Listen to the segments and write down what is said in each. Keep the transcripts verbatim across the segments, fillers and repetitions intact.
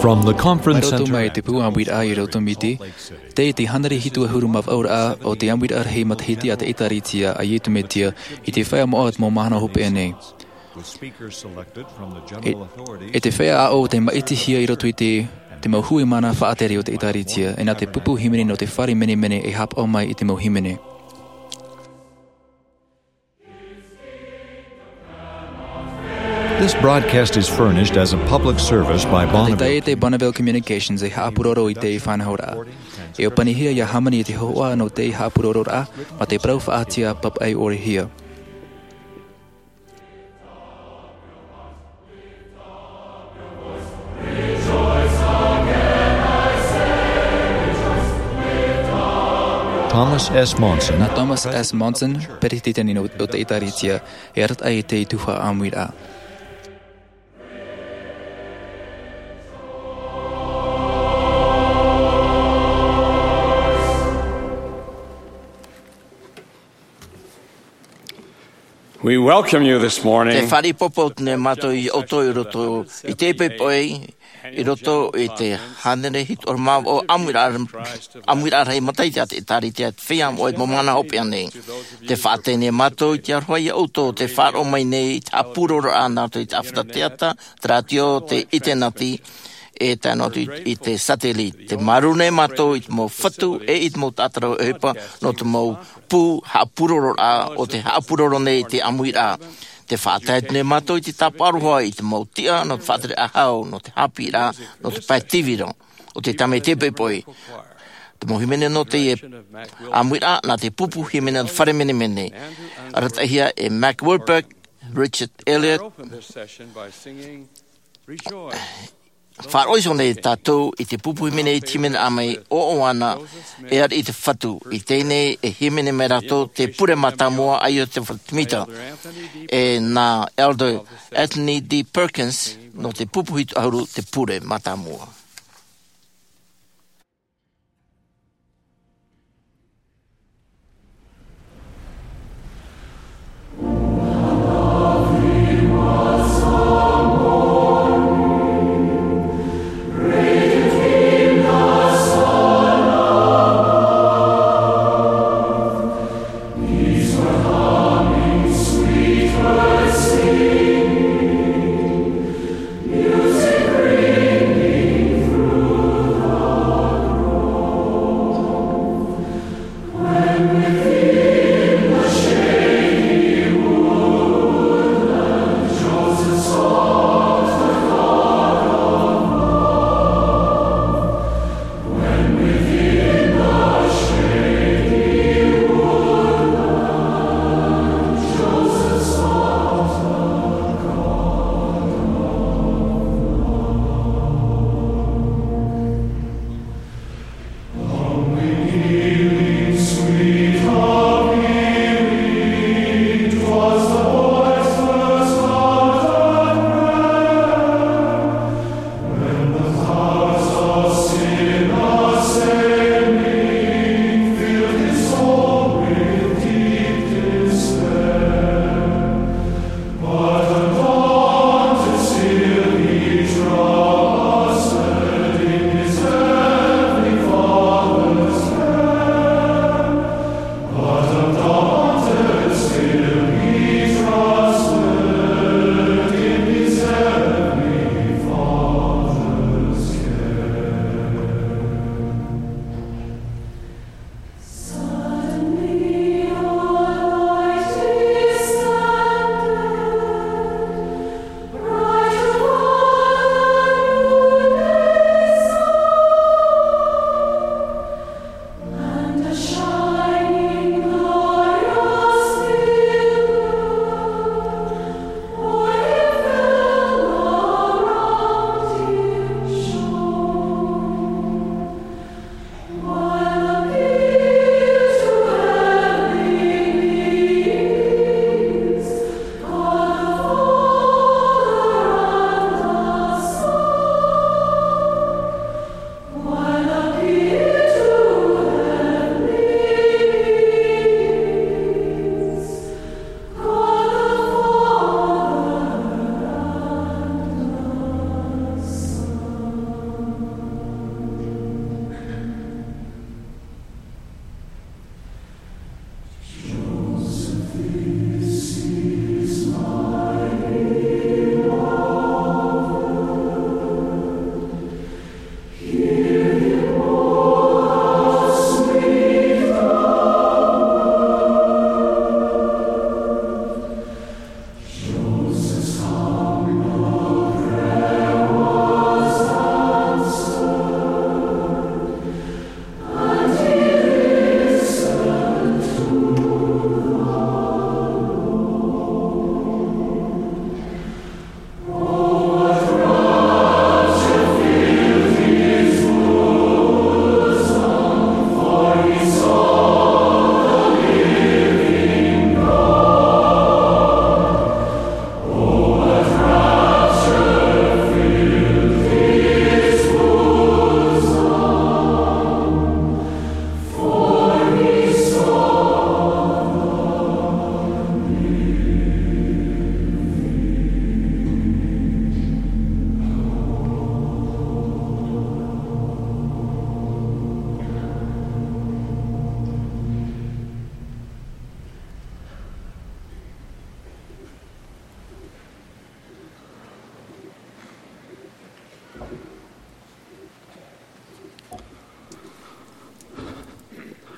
From the Conference Center. Mai roto mai te pū ʻāmuiraʻa i roto mai te, tei te hānere hitu ʻahuru mā vaʻu ra o te ʻāmuiraʻa rahi matahiti a te ʻĒtārētia a Iesu Mesia, i te feiā moʻa o te mau mahana hopeʻa nei. E, e te feiā ʻāʻau tei māʻitihia i roto i te, te mau hui mana faʻatere o te ʻĒtārētia, e nā te pupu hīmene nō te fare menemene e haʻapaʻo mai i te mau hīmene. This broadcast is furnished as a public service by Bonneville. Te Bonneville Communications e haʻapūroro i te faʻanahoraʻa. E ʻōpanihia ia hāmani i te hōhoʻa nō te haʻapūrororaʻa, mā te parau faʻaʻite papaʻi ʻore hia. Thomas S. Monson. Nā Thomas S. Monson, peretiteni nō, o te ʻĒtārētia, e arataʻi i te tuhaʻa ʻāmuiraʻa. We welcome you this morning. Te fāriʻi ʻāpōpō nei mātou ia ʻoutou i roto i te poʻipoʻi, i roto i te hānere hitu ʻahuru mā vaʻu ʻāmuiraʻa, ʻāmuiraʻa rahi matahiti a te ʻĒtārētia, te feiā moʻa o te mau mahana hopeʻa nei. Tē faʻaʻite nei mātou i te aroha ia ʻoutou, tē faʻaroʻo mai nei i te haʻapūrororaʻa nā roto i te ʻāfata teata, te rātio, te ʻinitēneti, e tae noa atu i, i te satellite. Tē māuruuru nei mātou i te mau fatu, e i te mau taʻata rave ʻohipa, nō te mau pū haʻapūrororaʻa, o tē haʻapūroro nei i te ʻāmuiraʻa. Tē faʻatae nei mātou i te tāpaʻo aroha i te mau tiʻa, nō te faʻatere ʻāhau, nō te haʻapiʻiraʻa, nō te pae tīvira, o te tāmau i te poʻipoʻi. Te mau hīmene nō teie ʻāmuiraʻa, nā te pupu hīmene nō te fare menemene. Arataʻihia e Mac Wilberg, Richard Elliott. Faʻaroʻo iho nei tātou i te pupu hīmene i te hīmene ʻāmui, ʻo ʻOana, e ariʻi i te Fatu. I teie nei e hīmene mai rātou te pure mātāmua, ʻAi ʻo te Fatu Tēmita. E nā Elder Anthony D. Perkins, nō te pupu hitu ʻahuru, te pure mātāmua.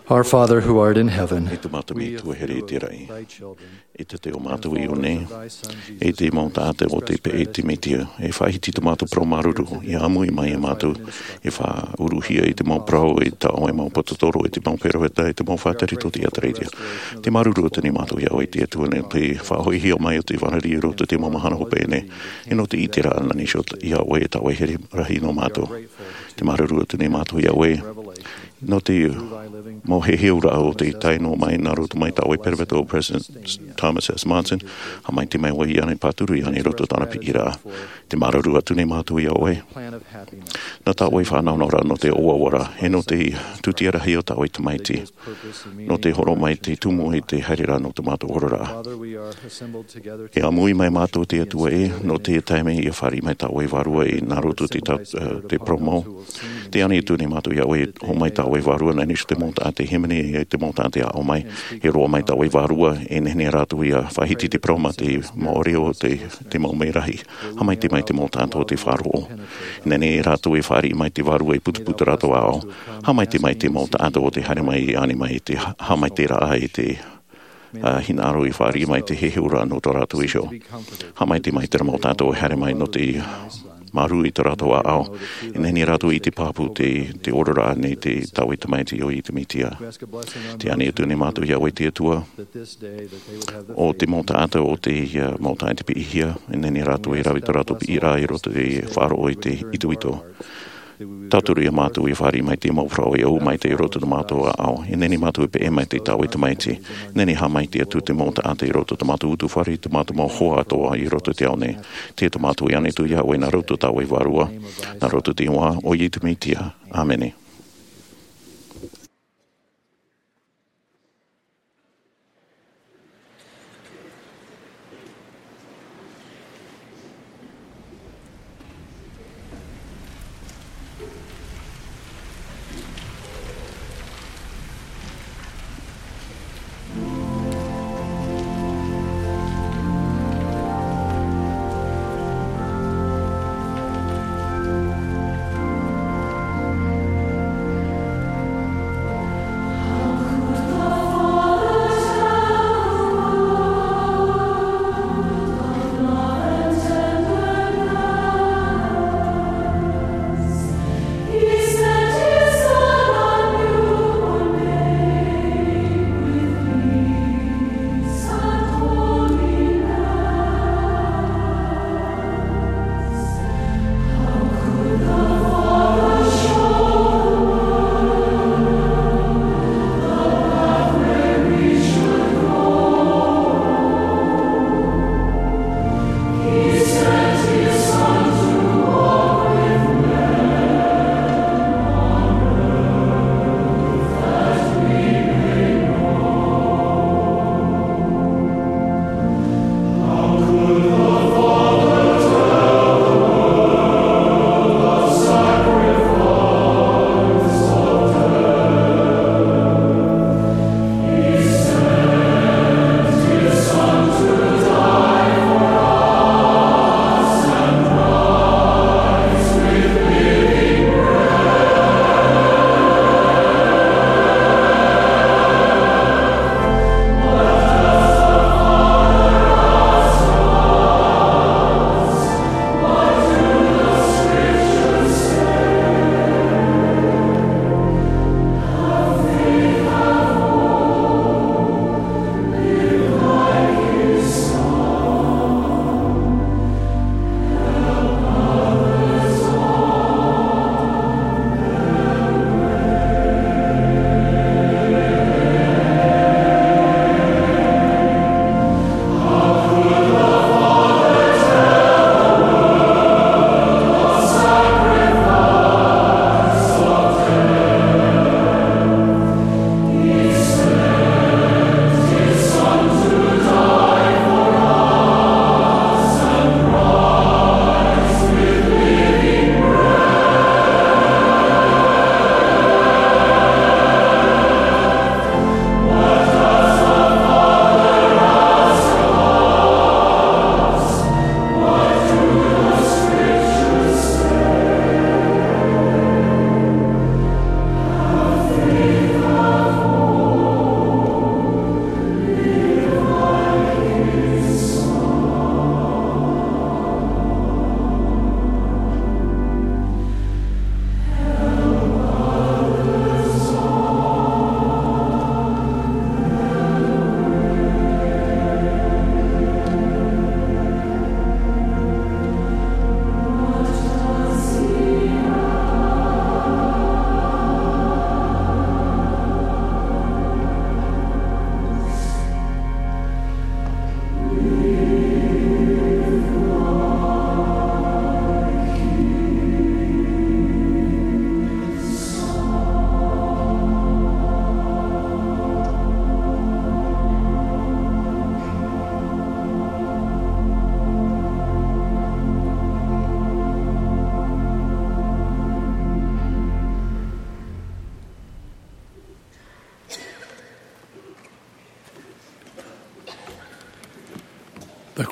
Our Father who art in heaven, e tō mātou Metua here i te raʻi, e tō mātou iʻoa nei, e te mau taʻata o te peʻe i te Mesia, e faʻahiti tō mātou parau māuruuru, ʻia ʻāmui mai iā mātou, e faʻauruhia i te mau parau, i tā ʻoe mau pōtotoro, i te mau peropheta, i te mau faʻatere tō te ʻĒtārētia. Te māuruuru atu nei mātou iā ʻoe te Atua nō te faʻahoʻihia mai o te fānau i roto i te mau mahana hopeʻa nei, e nō te ʻiteraʻa nā niʻa iho iā ʻoe e tāʻue here rahi nō mātou. Te māuruuru atu nei mātou iā ʻoe, nō te mau heheuraʻa o tei tae noa mai nā roto mai tā ʻoe peropheta ʻo President Thomas S. Monson, haʻamaitaʻi mai ʻoe iāna, pāturu iāna i roto i tāna piʻiraʻa. Te māuruuru atu nei mātou iā ʻoe, nō tā ʻoe fānauraʻa nō te ʻoaʻoa ra, e nō te tūtia rahi o tā ʻoe tamaiti, nō te hōroʻa mai te tumu i te haereraʻa nō tō mātou oraraʻa. E ʻāmui mai mātou te Atua ē, nō te taime ʻia fāriʻi mai tā ʻoe Vārua i nā roto i te ta-, eh, te parau mau. Tē ani atu nei mātou iā ʻoe, hōroʻa mai tā ʻoe Vārua nā niʻa iho i te mau taʻata hīmene, i te mau taʻata e aʻo mai. E roaʻa mai tā ʻoe Vārua, e nehenehe rātou ʻia faʻahiti te parau mā te mau reo o te, te mau merahi. Haʻamaitaʻi mai te mau taʻata o tei faʻaroʻo. E nehenehe rātou e fāriʻi mai te Vārua e putuputuraʻa ʻāʻau. Haʻamaitaʻi mai te mau taʻata o tei haere mai, ani mai te ha-, haʻamaitaʻiraʻa i te, ā, hinaʻaro i fāriʻi mai te heheuraʻa nō tō rātou iho. Haʻamaitaʻi mai terā mau taʻata e haere mai nō te māuruuru i tō rātou ʻāʻau. E nehenehe rātou e ʻite pāpū te, te oraraʻa nō te, tā ʻoe tamaiti ʻo Iesu Mesia. Tē ani atu nei mātou iā ʻoe te Atua, ʻo te mau taʻata o te, ā, mau taʻata piʻihia, e nehenehe rātou e rave tō rātou piʻiraʻa i roto i te faʻaroʻo i te itoito. Tauturu iā mātou e fāriʻi mai te mau parau e ʻō mai i roto i tō mātou ʻāʻau. E nehenehe mātou e peʻe mai i tā ʻoe tamaiti. E nehenehe haʻamaitaʻi atu te mau taʻata i roto i tō mātou ʻutuāfare, tō mātou mau hoa atoʻa i roto i te ao nei. Tē tō mātou e ani atu iā ʻoe nā roto i tā ʻoe Vārua, nā roto i te iʻoa o Iesu Mesia. ʻĀmene.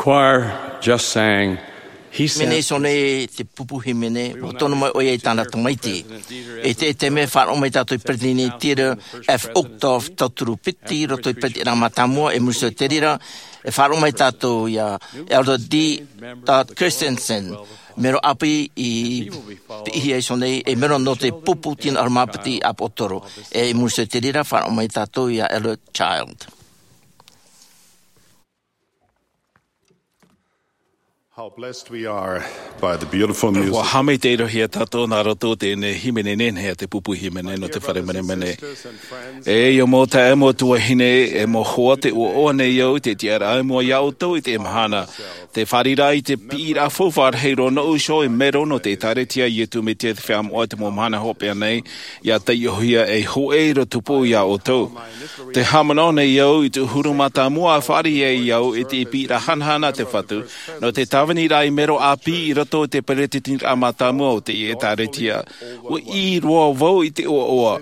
Choir just sang, he said, hīmene iho nei te pupu hīmene, ua tono mai ʻoia i tāna tamaiti. E te, e te mea faʻaroʻo mai tātou i Peresideni Theodore F. Uchtdorf, tauturu piti, i roto i te Peretiteni Mātāmua, e muri iho i te reira, e faʻaroʻo mai tātou ia Elder D. Todd Christensen, mero ʻāpī i te piʻihia iho nei, e mero nō te pupu tino ʻahuru mā piti ʻāpōsetolo. E muri iho i te reira, faʻaroʻo mai tātou ia Elder Child. How blessed we are by the beautiful music. Ua haʻamaitaʻihia tātou nā roto i teie nei hīmene nehenehe a te pupu hīmene nō te fare menemene. E ia mau taeaʻe, mau tuahine, e mau hoa, tē ʻoaʻoa nei au i te tiʻaraʻa i mua ia ʻoutou i teie mahana. Tē fāriʻi ra i te piʻiraʻa faufaʻa rahi roa nōʻu iho e mero nō te ʻĒtārētia a Iesu Mesia te Feiā Moʻa i te mau mahana hopeʻa nei, ʻia taiʻohia ei hōʻē ʻīrava tupu ia ʻoutou. Tē haʻamanaʻo nei au i te ʻahuru mā tāmua a fāriʻi ai au i te piʻiraʻa hanahana a te Fatu, nō te tāviniraʻa ei mero ʻāpī i roto i te Peresideni Mātāmua o te ʻĒtārētia. Ua ʻī roa vau i te ʻoaʻoa.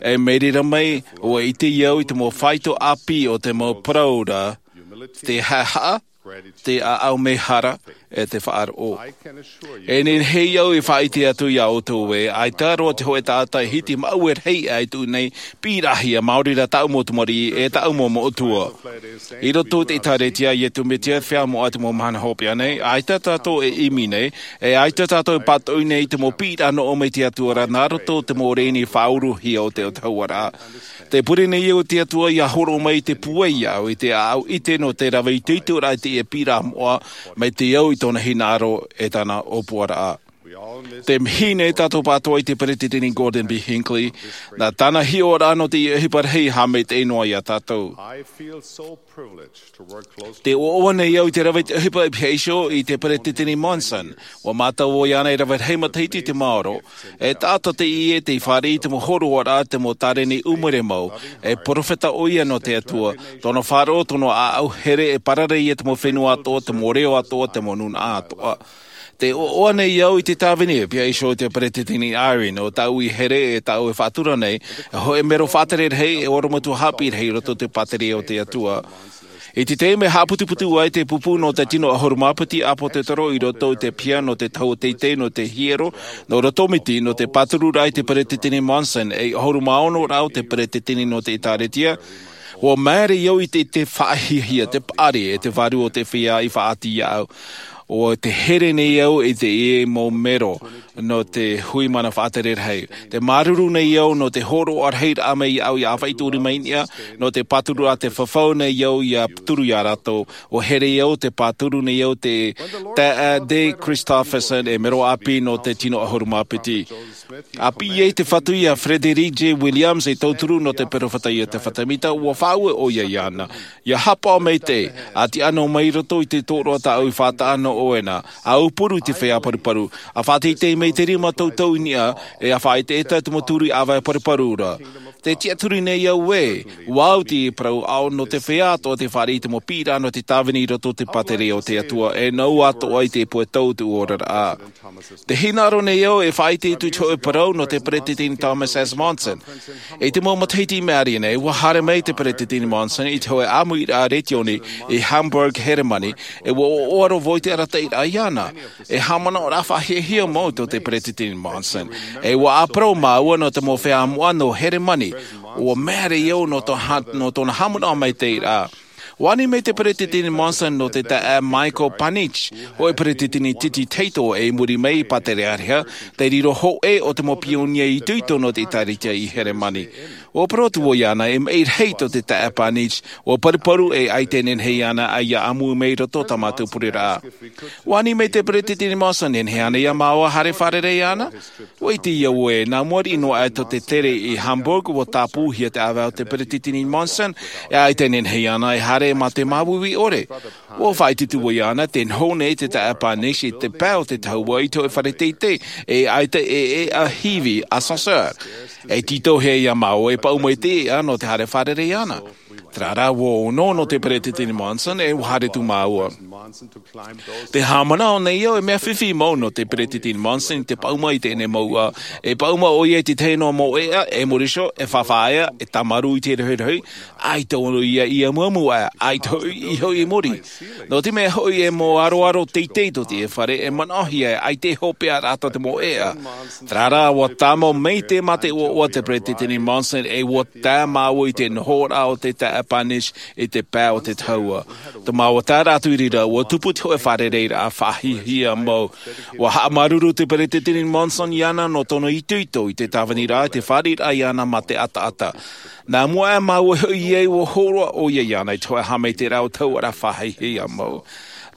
E mai reira mai, ua ʻite au i te mau faito ʻāpī o te mau parau ra, te haʻehaʻa, te ʻāʻau mehara, e te faʻaroʻo. E nehenehe au e faʻaʻite atu ia ʻoutou ē, ʻaita roa te hōʻē taʻata e hiti maʻue rahi aʻe i tō nei piʻiraʻahia, maori rā tāʻu mau tamariʻi, e tāʻu mau metua. I roto i te ʻĒtārētia a Iesu Mesia te Feiā Moʻa i te mau mahana hopeʻa nei, ʻaita tātou e ʻimi nei, e ʻaita tātou e pātoʻi nei i te mau piʻiraʻa nō ʻō mai te Atua ra nā roto i te mau rēni faʻauruhia o te autahuʻaraʻa. Tē pure nei au i te Atua ʻia hōroʻa mai i te pūai ia au i te ʻāʻau ʻite nō te rave itoitoraʻa i te piʻiraʻa moʻa, mai te au i tōna hinaʻaro e tāna ʻōpuaraʻa. Tē mihi nei tātou pātoʻa i te Peresideni Gordon B. Hinckley, nā tāna hiʻoraʻa nō te ʻohipa rahi e haʻamaitaʻi noa ia tātou. I feel so privileged to work closely. Tē ʻoaʻoa nei au i te rave i te ʻohipa i piha iho i te Peresideni Monson. Ua mātau ʻoia ānei e rave rahi matahiti i te maoro. E taʻata teie tei fāriʻi i te mau hōroaraʻa, te mau tāreni ʻūmere mau, e perofeta ʻoia nō te Atua. Tōna faʻaroʻo, tōna ʻāʻau here e parare ia te mau fenua atoʻa, te mau reo atoʻa, te mau nūnaʻa atoʻa. Tē ʻoaʻoa nei au i te tāvini e piha iho i te Peresideni Eyring, ʻo tāʻu i here, e tāʻu e faʻatura nei, e hōʻē mero faʻatere rahi, e orometua haʻapiʻi rahi i roto i te pātireia o te Atua. I te taime e haʻaputuputu ai te pupu nō te tino ʻahuru mā piti ʻāpōsetolo i roto i te piha nō te tahua teitei nō te hiero, nō roto miti nō te pātururaʻa i te Peresideni Monson, e ʻahuru mā ono rā o te Peresideni nō te ʻĒtārētia, ua māere au i te, te faʻahiahia, te paʻari, e te vārua o te feiā i faʻaʻati ia au. ʻUa here nei au i teie mau mero nō te hui mana faʻatere rahi. Tē māuruuru nei au nō te hōroʻa rahi raʻa mai ia au ia ʻāfaʻi turi mai niʻa, nō te pāturu a te fafau nei au ia turu ia rātou. ʻUa here au tē pāturu nei au i te taeaʻe D. Christofferson e mero ʻāpī nō te tino ʻahuru mā piti. ʻA piʻi ai te Fatu ia Frederick J. Williams ei tauturu nō te perofeta ia Iosefa Sāmita, ʻua faʻaue ʻoia iāna. ʻIa haʻapaʻo maitaʻi, ʻa tiʻa noa mai roto i te tōroʻa tāʻu i faʻataʻa nō ʻoe na, ʻa aupuru i te feiā paruparu, ʻa faʻateitei mai te rima tautau i niʻa, e ʻa faʻaʻetaʻeta i te mau turi ʻāvae paruparu ra. Tē tiʻaturi nei au ē, ʻua au i te parau ʻaʻau nō te feiā atoʻa tē fāriʻi i te mau piʻiraʻa nō te tāvini i roto i te pātireia o te Atua, e nāʻu atoʻa i te puai tau o te oraraʻa. Tē hinaʻaro nei au e faʻaʻite atu i te hōʻē parau nō te Peresideni Thomas S. Monson. I te mau matahiti i maʻiri nei, ʻua haere mai te Peresideni Monson i te hōʻē ʻāmuiraʻa retiōni i Hamburg, Heremani, e ʻua ʻoaʻoa roa vau i te arataʻiraʻa iāna. E haʻamanaʻoraʻa faʻahiahia mau tō te Peresideni Monson. E ʻua ʻāparau māua nō te mau feiā moʻa nō Heremani. ʻUa māere au nō tō ha-, nō tōna haʻamanaʻo maitaʻiraʻa. ʻUa ani mai te Peresideni Monson nō te taeaʻe Michael Panich, hōʻē peresideni titi tahito i muri mai i Pātereareha, te riro hōʻē o te mau pionia itoito nō te ʻĒtārētia i Heremani. ʻUa parau atu vau iāna e maʻi rahi tō te taeaʻe Panich, ʻua paruparu e ʻaita e nehenehe iāna ʻia ʻāmui mai i roto i tā mātou pureraʻa. ʻUa ani mai te Peresideni Monson e nehenehe ānei ia māua e haere fārerei iāna? ʻUa ʻite au ē, nā mua riʻi noa aʻe tō te tere i Hamburg, ʻua tāpūhia te ʻāvae o te Peresideni Monson, e ʻaita e nehenehe iāna e haere mā te māuiui ʻore. ʻUa faʻaʻite atu vau iāna, tē noho nei te taeaʻe Panich i te pae o te tahua i te hōʻē fare teitei, e ʻaita e, e ʻāhivi, ascenseur. E tītauhia ia māua e paʻuma i te iʻa nō te haere fārerei iāna. Terā rā, ʻua ono nō te Peresideni Monson, e ʻua haere atu māua. Te haʻamanaʻo nei au e mea fifi mau nō te Peresideni Monson i te paʻuma i teie nei mouʻa. E paʻuma ʻoia i te tahi noa mau ʻēʻa, e mōriso, e faʻaea, e tāmarū i te rohirohi, ʻaita ʻōna ia i amuamu ā, ʻaita hoʻi i hoʻi i muri. Nō te mea hoʻi e mau aroaro teitei tō teie fare e manaʻohia e ʻaita e hopeʻa rātou te mau ʻēʻa. Terā rā, ʻua tāmau mai te mate ʻoaʻoa te Peresideni Monson e ʻua tae māua i te nohoraʻa o te taeaʻe Parnish i te pae o te tahua. Te mau taʻata i reira, ʻua tupu te hōʻē fārereiraʻa faʻahiahia mau. ʻUa haʻamāuruuru te Peresideni Monson iāna nō tōna itoito i te tāviniraʻa, i te fāriʻiraʻa iāna mā te ʻataʻata. Nā mua aʻe māua hoʻi i ʻō, ʻua hōroʻa ʻoia iāna i te hōʻē haʻamaitaʻiraʻa o te hauʻaraʻa faʻahiahia mau.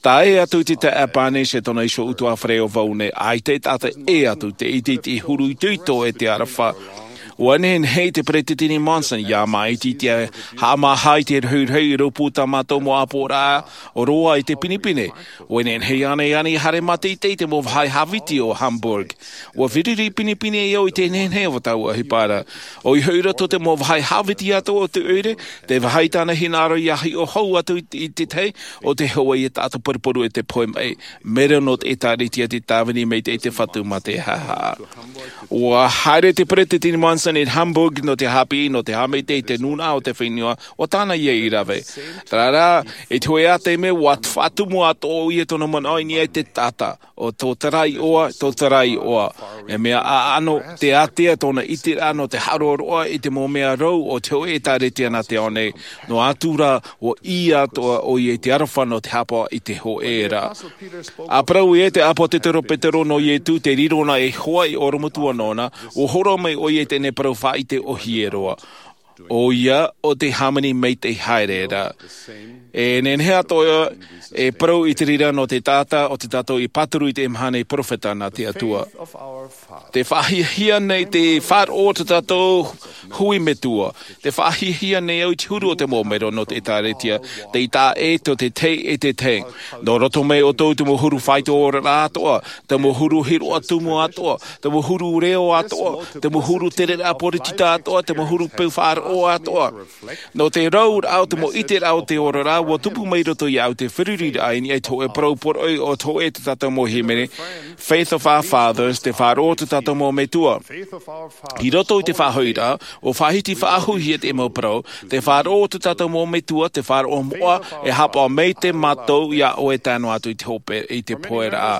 Tae atu i te taeaʻe Parnish e tōna iho ʻutuāfare ʻo Vaughn, ʻaita e taʻata ʻē atu te ʻiteʻite huru itoito e te aroha. ʻUa nehenehe te Peresideni Monson ia māʻiti i te haʻamāha i te rohirohi i rōpū tā mātou mau ʻāpoʻoraʻa roa i te pinepine. ʻUa nehenehe ānei ānei haere mātaʻitaʻi te mau vāhi hāviti o Hamburg. ʻUa fāriʻi pinepine au i te nehenehe o taua ʻohipa ra. ʻOia hoʻi i roto i te mau vāhi hāviti atoʻa o te ʻoire, te vāhi tāna hinaʻaro ia hiʻo hou atu i te tahi, ʻo te hōʻē ia taʻata paruparu e te pohe mai. Mero nō te ʻĒtārētia te tāvini maitaʻi te Fatu mā te haʻahaʻa. ʻUa haere te Peresideni Monson i Hamburg nō te haʻapiʻi, nō te haʻamaitaʻi i te nūnaʻa o te fenua, ʻo tāna ia i rave. Terā rā, i te hōʻē taime, ʻua faʻatumu atoʻa ʻoia tōna manaʻo i niʻa i te taʻata, ʻo tō terā iʻoa, tō terā iʻoa. E mea ʻaʻano, te ātea tōna ʻiteraʻa nō te haʻaroaroa i te mau mea rau o te hōʻē ʻĒtārētia nā te ao nei, noa atu rā, ʻua ʻī atoʻa ʻoia i te aroha nō te haʻapaʻo i te hōʻē ra. ʻA parau ē te ʻāpōsetolo Petero nō Ietu, te riro na e hoa i orometua nōna, ʻua hōroʻa mai ʻoia i teie nei parau faʻaʻite ʻōhie roa. ʻOia, ʻo te hāmani maitaʻi haere ra. E nehenehe atoʻa e parau i te reira nō te taʻata o te tātou i pāturu i te mahana i perofeta nā te Atua. Te faʻahiahia nei te faʻaroʻo o te tātou hui metua. Te faʻahiahia nei au i te huru o te mau mero nō te ʻĒtārētia, tei taʻa ʻē tō te tahi e te tahi. Nō roto mai ʻoutou te mau huru faito oraraʻa atoʻa, te mau huru hiroʻa tumu atoʻa, te mau huru reo atoʻa, te mau huru tereraʻa poritita atoʻa, te mau huru peu faʻaroʻo atoʻa. Nō te rauraʻa o te mau ʻiteraʻa o te oraraʻa, ʻua tupu mai roto iāʻu te feruriraʻa i niʻa i te hōʻē parau poroʻi o te hōʻē tō tātou mau hīmene, Faith of Our Fathers, te faʻaroʻo o tō tātou mau metua. I roto i te faʻahoʻiraʻa, ʻua faʻahiti faʻahouhia te mau parau, te faʻaroʻo o tō tātou mau metua, te faʻaroʻo moʻa, e haʻapaʻo maitaʻi mātou iā ʻoe tae noa atu i te hope, i te poheraʻa.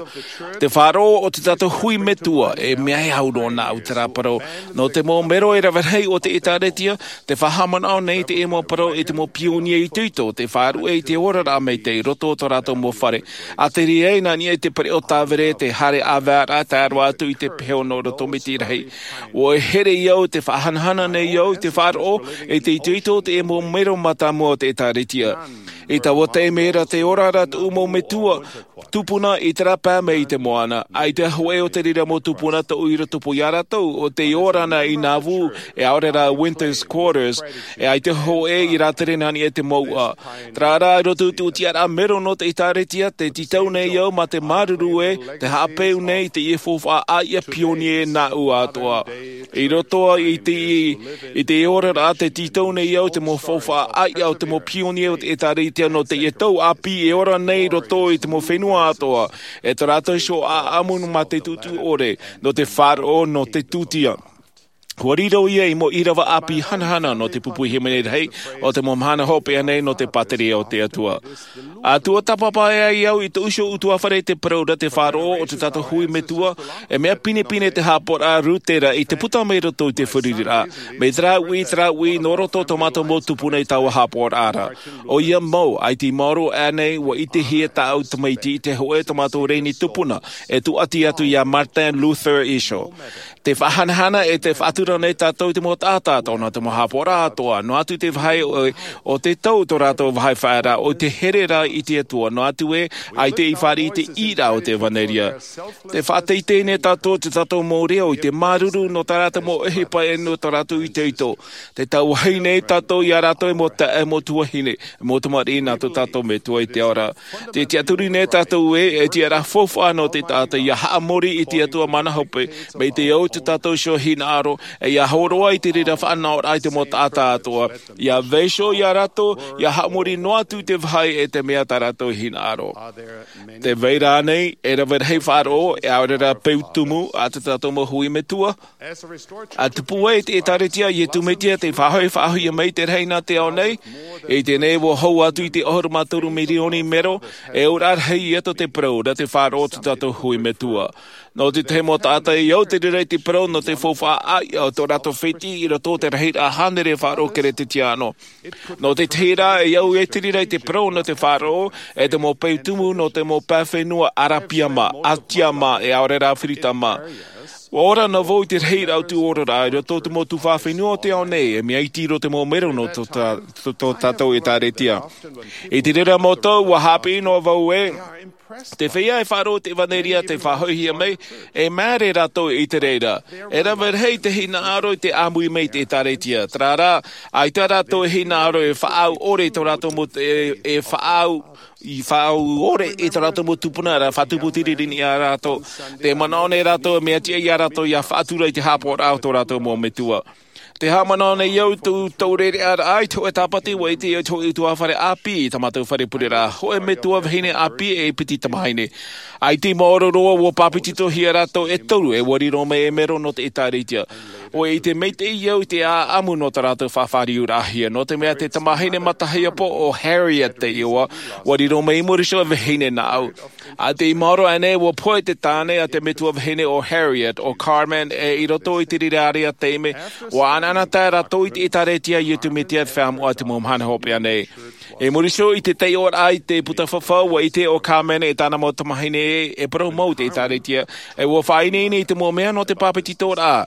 Te faʻaroʻo o tō tātou hui metua, e mea e au roa nāʻu terā parau, nō te mau mero e rave rahi o te ʻĒtārētia, te faʻahaʻamanaʻo nei i te mau parau e te mau pionie itoito, te faʻaruʻe i te oraraʻa maitaʻi i roto o tō rātou mau fare. ʻA tere ai nā niʻa i te pereʻoʻo tāvere, te haere ʻāvaeraʻa, tae roa atu i te peho nō roto mai te rahi. ʻUa here au, te faʻahanahana nei au i te faʻaroʻo, e te itoito o te mau mero mātāmua o te ʻĒtārētia. I taua taime ra te ora ra tōʻu mau metua, tupuna i terā pae mai i te moana. ʻAita hōʻē o te reira mau tupuna tōʻu i rotopū iā rātou, ʻo tei ora na i Nauvoo, e ʻaore rā Winter's Quarters, e ʻaita hōʻē i rātere nā niʻa i te mouʻa. Terā rā, i roto i te tiʻaraʻa mero nō te ʻĒtārētia, tē tītau nei au mā te māuruuru ē, tē haʻapeu nei i teie faufaʻa ʻāiʻa pionie nāʻu atoʻa. I roto i te, i te oraraʻa, tē tītau nei au te mau faufaʻa ʻāiʻa o te mau pionie o te ʻĒtārētia nō teie tau ʻāpī e ora nei i roto i te mau fenua atoʻa. E tō rātou iho ʻāʻamu mā te tūtū ʻore, nō te faʻaroʻo, nō te tūtia. ʻUa riro ia i mau ʻīrava ʻāpī hanahana nō te pupu hīmene rahi o te mau mahana hopeʻa nei nō te pātireia o te Atua. ʻA tuatāpapa ai au i tōʻu iho ʻutuāfare i te parau ra te faʻaroʻo o tō tātou hui metua, e mea pinepine te haʻapaʻoraʻa Rutera i te puta mai roto i te feruriraʻa. Mai terā uʻi, terā uʻi, nō roto tō mātou mau tupuna i taua haʻapaʻoraʻa ra. ʻOia mau, ʻaita i maoro aʻenei, ʻua ʻitehia tāʻu tamaiti i te hōʻē tō mātou reni tupuna, e tūʻati atu iā Martin Luther iho. Te faʻahanahana e te faʻatura nei tātou i te mau taʻata, tōna te mau haʻapaʻoraʻa atoʻa, noa atu te vāhi o, o te tau tō rātou vāhi faʻaearaʻa, ʻo te here ra i te Atua, noa atu ē, ʻaita i fāriʻi i te ʻīraʻa o te ʻevanelia. Te faʻateitei nei tātou, tō tātou mau reo i te māuruuru nō tā rātou mau ʻohipa e nō tō rātou itoito. Tē tauahi nei tātou iā rātou e mau taeaʻe, mau tuahine, mau tamariʻi nā tō tātou Metua i te ao ra. Tē tiʻaturi nei tātou ē, e tiʻaraʻa faufaʻa nō te taʻata ʻia haʻamori i te Atua mana hope, mai te au tō tātou iho hinaʻaro, ʻe ia hōroʻa i te reira faʻanahoraʻa i te mau taʻata atoʻa, ia vaiiho ia rātou ia haʻamori noa atu i te vāhi e te mea tā rātou e hinaʻaro. Te vai ra nei e rave rahi faʻaroʻo, e ʻaore rā peu tumu a tō tātou mau hui metua. A tupu ai te ʻĒtārētia a Iesu Mesia, tei faʻahoʻi faʻahoʻihia mai te rahi nā te ao nei. I teie nei ua hou atu i te ʻahuru mā toru mirioni mero, e auraʻa rahi ia tō te parau nā te faʻaroʻo o tō tātou hui metua. Nō te tahi mau taʻata i au te reira i te parau nō te faufaʻa ʻāiʻa o tō rātou fētiʻi i roto i te rahiraʻa hānere faʻaroʻo Keresetiano. Nō te tahi rā, e au e te reira i te parau nō te faʻaroʻo e te mau peu tumu nō te mau pae fenua Arabia mā, Asia mā, e ʻaore rā Afirika mā. Ua ora noa vau i te rahiraʻa o te oraraʻa i roto i te mau tuhaʻa fenua o te ao nei, e mea iti roa te mau mero nō tō tā-, tō, tō tātou ʻĒtārētia. I te reira mau tau, ua haʻapiʻi noa vau ē, te feiā e faʻaroʻo i te ʻevanelia tei faʻahoʻihia mai, e māere rātou i te reira. E rave rahi te hinaʻaro i te ʻāmui mai i te ʻĒtārētia. Terā rā, ʻaita rātou e hinaʻaro e faʻaau ʻore i tō rātou mau, e, e faʻaau, i faʻaau ʻore i tō rātou mau tupuna ra, faʻatupu tiriti nei ia rātou. Te manaʻo nei rātou, mea tiʻa ia rātou ia faʻatura i te haʻapaʻoraʻa o tō rātou mau metua. Te haʻamanaʻo nei au i tō, tō reira ra, i te hōʻē Tāpati, ua ʻite au i te hōʻē ʻutuāfare ʻāpī i tā mātou fare pureraʻa, hōʻē metua vahine ʻāpī e piti tamāhine. ʻAita i maoro roa, ua pāpetitohia rātou e toru, e ua riro mai ei mero nō te ʻĒtārētia. Ua ʻite maitaʻi au i te ʻāʻamu nō tā rātou faʻafāriuraʻahia, nō te mea te tamāhine matahiapo o Harriet te iʻoa, ua riro mai i muri iho e vahine nā ʻu. ʻAita i maoro aʻenei, ua pohe te tāne a te metua vahine o Harriet, ʻo Carmen, ʻe i roto i te reira ʻārea taime, ua ʻanaʻanatae rātou i te ʻĒtārētia a Iesu Mesia i te feiā moʻa i te mau mahana hopeʻa nei. I muri iho i te taiʻoraʻa i te puta fafau, ua ʻite ʻo Carmen e tāna mau tamāhine e, e parau mau i te ʻĒtārētia, ʻe ua faʻaineine i te mau mea nō te pāpetitoraʻa.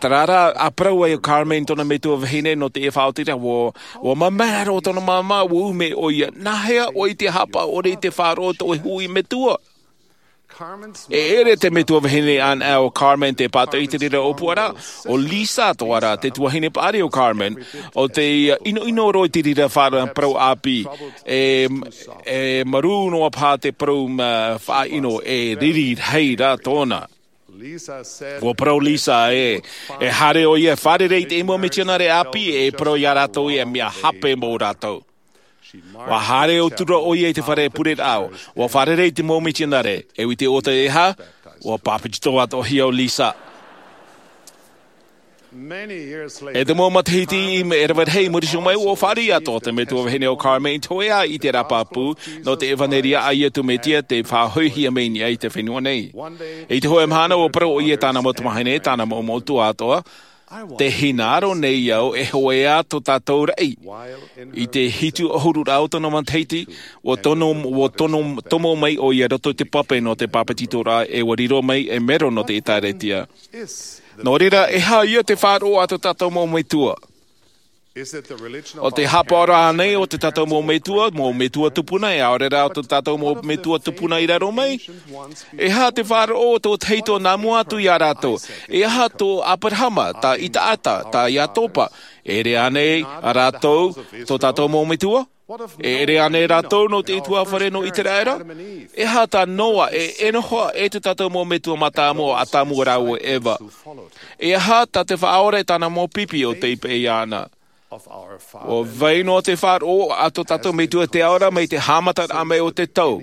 Terā rā, a parau ai ʻo Carmen i tōna metua vahine nō te faʻaotiraʻa, ua, ua mamae roa tōna māmā, ua ʻume ʻoia, nāhea ʻoe i te haʻapaʻo ʻore i te faʻaroʻo i tō ʻoe hui metua? E ʻere te metua vahine anaʻe o Carmen te pātoʻi i te reira ʻōpuaraʻa. ʻO Lisa atoʻa rā te tuahine paʻari o Carmen, ʻo tei ʻinoʻino roa i te reira faʻaroʻo parau ʻāpī, e, e marū noa paha te parau, ā, faʻaʻino, e riri rahi rā tōna. Ua parau Lisa ē, e haere ʻoia e fārerei i te mau mitionare ʻāpī, e parau ia rātou ē, mea hape mau rātou. Ua haere atu ra ʻoia i te fare pureraʻa, ua fārerei i te mau mitionare, e ʻite ʻoutou e aha, ua pāpetito atoʻahia ʻo Lisa. E te mau matahiti i me-, e rave rahi i muri iho mai, ua fāriʻi atoʻa te metua vahine o Carmen i te hōʻē ʻāʻī i te rāpapū nō te ʻevanelia a Iesu Mesia tei faʻahoʻihia mai i niʻa i te fenua nei. I te hōʻē mahana, ua parau ʻoia i tāna mau tamāhine, tāna mau metua atoʻa, tē hinaʻaro nei au e hōʻē ā tō tātou raʻi. I te hitu ʻahuru rā o tōna matahiti, ua tono, ua tono, tomo mai ʻoia i roto i te pape nō te pāpetitoraʻa, e ua riro mai ei mero nō te ʻĒtārētia. Nō reira, e aha ia te faʻaroʻo a tō tātou mau metua? ʻO te haʻapaʻoraʻa ānei o tō tātou mau metua, mau metua tupuna, e ʻaore rā ʻo tō tātou mau metua tupuna i raro mai? E aha te faʻaroʻo o tō tahito nā mua atu ia rātou? E aha tō Aperahama, tā Isaaka, tā Iakoba? E ʻere ānei rātou tō tātou mau metua? E ʻere ānei rātou nō te ʻutuāfare nō Iseraela? E aha tā Noa, e Enoha, e tō tātou mau metua mātāmua, ʻo Atamu rāua ʻo Eva? E aha tā te Faʻaora e tāna mau pipi ʻo tei peʻe iāna? ʻUa vai noa te faʻaroʻo a tō tātou metua i te ao ra mai te haʻamataraʻa mai o te tau,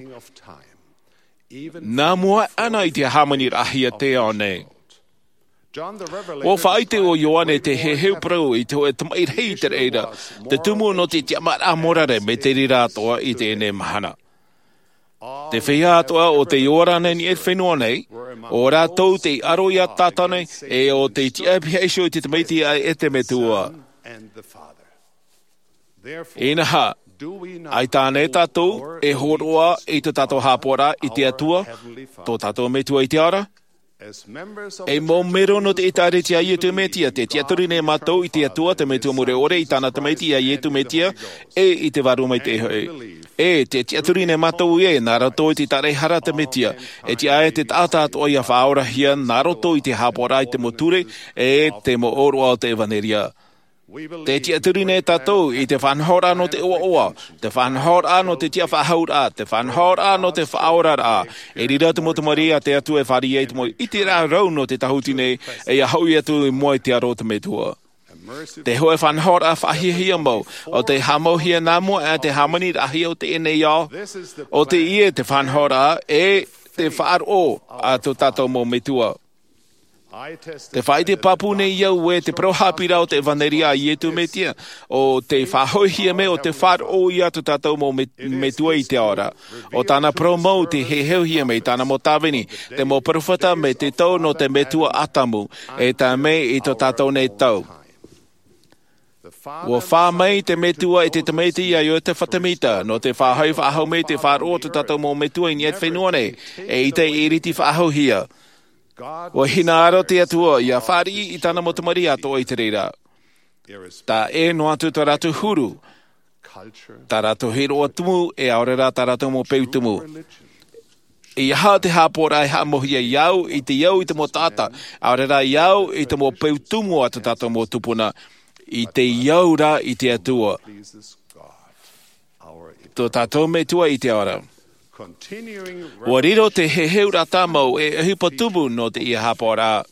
nā mua aʻe na i te hāmaniraʻahia i te ao nei. ʻUa faʻaʻite ʻo Ioane te heheu parau i te hōʻē tamaʻi rahi i te reira, te tumu nō te tiʻamāraʻa morare mai te reira atoʻa i teie mahana. Te feiā atoʻa o tei ora nei i te fenua nei, ʻo rātou tei aro ia Sātane, e ʻo tei tiʻa pihaʻi iho i te Tamaiti ʻe te Metua. Inaha, ʻaita ānei tātou e hōroʻa i tō tātou haʻapaʻoraʻa i te Atua, tō tātou Metua i te ao ra? Ei mau mero nō te ʻĒtārētia a Iesu Mesia, tē tiʻaturi nei mātou i te Atua, te Metua Mure ʻore, i tāna Tamaiti a Iesu Mesia, ʻe i te Vārua Maitaʻi hoʻi. ʻE tē tiʻaturi nei mātou ē, nā roto i te tāraʻehara a te Mesia, e tiʻa ai te taʻata atoʻa ia faʻaorahia nā roto i te haʻapaʻoraʻa i te mau ture, ʻe te mau ʻōroʻa o te ʻevanelia. Te tiʻaturi nei tātou i te faʻanahoraʻa nō te ʻoaʻoa, te faʻanahoraʻa nō te tiʻafaʻahouraʻa, te faʻanahoraʻa nō te faʻaoraraʻa. I reira te mau tamariʻi a te Atua e fāriʻi i te mau ʻiteraʻa rau nō te tāhuti nei, e ia hoʻi atu i mua i te aro o te Metua. Te hōʻē faʻanahoraʻa faʻahiahia mau, ʻo tē haʻamauhia nā mua aʻe te hāmaniraʻahia o teie nei ao. ʻO teie te faʻanahoraʻa e te faʻaroʻo a tō tātou mau metua. Te faʻaʻite pāpū nei au e te parau haʻapiʻiraʻa o te ʻevanelia a Iesu Mesia, ʻo tē faʻahoʻihia mai ʻo tē faʻaroʻo ia tō tātou mau me-, metua i te ao ra. ʻO tāna parau mau tē heheuhia mai i tāna mau tāvini, te mau perofeta mai te tau nō te metua Atamu, e tae mai i tō tātou nei tau. ʻUa fā mai te Metua i te Tamaiti a Iotefa Temita, nō te faʻahoʻi faʻahou mai te faʻaroʻo o tō tātou mau metua i niʻa i te fenua nei, eʻita e ʻiriti faʻahouhia. ʻUa hinaʻaro te Atua ia fāriʻi i tāna mau tamariʻi atoʻa i te reira. Taʻa ʻē noa atu tā rātou huru, tā rātou hiroʻa tumu, e ʻaore rā tā rātou mau peu tumu. ʻEiaha te haʻapaʻoraʻa e haʻamauhia iāʻu i te au i te mau taʻata, ʻaore rā iāʻu i te mau peu tumu a tō tātou mau tupuna, i te au rā i te Atua, tō tātou Metua i te ao ra. ʻUa riro te heheuraʻa tāmau e ʻohipa tumu nō teie haʻapaʻoraʻa.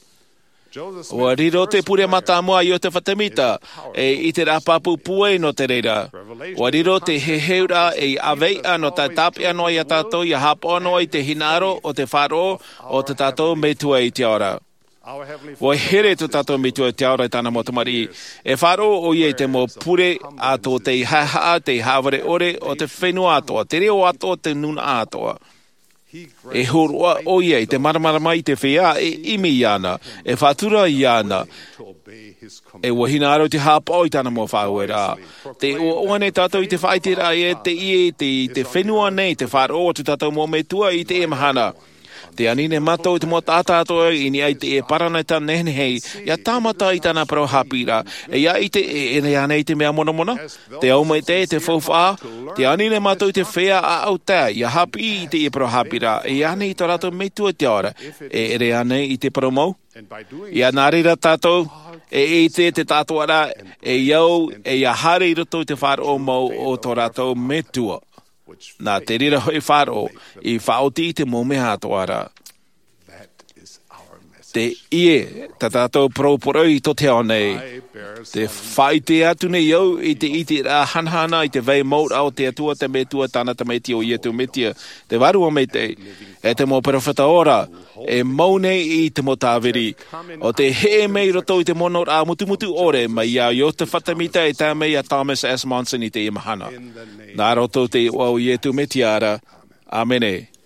ʻUa riro te pure mātāmua a Iotefa Temita, e ʻiteraʻa pāpū pūai nō te reira. ʻUa riro te heheuraʻa e ʻāveiʻa nō te tāpeʻa noa ia tātou ia haʻapaʻo noa i te hinaʻaro o te faʻaroʻo o tō tātou Metua i te ao ra. ʻUa here tō tātou Metua i te ao ra i tāna mau tamariʻi. E faʻaroʻo ʻoia i te mau pure a tō te haʻehaʻa, te haʻavare ʻore o te fenua atoʻa, te reo atoʻa, te nūnaʻa atoʻa. E hōroʻa ʻoia i te māramarama i te feiā e ʻimi iāna, e faʻatura iāna. E ʻua hinaʻaro te haʻapaʻo i tāna mau faʻaueraʻa. Tē ʻoaʻoa nei tātou i te faʻaʻiteraʻa e teie i te, i te fenua nei, te faʻaroʻo o tō tātou mau metua i teie mahana. Tē ani nei mātou i te mau taʻata atoʻa i niʻa i teie paraneta nehenehe, ia tāmata i tāna parau haʻapiʻiraʻa, e ia ʻite e ʻere ānei i te mea monamona, te au maitaʻi, te faufaʻa. Tē ani nei mātou i te feiā ʻāʻau tae, ia haʻapiʻi i teie parau haʻapiʻiraʻa, e ānei i tō rātou Metua i te ao ra, e ʻere ānei i te parau mau. Ia nā reira tātou, e ʻite te taʻatoʻaraʻa, e au, e ia haere i roto i te faʻaroʻo mau o tō rātou Metua. Nā te reira hoʻi faʻaroʻo, i faʻaoti i te mau mea atoʻa ra. Teie tā tātou parau poroʻi i tō te ao nei. Tē faʻaʻite atu nei au i te ʻiteraʻa hanahana i te vai mau ra o te Atua, te Metua, tāna Tamaiti ʻo Iesu Mesia, te Vārua Maitaʻi, e te mau perofeta ora, e mau nei i te mau tāviri, ʻo tē heʻe mai i roto i te monoraʻa mutumutu ʻore mai iā Iotefa Temita e tae mai iā Thomas S. Monson i teie mahana. Nā roto i te iʻoa o Iesu Mesia ra. ʻĀmene.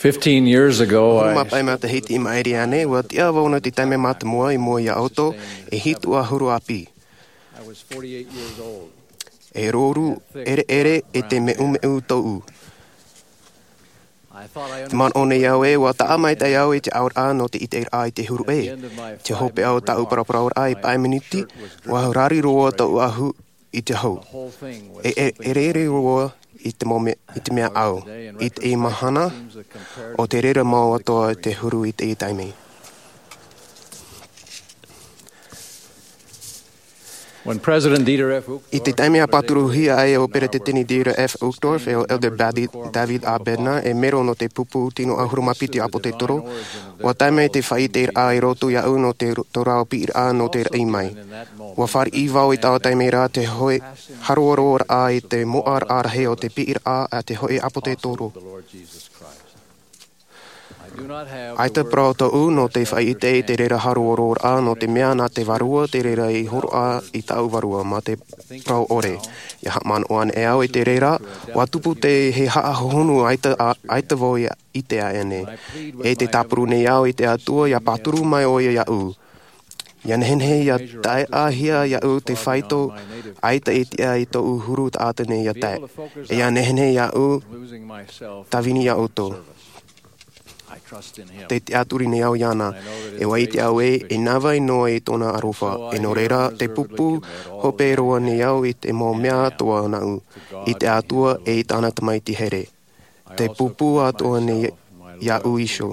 Fifteen years ago, I Hōʻē matahiti i maʻiri aʻe nei, ʻua tiʻa vau nō te taime mātāmua i mua iā ʻoutou, e hitu ʻahuru ʻāpī. I was forty-eight years old. E rōrū ʻereʻere e te meʻumeʻu tōʻu. I thought I Te manaʻo nei au ē, ʻua taʻa maitaʻi au i te ʻauraʻa nō te ʻiteraʻa i te huru ʻē. Te hopeʻa o tāʻu paraparauraʻa i pae minuti, ʻua rari roa tōʻu ʻahu i te hau. E, e, e rere roa i te mau me-, i te mea au. I teie mahana, ʻo te rere mau atoʻa te huru i teie taime. When President Dieter F. Uchtdorf I te taime a pāturuhia ai ʻo Peretiteni Dieter F. Uchtdorf e ʻo Elder Badi-, David A. Bednar, e mero nō te pupu tino ʻahuru mā piti ʻĀpōtetoro, ʻua tae mai te faʻaʻiteraʻa i roto iāʻu nō te ro-, tō rāua piʻiraʻa nō te raʻi mai. ʻUa fāriʻi vau i taua taime ra te hōʻē haroharoraʻa i te moʻaraʻa rahi o te piʻiraʻa a te hōʻē ʻĀpōtetoro. ʻAita parau tōʻu nō te faʻaʻite i te reira haroharoraʻa, nō te mea nā te Vārua te reira i hōroʻa i tāʻu vārua, mā te parau ʻore. ʻIa haʻamanaʻo anaʻe au i te reira, ʻua tupu te, he haʻahohonu ʻaita, ʻa-, ʻaita vau ʻia ʻite aʻe nei. E tē tāpuru nei au i te Atua, ʻia pāturu mai ʻoia iāʻu. ʻIa nehenehe ʻia taeaʻehia iāʻu te faito, ʻaita e tiʻa i tōʻu huru taʻata nei ʻia tae. E ʻia nehenehe iāʻu tāvini iā ʻoutou. Te tiʻaturi nei au iāna, e ʻua ʻite au ē, e navai noa i tōna aroha. E nō reira, te pūpū hope roa nei au i te mau mea atoʻa nāʻu, i te Atua e i tāna Tamaiti here. Te pūpū atoʻa nei iāʻu iho,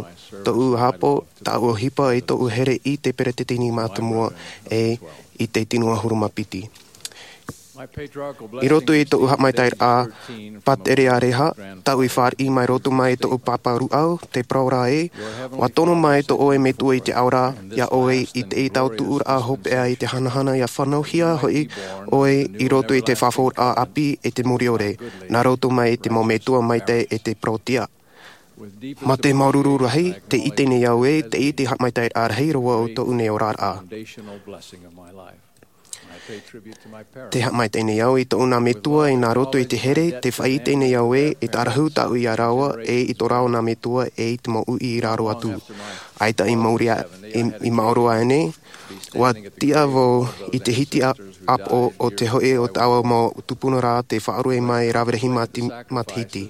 tōʻu ʻāpō, tāʻu ʻohipa e tōʻu here i te peretiteni mātāmua e i te tino ʻahuru mā piti. I roto i tōʻu haʻamaitaʻiraʻa pātereareha, taʻu i fāriʻi mai roto mai tōʻu pāpā rūʻau, te parau ra ē, ʻua tono mai tō ʻoe Metua i te ao ra, iā ʻoe i te tautuʻuraʻa hopeʻa i te hanahana ʻia fānauhia hoʻi ʻoe i roto i te fafauraʻa ʻāpī e te muriore, nā roto mai i te mau metua maitaʻi e te parau tiʻa. Mā te māuruuru rahi, tē ʻite nei au ē, tē ʻite haʻamaitaʻiraʻa rahi roa o tōʻu nei oraraʻa. Te haʻamaitaʻi nei au i tōʻu nā metua e nā roto i te here, tē faʻaʻite nei au ē, e tārahu tāʻu iā rāua, e i tō rāua nā metua, e i te mau uʻi i raro atu. ʻAita i mauri a-, i, i maoro aʻenei, ʻua tiʻa vau i te hiti a-, ʻāpoʻo o te hoʻi o taua mau tupuna ra tē faʻaroʻo mai e Raverahi Mati-, Matahiti.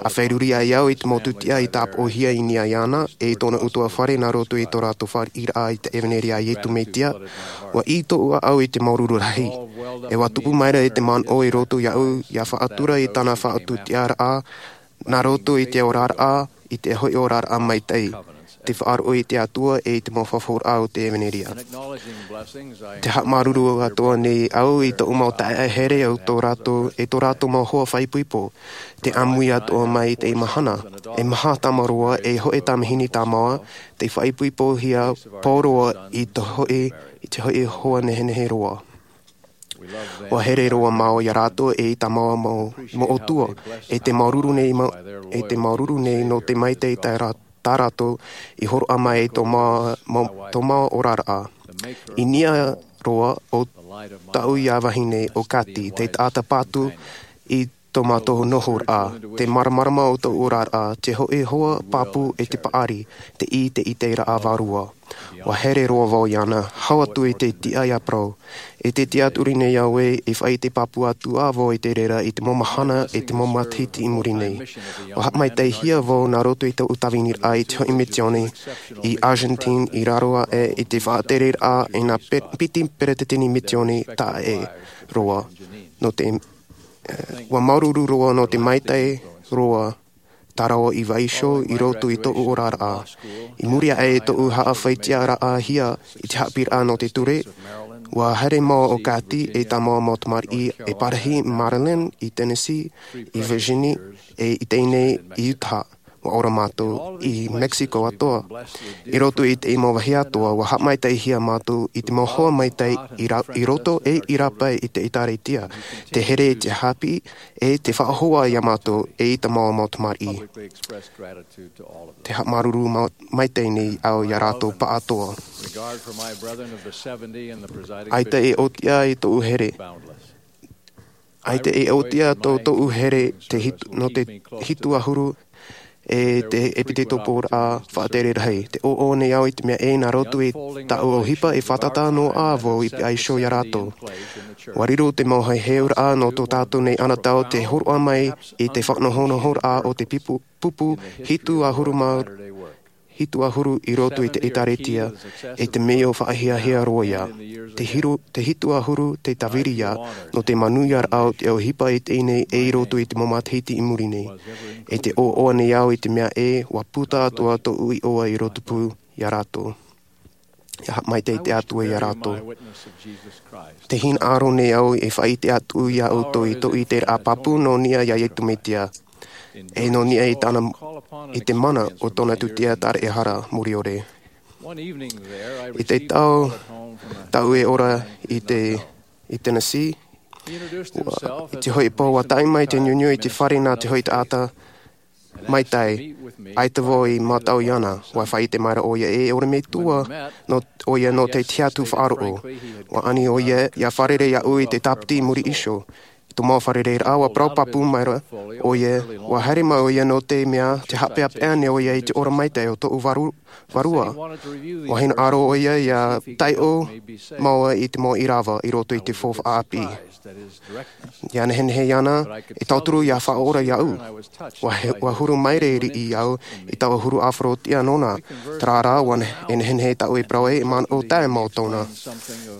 ʻA feruri ai au i te mau tūtiʻa i tāpoʻohia i niʻa iāna, e i tōna ʻutuāfare nā roto i tō rātou fāriʻiraʻa i te ʻevaneria a Iesu Mesia, ʻua ʻī tōʻu ʻāʻau i te māuruuru rahi. E ʻua tupu maira i te manaʻo i roto iāʻu, ʻia faʻatura i tāna faʻatūtiʻaraʻa, nā roto i te oraraʻa, i te hoʻi oraraʻa maitaʻi, te faʻaroʻo i te Atua e i te mau fafauraʻa o te ʻevaneria. Te haʻamāuruuru atoʻa nei au i tōʻu mau taeaʻe here o tō rātou, e tō rātou mau hoa faʻaipoipo, te ʻāmui atoʻa mai i te mahana, e maha tāmāroa, e hoʻi tamahine tāmau, tei faʻaipoipohia pauroa i te hoʻi, i te hoʻi hoa nehenehe roa. ʻUa here roa māua iā rātou e i tā māua mau, mau ʻōtua, e te māuruuru nei mau, e te māuruuru nei nō te maitaʻi tā rā-, tā rātou i hōroʻa mai i tō mā-, mau-, tō māua oraraʻa. I niʻa roa o tāʻu iā vahine ʻo Kati, te taʻata pātū i tō mātou nohoraʻa, te māramarama o tōʻu oraraʻa, te hoʻi hoa pāpū e te paʻari, te ʻī te ʻiteraʻa vārua. ʻUa here roa vau iāna, hau atu i te tiʻa ʻia parau. E te tiʻaturi nei au ē, e faʻaʻite pāpū atu ā vau i te reira i te mau mahana, e te mau matahiti i muri nei. ʻUa haʻamaitaʻihia vau nā roto i tōʻu tāviniraʻa i te hoʻi misiōni, i Argentine, i raro aʻe, i te faʻatereraʻa, e nā pe-, piti peretiteni misiōni taʻa ʻē roa. Nō te, eh, ʻua māuruuru roa nō te maitaʻi roa, tā rāua i vaiiho i roto i tōʻu oraraʻa. I muri aʻe i tōʻu haʻafaʻatiʻaraʻahia i te haʻapiʻiraʻa nō te ture, ʻua haere māua ʻo Kati e tā māua mau tamariʻi e parahi Maryland, i Tennessee, i Virginia, e i teie nei i Utah. ʻUa ora mātou i Mexico atoʻa. I roto i te mau vāhi atoʻa, ʻua haʻamaitaʻihia mātou i te mau hoa maitaʻi i ra-, i roto e i rāpae i te ʻĒtārētia, te here i te haʻapiʻi, e te faʻahoʻi iā mātou e i tā māua mau tamariʻi. Te haʻamāuruuru ma-, maitaʻi nei au iā rātou pāʻatoʻa. ʻAita e ʻōtiʻa i tōʻu here. ʻAita e ʻōtiʻa tō tōʻu here te hitu, nō te hitu ʻahuru e te ʻepitepoporaʻa faʻatere rahi. Tē ʻōʻō nei au i te mea ē nā roto i tāʻu ʻohipa e fātata noa ā vau i vaiiho iā rātou. ʻUa riro te mau heheuaʻa nō tō tātou nei anotau tē hōroʻa mai i te faʻanahonahoraʻa o te pipu, pupu hitu ʻahuru mā hitu ʻahuru i roto i te ʻĒtārētia, e te mea faʻahiahia roa ia. Te hiru, te hitu ʻahuru te tāviri ia, nō te manuiaraʻa o te ʻohipa i teie nei e i roto i te mau matahiti i muri nei. E tē ʻōʻō nei au i te mea ē, ʻua puta atoʻa tōʻu iʻoa i roto pū iā rātou. ʻIa haʻamaitaʻi te Atua iā rātou. Tē hinaʻaro nei au e faʻaʻite atu iā ʻoutou i tōʻu ʻiteraʻa pāpū nō niʻa iā Iesu Mesia. E nō niʻa i tāna, i te mana o tōna tūtia taraehara muriore. I te tau, tau e ora i te, i Tennessee, ʻua, i te hoʻi pō ʻua tae mai te niuniu i te fare nā te hoʻi taʻata maitaʻi, ʻaita vau i mātau iāna, ʻua faʻaʻite maira ʻoia e ʻore metua nō, ʻoia nō te tiʻa atu faʻaroʻo. ʻUa ani ʻoia, ʻia fārerei iāʻu i te tāpiti i muri iho. Tō mau fārereiraʻa, ua parau pāpū maira ʻoia, ua haere mai ʻoia nō te mea, te haʻapeʻapeʻa nei ʻoia i te ora maitaʻi o tōʻu varu-, vārua. Ua hinaʻaro ʻoia ʻia taiʻo māua i te mau ʻīrava i roto i te faufaʻa ʻāpī. ʻIa nehenehe iāna, e tauturu ʻia faʻaora iāʻu. Ua he-, ua huru maire riʻi au i taua huru ʻāfaro tiʻa nōna. Terā rā, ua ne-, e nehenehe tāʻu e parau ai, e manaʻo taʻe mau tōna.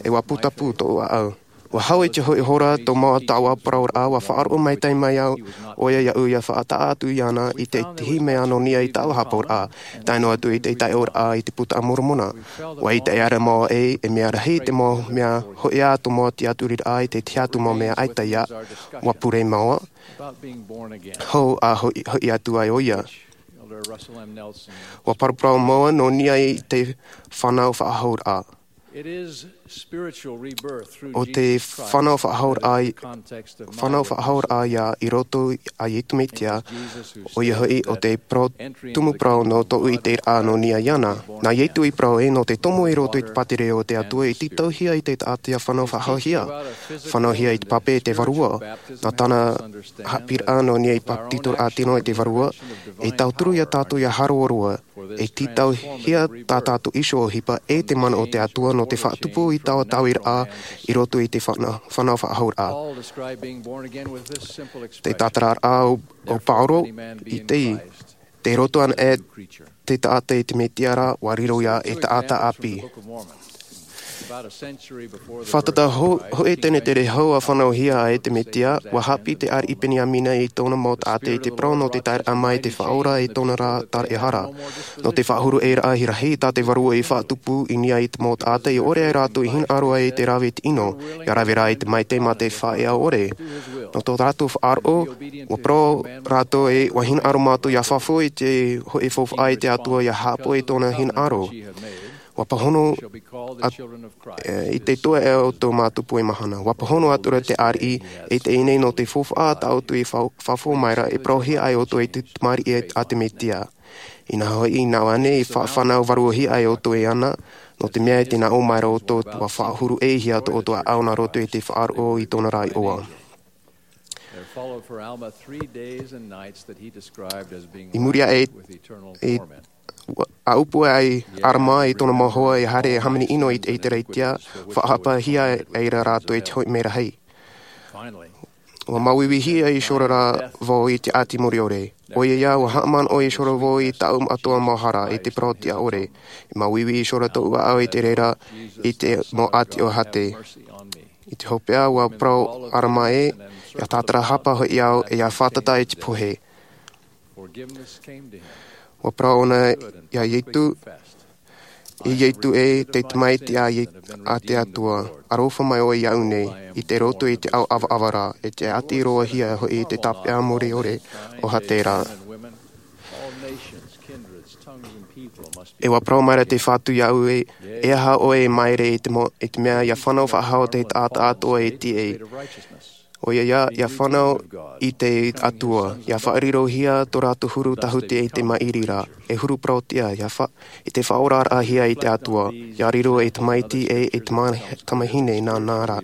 E ua putapū tōʻu ʻāʻau. Ua hau i te hoʻi hora tō māua taua parauraʻa, ua faʻaroʻo maitaʻi mai au, ʻoia iāʻu ʻia faʻataʻa atu iāna i te tihi mea nō niʻa i taua hapauraʻa, tae noa atu i te taiʻoraʻa i te Puta a Moromona. Ua ʻite ʻia māua ē, e mea rahi te mau mea hoʻi ā tō māua tiʻaturiraʻa i te tiʻa atu mau mea ʻaita ia, ua pure māua, hou ʻa hoʻi, hoʻi atu ai ʻoia. Ua paraparau māua nō niʻa i te fānau faʻahouraʻa. ʻO te fānau faʻahouraʻa i-, fānau faʻahouraʻa ia i roto a Iesu Mesia, ʻoia hoʻi ʻo te parau tumu parau nō tōʻu ʻiteraʻa nō niʻa iāna. Nā Iesu i parau ē, nō te tomo i roto i te pātireia o te Atua i tītauhia i te taʻata ʻia fānau faʻahouraʻahia. Fānauhia i te pape e te vārua. Nā tāna haʻapiʻiraʻa nō niʻa i te bāpetizoraʻa tino e te vārua, e tauturu ia tātou ʻia haroa roa, e tītauhia tā tātou iho ʻohipa e te mana o te Atua nō te faʻatupu i taua taui raʻa i roto i te fāna-, fānau faʻahouraʻa. Te tātararaʻa o, o Pauro i te, tei roto ana e te taʻata i te Mesia ra, ʻua riro ia e taʻata ʻāpī. Fātata ho-, hoʻi tenetere hou ʻa fānauhia ai te Mesia, ʻua haʻapiʻi te ariʻi Peniamina i tōna mau taʻata i te parau nō te taeraʻa mai te Faʻaora i tōna ra taraehara. Nō te faʻahuru ʻē raʻa rahi tā te vārua i faʻatupu i niʻa i te mau taʻata i ʻore ai rātou i hinaʻaro ai i te rave i te ʻino, ʻia rave rā i te maitaʻi mā te faʻaea ʻore. Nō tō rātou faʻaroʻo, ʻua parau rātou ē, ʻua hinaʻaro mātou ʻia fafau i te hoʻi faufaʻa i te Atua ʻia haʻapaʻo i tōna hinaʻaro. ʻUa pāhono at-, e, i te tuaʻa o tō mātou puai mahana. ʻUa pāhono atu ra te ariʻi, e teie nei nō te faufaʻa tāʻu i fa-, fafau mai ra, e parauhia ai ʻoutou i te tamariʻi a te Mesia. Inaha hoʻi, nā ʻō ānei, e fa-, fānau vāruahia ai ʻoutou iāna, nō te mea i te nā ʻō mai ra ʻoutou, ʻua faʻahuru ʻēhia tō ʻoutou ʻāʻau nā roto i te faʻaroʻo i tōna ra iʻoa. There followed for Alma three days and nights that he described as being I muri aʻe, with eternal i, torment. Ua, ʻa ʻōpua ai Alma i tōna mau hoa e haere e hāmani ʻino i te ʻĒtārētia, faʻahapahia ai ra rātou i te hoʻi merahi. Finally, ʻua māuiuihia iho ra vau i te ʻāti mure ʻore. ʻOia ïa, ʻua haʻamanaʻo iho ra vau i tāʻu atoʻa mau hara, i te parau tiʻa ʻore. E māuiui iho ra tōʻu ʻāʻau i te reira, i te mau ʻāti ʻōhate. I te hopeʻa, ʻua parau Alma ē, ʻia tātarahapa hoʻi au, e ʻia fātata i te pohe. ʻUa parau ʻōna iā Iesu, e Iesu ē, te Tamaiti a Ie-, a te Atua, aroha mai ʻoe iāʻu nei, i te roto i te ao ʻavaʻava ra, e te ʻāti roahia hoʻi i te tāpeʻa mure ʻore ʻōhate ra. E ʻua parau mai ra te Fatu iāʻu ē, e aha ʻoe e māere i te mo-, i te mea ʻia fānau faʻahou te taʻata atoʻa e tiʻa. ʻOia ïa, ʻia fānau i te Atua, ʻia faʻarirohia tō rātou huru tāhuti i te maʻiri ra, e huru parau-tiʻa, ʻia fa-, i te faʻaoraraʻahia i te Atua, ʻia riro ei tamaiti e, ei tama-, tamahine nānā ra.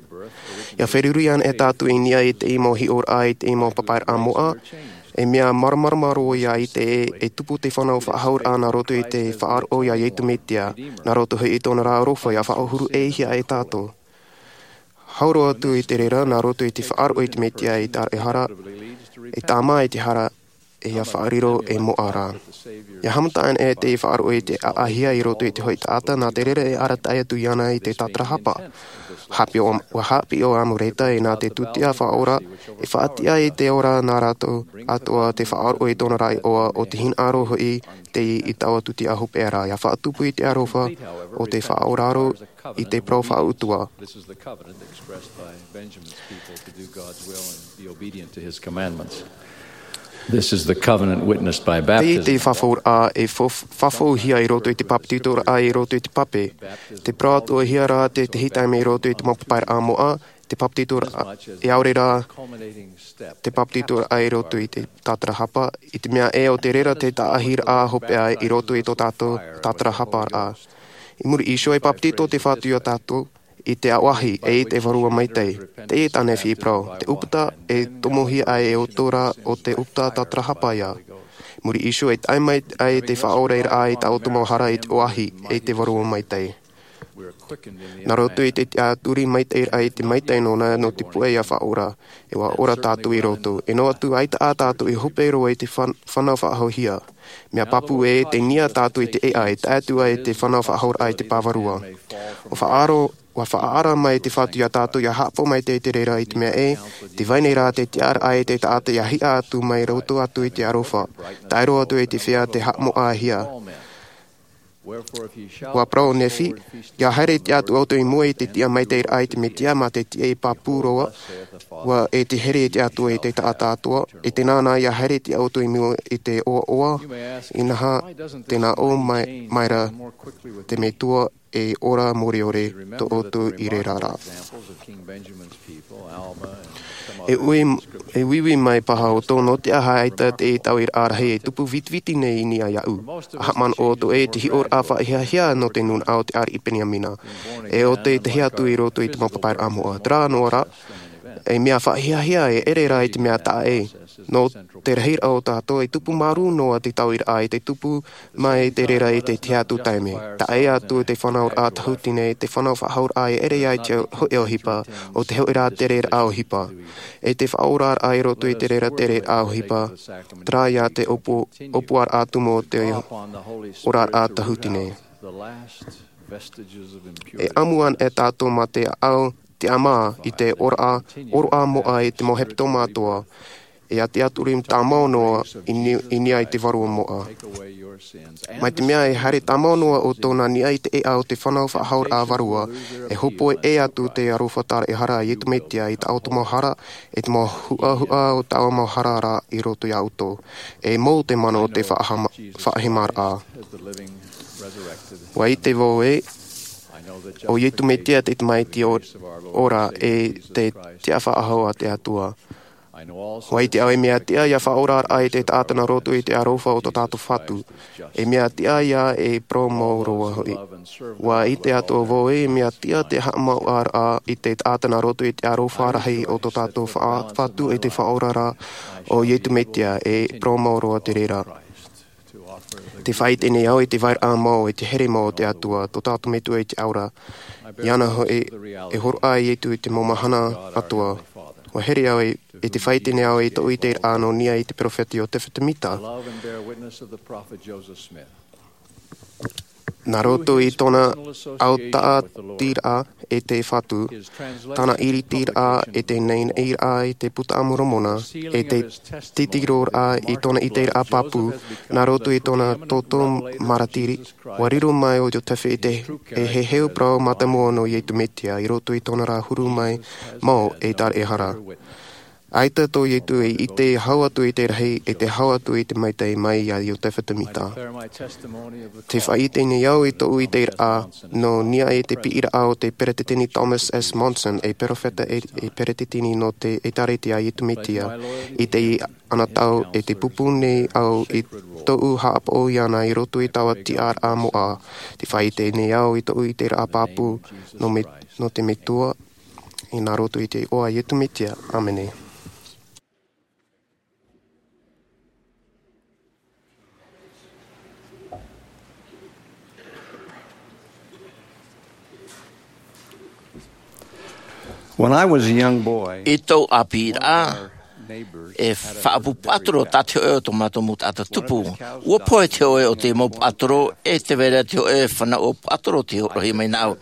ʻIa feruri ana e tātou i niʻa i te mau hiʻoraʻa, i te mau papairaʻa moʻa, e mea māramarama roa ïa i te, e tupu te fānau faʻahouraʻa nā roto i te faʻaroʻo iā Iesu Mesia, nā roto hoʻi i tōna ra aroha ʻia faʻahuru ʻēhia ai tātou. Hau roa atu i te reira, nā roto i te faʻaroʻo i te Mesia i taraehara, e tāmā i te hara, e ʻia faʻariro ei moʻa ra. ʻIa haʻamata ana e te faʻaroʻo i te ʻaʻahia i roto i te hoʻi taʻata, nā te reira e arataʻi atu iāna i te tātarahapa. Haʻapiʻi ʻo, ʻua haʻapiʻi ʻo Amuleta, e nā te tūtia faʻaora, e faʻatiʻa i te ora nā rātou atoʻa te faʻaroʻo i tōna ra iʻoa, ʻo te hinaʻaro hoʻi teie i taua tūtia hopeʻa ra, ʻia faʻatupu i te aroha o te faʻaoraro i te parau faʻautuʻa. This is the covenant expressed by Benjamin's people to do God's will and be obedient to his commandments. This is the covenant witnessed by baptism. Teie te fafauraʻa e fo-, fafauhia i roto i te bāpetizoraʻa, i roto i te pape. Te parau atoʻahia ra te, te tahi taime i roto i te mau papairaʻa moʻa, te bāpetizoraʻa, e ʻaore rā, te bāpetizoraʻa i roto i te tātarahapa, i te mea ē ʻo te reira te taʻahiraʻa hopeʻa i roto i tō tātou tātarahaparaʻa. I muri iho e bāpetizo te Fatu iā tātou, i te aoahi e i te vārua maitaʻi. Teie tā Nephi e parau, te ʻūputa e tomohia ai e ʻoutou ra o te ʻūputa tātarahapa ia. Muri iho e tae mai ai te faʻaoraraʻa i tā ʻoutou mau hara i te aoahi e i te vārua maitaʻi. Nā roto i te tiʻaturi maitaʻi raʻa i te maitaʻi nōna nō te puʻe ia faʻaora, e ʻua ora tātou i roto. E noa atu, ʻaita ā tātou i hope roa i te fan-, fānau faʻahoʻihia. Mea pāpū ē, tē niʻa tātou i te ʻēʻa, e tae atu ai te fānau faʻahoʻiraʻa i te pāvarua. ʻUa faʻaaro-, ʻua faʻaara mai te Fatu ia tātou ia haʻapaʻo mai te, te reira i te mea ē, tē vai nei rā te tiʻaraʻa i te taʻata ia hiʻa atu mai roto atu i te aroha. Tae roa atu i te feiā tē haʻamoʻahia. ʻUa parau Nephi, ia haere te Atua ʻoutou i mua i te tiʻa maitaʻi raʻa i te Mesia mā te tiʻa e pāpū roa, ʻua e te here te Atua i te taʻata atoʻa, e tēnā nā ia haere te ʻoutou i mua i te ʻoaʻoa, inaha, tē nā ʻō mai, mai ra te Metua e ora mōreore tō ʻoutou i reira ra. E ui, e uiui mai paha ʻoutou nō te aha ʻaita te tauiraʻa rahi e tupu vitiviti nei i niʻa iāʻu. ʻA haʻamanaʻo ʻoutou ē te hiʻoraʻa faʻahiahia nō te nūnaʻa o te ariʻi Peniamina. E ʻo te tahi atu i roto i te mau papairaʻa moʻa. Terā noa rā, e mea faʻahiahia e ʻere rā i te mea taʻa ʻē. Nō te rahiraʻa o tātou e tupu māuruuru noa te tauiraʻa i te tupu mai te reira i te tiʻa atu taime. Taʻa ʻē atu te fānauraʻa tahutini, te fānau faʻahoʻiraʻa e ʻere ai te hōʻē ʻohipa, ʻo te hōʻē rā tereraʻa ʻohipa. E te faʻaoraraʻa i roto i te reira tereraʻa ʻohipa, terā ia te ʻōpū-, ʻōpuaraʻa tumu o te oraraʻa tahutini. E ʻamu ana e tātou mā te ʻāʻau, te ʻāmā, i te ora, ʻōroʻa moʻa i te mau hepetoma atoʻa, e a te Atua tāmau noa i ni-, i niʻa i te vārua moʻa. Mai te mea e haere tāmau noa ʻo tōna niʻa i te ʻēʻa o te fānau faʻahoʻiraʻa vārua, e hōpoi ʻē atu te aroha taraehara a Iesu Mesia i tā ʻoutou mau hara, e te mau huʻahuʻa o tā ʻoutou mau hara ra i roto iā ʻoutou. E mau te mana o te faʻahama-, faʻahemaraʻa. ʻUa ʻite vau ē, ʻo Iesu Mesia te tamaiti o-, ora e te tiʻafaʻahou a te Atua. ʻUa ʻite au e mea tiʻa ia faʻaoraraʻa i te taʻata nā roto i te aroha o tō tātou Fatu. E mea tiʻa ia e parau mau roa hoʻi. ʻUa ʻite atoʻa vau e mea tiʻa te haʻamauʻaraʻa i te taʻata nā roto i te aroha rahi o tō tātou fa-, Fatu e te Faʻaoraraʻa ʻo Iesu Mesia e parau mau roa te reira. Tē faʻaʻite nei au i te vairaʻa mau, i te here mau o te Atua, tō tātou Metua i te ora. Iāna hoʻi, e hōroʻa ai Iesu i te mau mahana atoʻa. ʻUa here au i, i te faʻaʻite nei au i tōʻu ʻiteraʻa nō niʻa i te peropheta Iosefa Semita. Nā roto i tōna autaʻatiraʻa e te Fatu, tāna ʻiritiraʻa e te naʻinaʻiraʻa i te Buka a Moromona, e te titiroraʻa i tōna ʻiteraʻa pāpū, nā roto i tōna toto maratiri, ʻua riro mai ʻo Iosefa i te, e heheu parau mātāmua nō Iesu Mesia, i roto i tōna ra huru mai mau e taraehara. ʻAita tō Iesu e ʻite hau atu i te rahi, e te hau atu i te maitaʻi mai iā Iosefa Semita. Tē faʻaʻite nei au i tōʻu ʻiteraʻa nō niʻa i te piʻiraʻa o te Peresideni Thomas S. Monson, e peropheta e, e peresideni nō te ʻĒtārētia a Iesu Mesia, i te anotau e tē pūpū nei au i tōʻu haʻapaʻo iāna i roto i taua tiʻaraʻa moʻa. Tē faʻaʻite nei au i tōʻu ʻiteraʻa pāpū nō me-, nō te Metua, i nā roto i te iʻoa a Iesu Mesia. ʻĀmene. When I was a young boy, I tōʻu ʻāpīraʻa, e faʻaʻapu paʻatoro tā te hōʻē o tō mātou mau taʻata tupu. ʻUa pohe te hōʻē o te mau paʻatoro, e tē vai ra te hōʻē fānaʻo paʻatoro tei hōroʻahia mai nāʻu.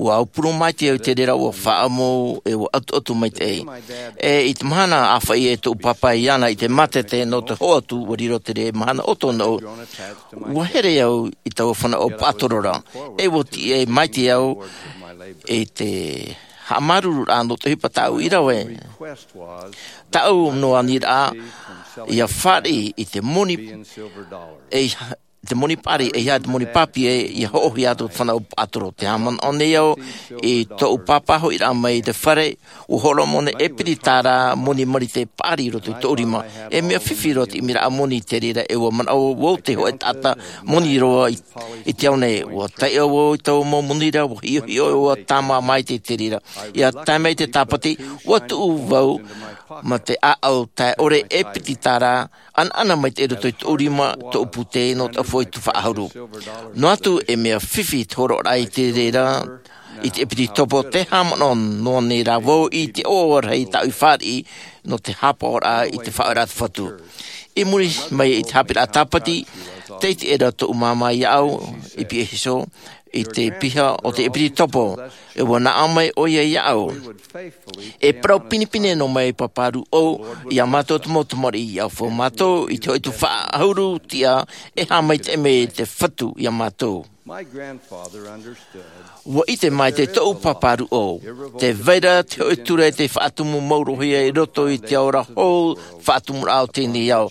ʻUa aupuru maitaʻi au i te reira, ʻua faʻaʻamu, e ʻua ʻotoʻoto maitaʻi. E i te mahana ʻāfaʻi e tōʻu pāpā iāna i te mātete nō te hoatu, ʻua riro te reira mahana ʻoto nōʻu. ʻUa here au i taua fānaʻo paʻatoro ra. E ʻua tiʻa maitaʻi au i te haʻamāuruururaʻa nō te ʻohipa tāʻu i rave. Tāʻu noa aniraʻa, ʻia fāriʻi i te moni, e te moni paʻari, ʻeiaha te moni pāpū, ʻia hoʻohia atu te fānau pātoro. Tē haʻamanaʻo nei au i tōʻu pāpā hoʻiraʻa mai i te fare, ʻua hōroʻa mai ʻōna e piti tārā moni marite paʻari i roto i tōʻu rima. E mea fifi roa te ʻimiraʻa moni i te reira, e ʻua manaʻo vau te hōʻē taʻata moni roa i, i te ao nei. ʻUa taiʻo vau i taua mau moni ra, ʻua hiʻohiʻo, ʻua tāmā maitaʻi i te reira. ʻIa tae mai te Tāpati, ʻua tuʻu vau ma te ʻāʻau tae ʻore e piti tārā, ʻanaʻana maitaʻi i roto i tōʻu rima, tōʻu pūtē, nō te ʻaufau i te tuhaʻa ʻahuru. Noa atu e mea fifi te hōroʻaraʻa i te reira, i te ʻepitopo, tē haʻamanaʻo noa nei rā vau i te ʻoaʻoa rahi tāʻu i fāriʻi nō te haʻapaʻoraʻa i te faʻaʻohipa a te Fatu. I muri mai i te haʻapiʻiraʻa Tāpati, tei ʻite ra tōʻu māmā iāʻu i Pīhaʻi, i te piha o te ʻepitopo, e ʻua nā ʻō mai ʻoia iāʻu, e parau pinepine noa mai Pāpā Rūʻau iā mātou te mau tamariʻi, ʻia ʻaufau mātou i te hōʻē tuhaʻa ʻahuru tiʻa e haʻamaitaʻi mai te Fatu iā mātou. ʻUa ʻite maitaʻi tōʻu Pāpā Rūʻau, tē vai ra te hōʻē ture tei faʻatumu mauruhia i roto i te ao ra hou, faʻatumuraʻa o teie nei ao.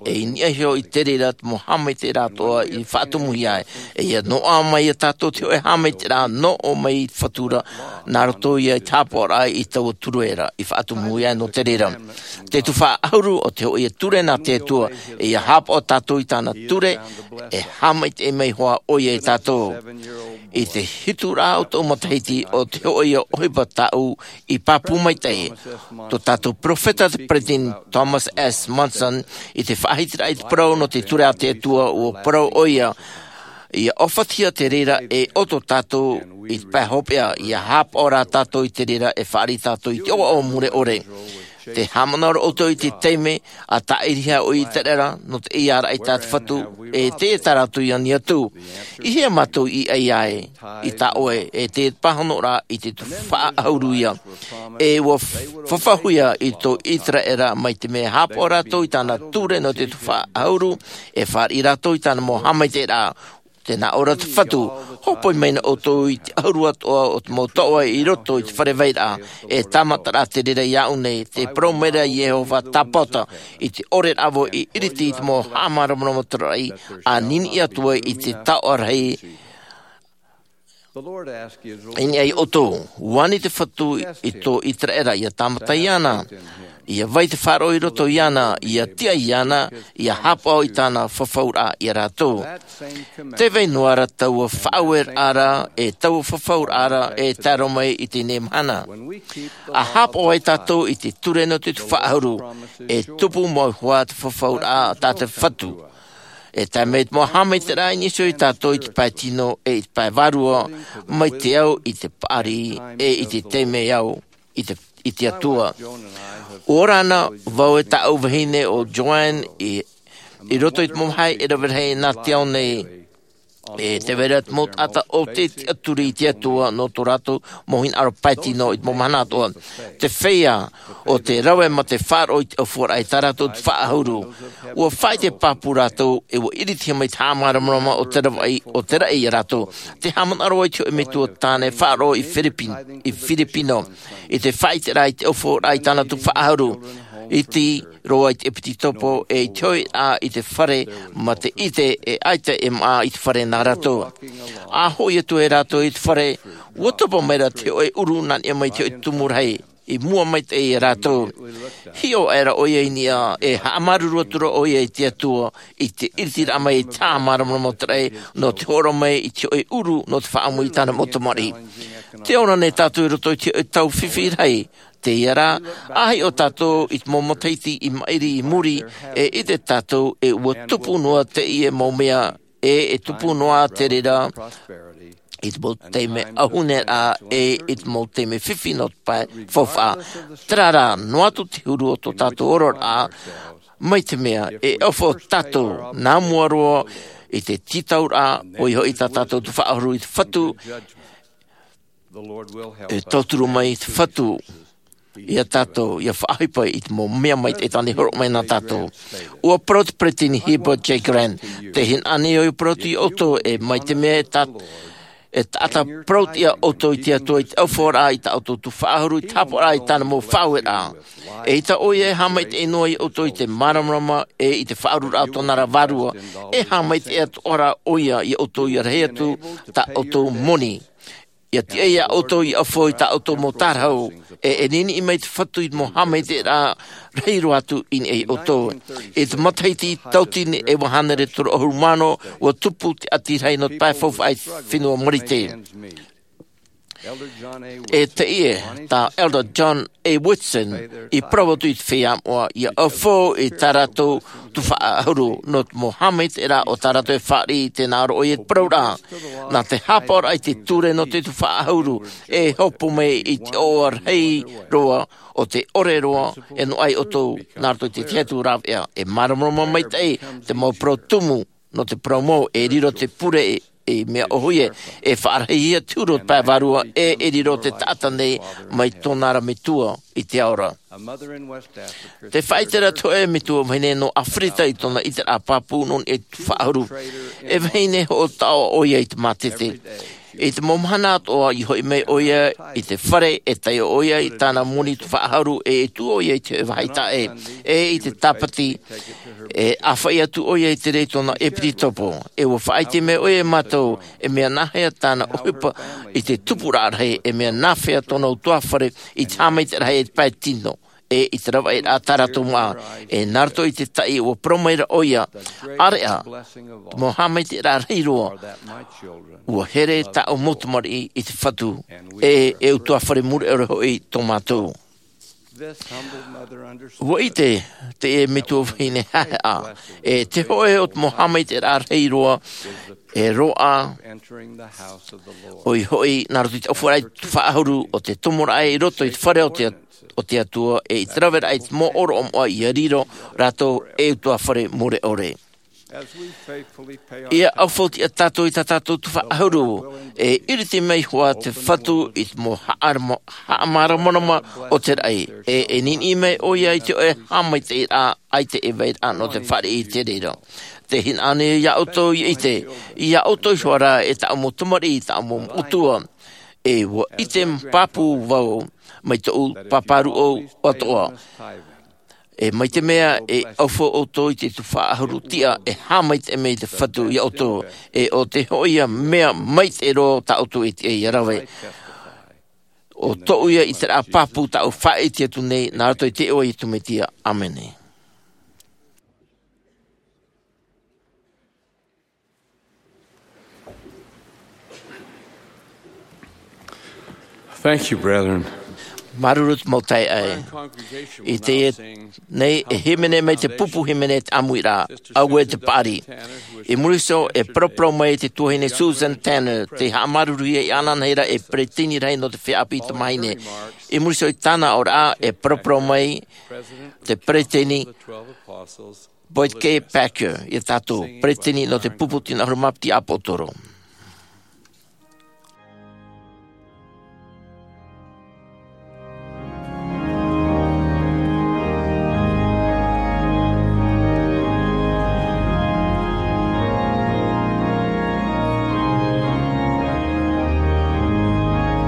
E i niʻa iho i te reira te mau haʻamaitaʻiraʻa atoʻa i faʻatumuhia ai. E ʻia noaʻa mai iā tātou te hōʻē haʻamaitaʻiraʻa nō ʻō mai i te Fatu ra, nā roto ia i te haʻapaʻoraʻa i taua ture ra i faʻatumuhia ai nō te reira. Te tuhaʻa ʻahuru o te hōʻē ture nā te Atua, e ʻia haʻapaʻo tātou i tāna ture, e haʻamaitaʻi mai hoʻi ʻoia iā tātou. I te hitu ra o tōʻu matahiti, o te hōʻē ʻohipa tāʻu i pāpū maitaʻi. Tō tātou perofeta, te Peresideni Thomas S. Monson, i te faʻahitiraʻa i te parau nō te ture a te Atua, ʻua parau ʻoia, ʻia ʻōfaʻahia te reira e ʻoto tātou i te pae hopeʻa, ʻia haʻapaʻo rā tātou i te reira e fāriʻi tātou i te ʻoaʻoa mure ʻore. Tē haʻamanaʻo ra ʻoutou i te taime a tāʻirihia ʻo ʻĪteraʻera nō te ʻeiā raʻi tā te Fatu, e teie tā rātou i ani atu. I hea mātou i ʻai ai, i tā ʻoe, e te pāhonoraʻa i te tuhaʻa ʻahuru ia. E ʻua fafauhia i tō ʻĪteraʻera mai te mea e haʻapaʻo rātou i tāna ture nō te tuhaʻa ʻahuru, e fāriʻi rātou i tāna mau haʻamaitaʻiraʻa. Tē nā ʻō ra te Fatu, hōpoi mai na ʻoutou i te ʻahuru atoʻa o te mau taoʻa i roto i te fare vairaʻa, e tāmata rā te reira iāʻu nei, tē parau mai ra Iehova tāpaʻo, i te ʻore rā vau i ʻiriti i te mau haʻamāramarama taraʻi, ʻa niniʻi atu ai i te taoʻa rahi. I niʻa iā ʻoutou, ʻua ani te Fatu i tō ʻĪteraʻera, ʻia tāmata iāna, ʻia vai te faʻaroʻo i roto iāna, ʻia tiʻa iāna, ʻia haʻapaʻo i tāna fafauraʻa iā rātou. Tē vai noa ra taua faʻaueraʻa ra, e taua fafauraʻa ra, e tae roa mai i teie mahana. ʻA haʻapaʻo ai tātou i te ture nō te tuhaʻa ʻahuru, e tupu mau hoʻi te fafauraʻa tā te Fatu. E tae mai te mau haʻamaitaʻiraʻa i niʻa iho iā tātou i te pae tino e i te pae vārua, mai te au i te paʻari, e i te taime au i te, i te Atua. ʻUa ora na vau e tāʻu vahine ʻo Joanne i, i roto i te mau vāhi e rave rahi nā te ao nei. E tē vai ra te mau taʻata ʻo tē tiʻaturi i te Atua nō tō rātou mau hinaʻaro pae tino i te mau mahana atoʻa. Te feiā ʻo tē rave ma te faʻaroʻo i te ʻaufuaraʻa i tā rātou tuhaʻa ʻahuru. ʻUa faʻaʻite pāpū rātou, e ʻua ʻiritihia mai te haʻamāramarama o te ravaʻi, o te raʻi iā rātou. Tē haʻamanaʻo ra vau i te hōʻē metua tāne faʻaroʻo i Philippine, i Filipino, i te faʻaʻiteraʻa i te ʻaufuaraʻa i tāna tuhaʻa ʻahuru. ʻIte roa i te ʻepitopo, e i te hoʻiraʻa i te fare, ma te ʻite e ʻaita e māʻa i te fare nā rātou. ʻA hoʻi atu ai rātou i te fare, ʻua topa mai ra te hōʻē ʻuru nā niʻa mai i te hōʻē tumu rahi, i mua maitaʻi iā rātou. Hiʻo aʻera ʻoia i niʻa, e haʻamāuruuru atu ra ʻoia i te Atua, i te ʻiritiraʻa mai i te haʻamāramarama o te raʻi, nō te hōroʻa mai i te hōʻē ʻuru, nō te faʻaʻamu i tāna mau tamariʻi. Tē ora nei tātou i roto i te hōʻē tau fifi rahi, teie rā, ʻa hiʻo tātou i te mau matahiti i maʻiri i muri, e ʻite tātou e ʻua tupu noa teie mau mea, e, e tupu noa te reira, i te mau taime ʻauhuneraʻa, e i te mau taime fifi nō te pae faufaʻa. Terā rā, noa atu te huru o tō tātou oraraʻa, mai te mea, e ʻaufau tātou, nā mua roa, i te tītauraʻa, ʻoia hoʻi tā tātou tuhaʻa ʻahuru i te Fatu, e tauturu mai te Fatu iā tātou, ʻia faʻaʻohipa i te mau mea maitaʻi tāna i hōroʻa mai nā tātou. ʻUa parau te Peresideni Heber J. Grant, tē hinaʻaro nei au e parau atu iā ʻoutou, e mai te mea e tā, E taʻata parau tiʻa ʻoutou i te Atua i te ʻaufaʻaraʻa i tā ʻoutou tuhaʻa ʻahuru, i te haʻapaʻoraʻa i tāna mau faʻaueraʻa. ʻEita ʻoia e haʻamaitaʻi noa ia ʻoutou i te māramarama, e i te faʻaururaʻa o tōna ra vārua. E haʻamaitaʻi atoʻa ra ʻoia ia ʻoutou ia rahi atu tā ʻoutou moni. ʻIa tiʻa ia ʻoutou i ʻaufau i tā ʻoutou mau tārahu, e, e niniʻi mai te Fatu i te mau haʻamaitaʻiraʻa rahi roa atu i niʻa ia ʻoutou. I te matahiti tautini e iva hānere toru ʻahuru mā ono, ʻua tupu te ʻati rahi nō te pae faufaʻa i te fenua Marite. E teie tā Elder John A. Whitson i parau atu i te feiā moʻa, ʻia ʻaufau i tā rātou tuhaʻa ʻahuru, nō te mau haʻamaitaʻiraʻa o tā rātou e fāriʻi i tēnā roʻo i te parau ra. Nā te haʻapaʻoraʻa i te ture nō te tuhaʻa ʻahuru, e hopo mai i te ʻoaʻoa rahi roa, o te ʻore roa, e noaʻa ia ʻoutou, nā roto i te tahi atu rāveʻa, e māramarama maitaʻi te mau parau tumu, nō te parau mau, e riro te pure, e, e mea ʻōhie, e faʻarahihia te huru o te pae vārua, e, e riro te taʻata nei mai tōna ra metua i te ao ra. Te faʻaʻiteraʻa atu e metua vahine nō ʻĀfirita i tōna ʻiteraʻa pāpū nō niʻa i te tuhaʻa ʻahuru. E vahine hoʻo taʻoa ʻoia i te mātete. I te mau mahana atoʻa, i hoʻi mai ʻoia i te fare, e taiʻo ʻoia i tāna moni tuhaʻa ʻahuru, e, e tuʻu ʻoia i te vāhi taʻe, e i te tāpati, e ʻāfaʻi atu ʻoia i te reira i tōna ʻepitopo. E ʻua faʻaʻite mai ʻoia ia mātou, e mea nāhea tāna ʻohipa i te tupuraʻa rahi, e mea nāhea tōna ʻutuāfare i te haʻamaitaʻiraʻa i te pae tino, e i te ravaʻiraʻa tā rātou māʻa, e nā roto i te taʻi ʻua parau mai ra ʻoia, ʻĀreʻa, te mau haʻamaitaʻiraʻa rahi roa, ʻua here tāʻu mau tamariʻi i te Fatu, e, e ʻutuāfare mure ʻore hoʻi tō mātou. ʻUa ʻite teie metua vahine haʻehaʻa, e te hōʻē o te mau haʻamaitaʻiraʻa rahi roa, e roaʻa ʻoia hoʻi, nā roto i te ʻaufaʻaraʻa i te tuhaʻa ʻahuru, o te tomoraʻa i roto i te fare o te, o te Atua, e i te raveraʻa i te mau ʻōroʻa moʻa ʻia riro rātou ei ʻutuāfare mure ʻore. ʻIa ʻaufau tiʻa tātou i tā tātou tuhaʻa ʻahuru, e iriti mai hoʻi te Fatu i te mau haʻarama-, haʻamāramarama o te raʻi, e, e niniʻi mai ʻoia i te hōʻē haʻamaitaʻiraʻa ʻaita e vai ra nō te fāriʻi i te reira. Tē hinaʻaro nei au ia ʻoutou ʻia ʻite, ia ʻoutou iho ā rā e tāʻu mau tamariʻi, tāʻu mau metua, e ʻua ʻite pāpū vau mai tōʻu pāpā rūʻau atoʻa. E mai te mea e ʻaufau ʻoutou i te tuhaʻa ʻahuru tiʻa, e haʻamaitaʻi mai te Fatu ia ʻoutou, e ʻo te hōʻē mea maitaʻi roa tā ʻoutou e tiʻa ʻia rave. ʻO tōʻu ia ʻiteraʻa pāpū tāʻu faʻaʻite atu nei, nā roto i te iʻoa o Iesu Mesia. ʻĀmene. Thank you, brethren. Māuruuru te mau taeaʻe. I teie nei e hīmene mai te pupu hīmene te ʻāmuiraʻa, Auē te Paʻari. I muri iho e paraparau mai te tuahine Susan Tanner, tei haʻamāuruuruhia iāna anahera ei peretiteni rahi nō te feiā ʻāpī tamāhine. I muri iho i tāna aʻoraʻa e paraparau mai te peretiteni Boyd K. Packer ia tātou, peretiteni nō te pupu tino ʻahuru mā piti ʻāpōsetolo.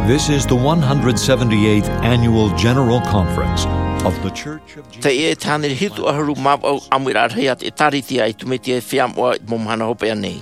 This is the one hundred seventy-eighth Annual General Conference of the Church of Jesus Christ. Teie te hānere hitu ʻahuru mā vaʻu ʻāmuiraʻa rahi a te ʻĒtārētia a Iesu Mesia e Feiā Moʻa i te mau mahana hopeʻa nei.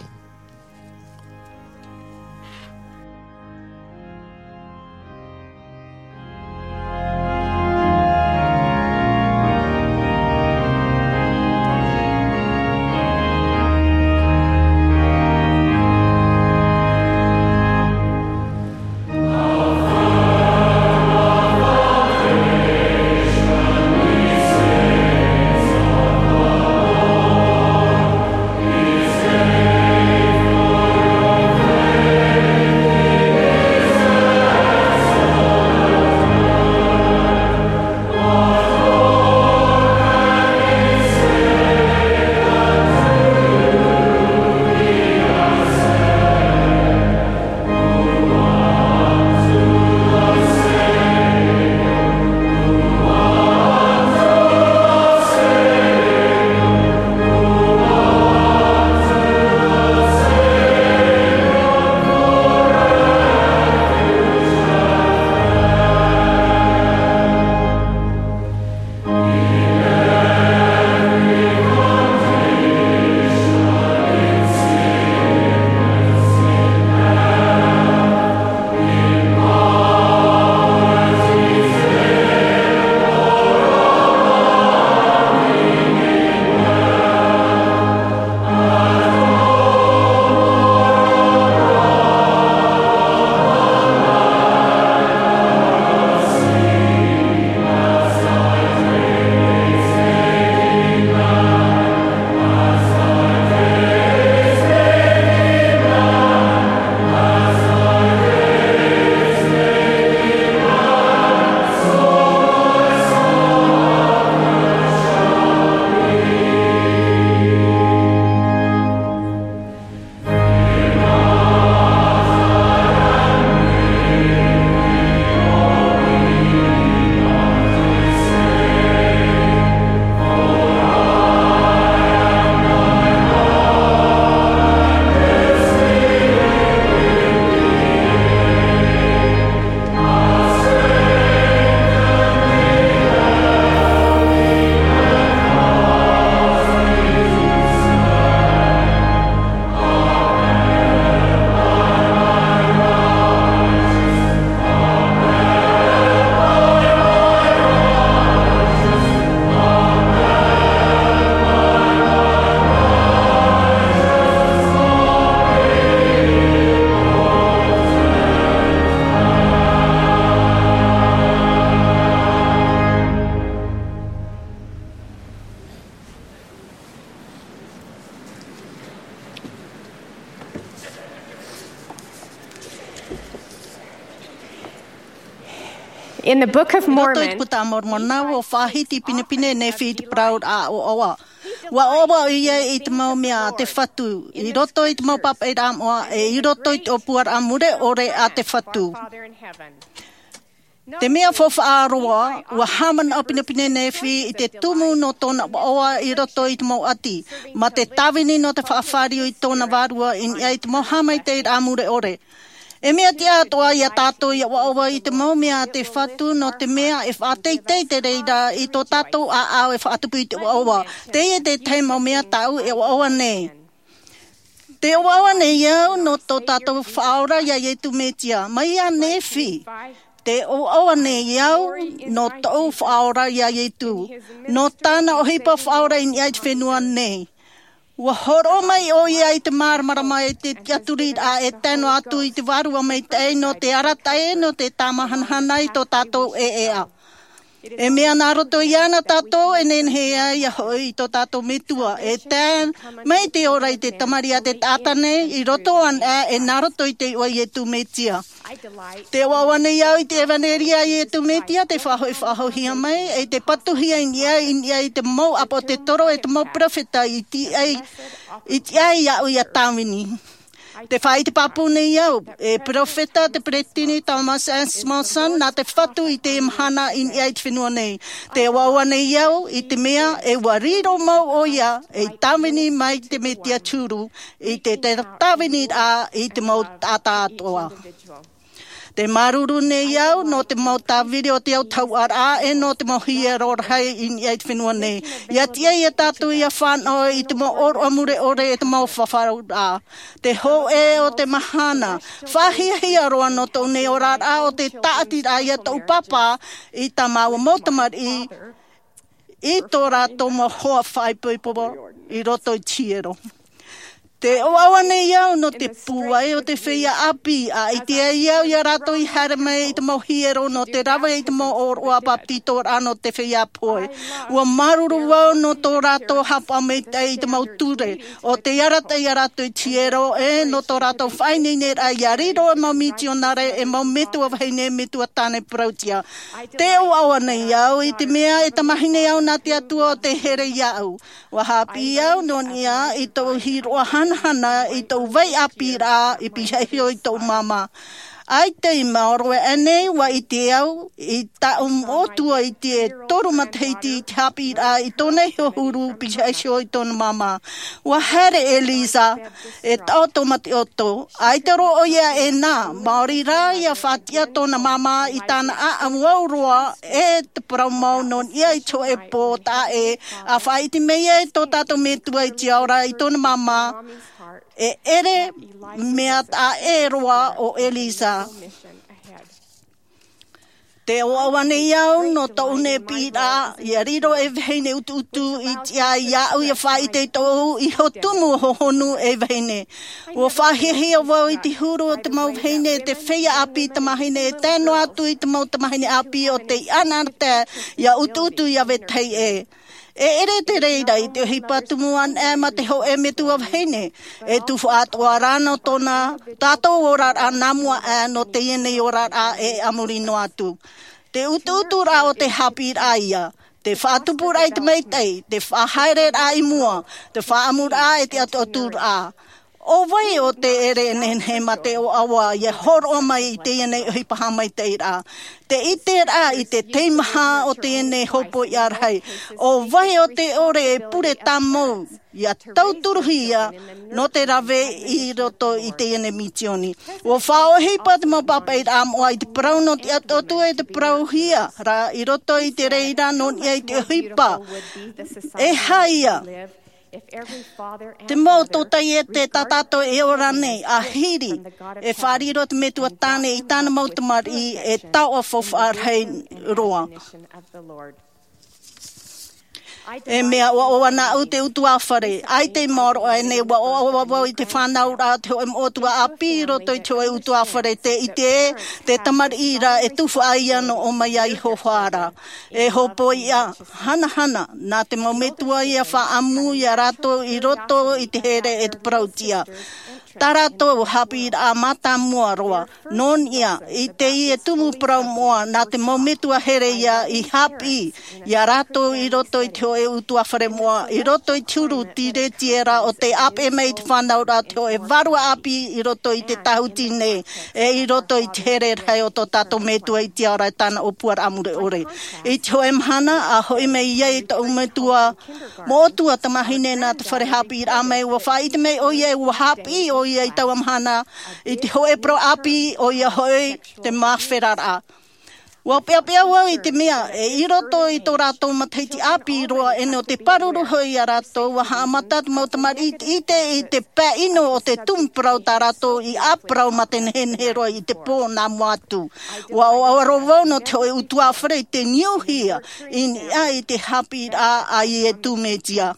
In the Book of Mormon, i roto i te puta a Moromona, ua faʻahiti pinepine Nephi i te parau ra ʻoaʻoa. Ua ʻoaʻoa ʻoia i te mau mea a te Fatu, i roto i te mau pāpaʻiraʻa moʻa, e i roto i te ʻōpuaraʻa mure ʻore a te Fatu. Te mea faufaʻa roa, ua haʻamanaʻo pinepine Nephi i te tumu nō tōna ʻoaʻoa i roto i te mau ʻati, mā te tāvini nō te faʻafāriu i tōna vārua i niʻa i te mau haʻamaitaʻiraʻa mure ʻore. E mea tiʻa atoʻa ia tātou ia ʻoaʻoa i te mau mea a te Fatu, nō te mea e faʻateitei te reira i tō tātou ʻāʻau e faʻatupu i te ʻoaʻoa. Teie te tahi mau mea tāʻu e ʻoaʻoa nei. Tē ʻoaʻoa nei au nō tō tātou Faʻaora iā Iesu Mesia, mai iā Nephi. Tē ʻoaʻoa nei au nō tōʻu Faʻaora iā Iesu, nō tāna ʻohipa faʻaora i niʻa i te fenua nei. Ua hōroʻa mai ʻoia i te māramarama e te tiʻaturiraʻa e tae noa atu i te Vārua Maitaʻi nō te arataʻi, nō te tāmāhanahana i tō tātou ʻēʻēʻa. E mea nā roto iāna tātou e nehenehe ai ia hoʻi i tō tātou Metua, e tae mai te ora i te tamariʻi a te taʻata nei, i roto anaʻe e nā roto i te iʻoa Iesu Mesia. Tē ʻoaʻoa nei au i te ʻevanelia a Iesu Mesia, tē faʻahoʻi faʻahouhia mai, e tē patuhia i niʻa, i niʻa i te mau ʻāpōsetolo e te mau perofeta i tiʻa ai, i tiʻa ai iāʻu ia tāvini. Tē faʻaʻite pāpū nei au, e perofeta te peresideni Thomas S. Monson, nā te Fatu i te mahana i niʻa i te fenua nei. Tē ʻoaʻoa nei au i te mea e ua riro mau ʻoia ei tāvini mai te Mesia te huru, i te, te tāviniraʻa i te mau taʻata atoʻa. Tē māuruuru nei au nō te mau tāviri o te autahuʻaraʻa e nō te mau hiero rahi i niʻa i te fenua nei. ʻIa tiʻa ia tātou ʻia fānaʻo i te mau ʻōroʻa mure ʻore e te mau fafauraʻa. Te hōʻē o te mahana, faʻahiahia roa nō tōʻu nei oraraʻa ʻo te tāʻatiraʻa ia tōʻu pāpā i tā māua mau tamariʻi, i tō rātou mau hoa faʻaipoipo i roto i te hiero. Tē ʻoaʻoa nei au nō te pūai o te feiā ʻāpī, ʻa ʻite ai au ia rātou i haere mai i te mau hiero nō te rave i te mau ʻōroʻa bapetizoraʻa nō te feiā pohe. Ua māuruuru au nō tō rātou haʻapaʻo maitaʻi i te mau ture, ʻo tē arataʻi ia rātou i te hiero, e nō tō rātou faʻaineineraʻa ia riro e mau misionare, e mau metua vahine, metua tāne parautiʻa. Tē ʻoaʻoa nei au i te mea e tamahine au nā te Atua ʻo tē here iāʻu. Ua haʻapiʻi au nō niʻa i tōʻu hīroʻa hanahana i tōʻu vai ʻāpīraʻa i pīhaʻi iho i tōʻu māmā. ʻAita i maoro aʻe nei, ua ʻite au i tāʻu moʻotua i te toru matahiti i te haʻapiʻiraʻa i tōna iho huru pīhaʻi iho i tōna māmā. Ua haere ʻo Elisa, e taʻoto mā te ʻoto, ʻaita roa ʻoia e nā, maori rā ʻia faʻatiʻa tōna māmā i tāna ʻāʻamu au roa, e te parau mau nō niʻa i te hōʻē pō taʻa ʻē, ʻa faʻaʻite mai ai tō tātou Metua i te ao ra i tōna māmā, e ʻere mea taʻa ʻē roa ʻo Elisa. Tē ʻoaʻoa nei au nō tōʻu nei piʻiraʻa, ʻia riro ei vahine ʻutuʻutu i tiʻa iāʻu ʻia faʻaʻite i tōʻu iho tumu hohonu ei vahine. Ua faʻahiahia vau i te huru o te mau vahine, te feiā ʻāpī tamahine, e tae noa atu i te mau tamahine ʻāpī ʻo tē ʻanaʻanatae ʻia ʻutuʻutu ʻia vetahi ʻē. E ʻere te reira i te ʻohipa tumu anaʻe mā te hōʻē metua vahine, e tufaʻa atoʻa rā nō tōna tātou oraraʻa nā mua aʻe nō teie nei oraraʻa e a muri noa atu. Te ʻutuʻuturaʻa o te haʻapiʻiraʻa ïa, te faʻatupuraʻa i te maitaʻi, te faʻahaereraʻa i mua, te faʻaʻamuraʻa e te ʻatuʻaturaʻa. ʻO vai ʻo tē ʻere e nehenehe mā te ʻoaʻoa ʻia hōroʻa mai i teie nei ʻohipa haʻamaitaʻiraʻa? Te ʻiteraʻa i te teimaha o teie nei hopoiʻa rahi. ʻO vai ʻo tē ʻore e pure tāmau ʻia tauturuhia nō te rave i roto i teie nei misioni? Ua faʻaʻohipa te mau pāpaʻiraʻa moʻa i te parau nō te ʻatuʻatu e te parauhia ra i roto i te reira nō niʻa i te ʻohipa. E aha ïa? Te mau tōtaiete tā tātou e ora nei, ʻahiri e faʻariro te Metua Tāne i tāna mau tamariʻi, e taoʻa faufaʻa rahi roa. E mea ʻoaʻoa nāʻu te ʻutuāfare, ʻaita i maoro aʻe nei, ua ʻoaʻoa vau i te fānauraʻa o te hōʻē moʻotua ʻāpī i roto i te hōʻē ʻutuāfare, tē ʻite ē, te tamariʻi ra e tufaʻa ïa nō ʻō mai ai i Hohoʻa ra. E hopoiʻa hanahana, nā te mau metua ïa faʻaʻamu ia rātou i roto i te here e te parautiʻa. Tā rātou haʻapiʻiraʻa mātāmua roa, nō niʻa i teie tumu parau moʻa, nā te mau metua here ia i haʻapiʻi iā rātou i roto i te hōʻē utuāfare moʻa, i roto i te huru tiretiera o tei ʻāpeʻe mai i te fānauraʻa, te hōʻē vārua ʻāpī i roto i te tāhuti nei, e i roto i te here rahi o tō tātou Metua i te ao ra e tāna ʻōpuaraʻa mure ʻore. I te hōʻē mahana, ʻa hoʻi mai ai tōʻu metua moʻotua tamāhine nā te fare haʻapiʻiraʻa mai, ʻua faʻaʻite mai ʻoia, ʻua haʻapiʻi ʻoia i taua mahana, i te hōʻē parau ʻāpī, ʻoia hoʻi te māferaraʻa. ʻUa peʻapeʻa vau i te mea, e i roto i tō rātou matahiti ʻāpī roa, e nō te pāruru hoʻi iā rātou, ʻua haʻamata te mau tamariʻi i te, i te, i te pae ʻino o te tumu parau tā rātou i ʻāparau mā te nehenehe roa i te pō nā mua atu. ʻUa ʻoaʻoa roa vau nō te hōʻē utuāfare i te niuhia i niʻa i te haʻapiʻiraʻa a Iesu Mesia.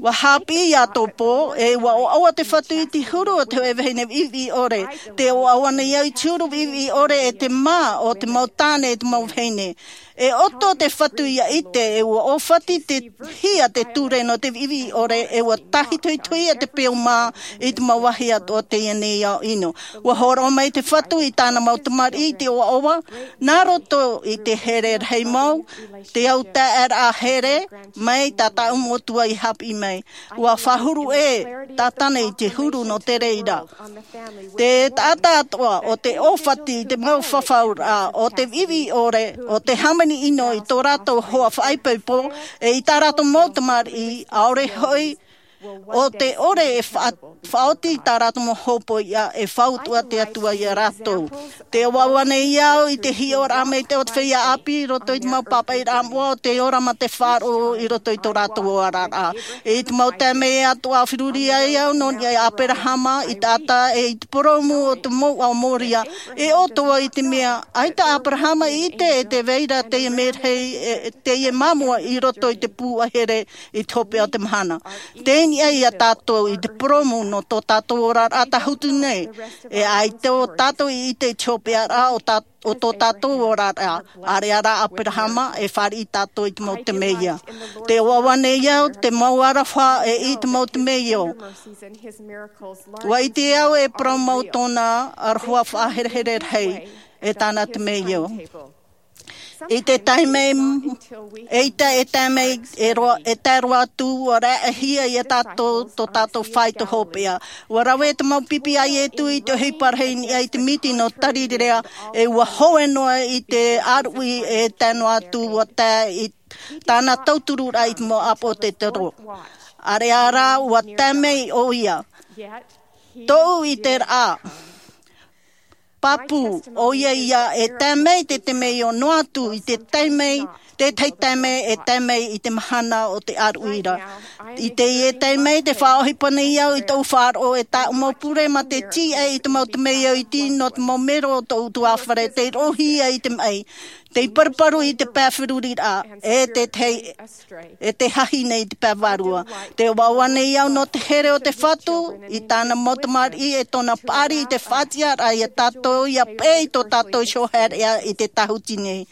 ʻUa haʻapiʻi iā tō pō, e ʻua ʻoaʻoa te Fatu i te huru o te hōʻē vahine viʻiviʻi ʻore. Tē ʻoaʻoa nei au i te huru viʻiviʻi ʻore e te mā o te mau tāne e te mau vahine. E ʻoto te Fatu ʻia ʻite, e ʻua ʻōfati te hia te ture nō te viʻiviʻi ʻore, e ʻua tāhitohitohia te peu mā i te mau vāhi atoʻa o teie nei ao ʻino. ʻUa hōroʻa mai te Fatu i tāna mau tamariʻi i te ʻoaʻoa, nā roto i te here rahi mau, te au taʻeraʻa here, mai tā tāʻu Metua i haʻapiʻi mai. ʻUa fāhuru ʻē Tātana i te huru nō te reira. Te taʻata atoʻa o te ʻōfati i te mau fafauraʻa, o te viʻiviʻi ʻore, o te hāmani ʻino i tō rātou hoa faʻaipoipo, e i tā rātou mau tamariʻi, ʻaore hoʻi, ʻo te ʻore e fa-, faʻaoti i tā rātou mau hōpoiʻa, e fautua te Atua iā rātou. Tē ʻoaʻoa nei au i te hiʻoraʻa mai te, o te feiā ʻāpī i roto i te mau pāpaʻiraʻa moʻa o te ora mā te faʻaroʻo i roto i tō rātou oraraʻa. I te mau taime atoʻa feruri ai au nō niʻa iā Aperahama, i te taʻata e i te purōmu o te mouʻa o Moria, e ʻoto vau i te mea, ʻaita ʻo Aperahama i ʻite e tē vai ra teie merahi, e, teie māmua i roto i te pū ʻahere i te hopeʻa o te mahana. Tei niʻa iā tātou i te purōmu nō tō tātou oraraʻa tāhuti nei, e ʻaita ʻo tātou i ʻite i te hopeʻaraʻa o tā-, o tō tātou oraraʻa, ʻāreʻa rā Aperahama, e fāriʻi tātou i te mau temeio. Tē ʻoaʻoa nei au te mau aroha e i te mau temeio. ʻUa ʻite au e parau mau tōna aroha faʻaherehere rahi, e tāna temeio. I te taime, eʻita e tae mai, e roa, e tae roa atu, ʻua raʻehia iā tātou, tō tātou faito hopeʻa. ʻUa rave te mau pipi a Iesu i te ʻohipa rahi i niʻa i te miti nō Tarirea, e ʻua hoe noa i te ʻāruʻi e tae noa atu, ʻua tae i tāna tautururaʻa i te mau ʻāpōsetolo. ʻĀreʻa rā, ʻua tae mai ʻoia. Tōʻu ʻiteraʻa. Pāpū, ʻoia ia e tae mai te temeio noa atu i te taime, te tahi taime e tae mai i te mahana o te ʻāruʻi ra. I teie taime tē faʻaʻohipa nei au i tōʻu faʻaroʻo e tāʻu mau pure mā te tīaʻi i te mau temeio iti nō te mau mero o tōʻu utuāfare, tei roʻohia i te maʻi, tei paruparu i te pae feruriraʻa, e te tahi, e te hahi nei i te pae vārua. Tē ʻoaʻoa nei au nō te here o te Fatu, i tāna mau tamariʻi e tōna paʻari i te faʻatiʻaraʻa iā tātou, ʻia peʻe i tō tātou iho haereʻa i te tāhuti nei.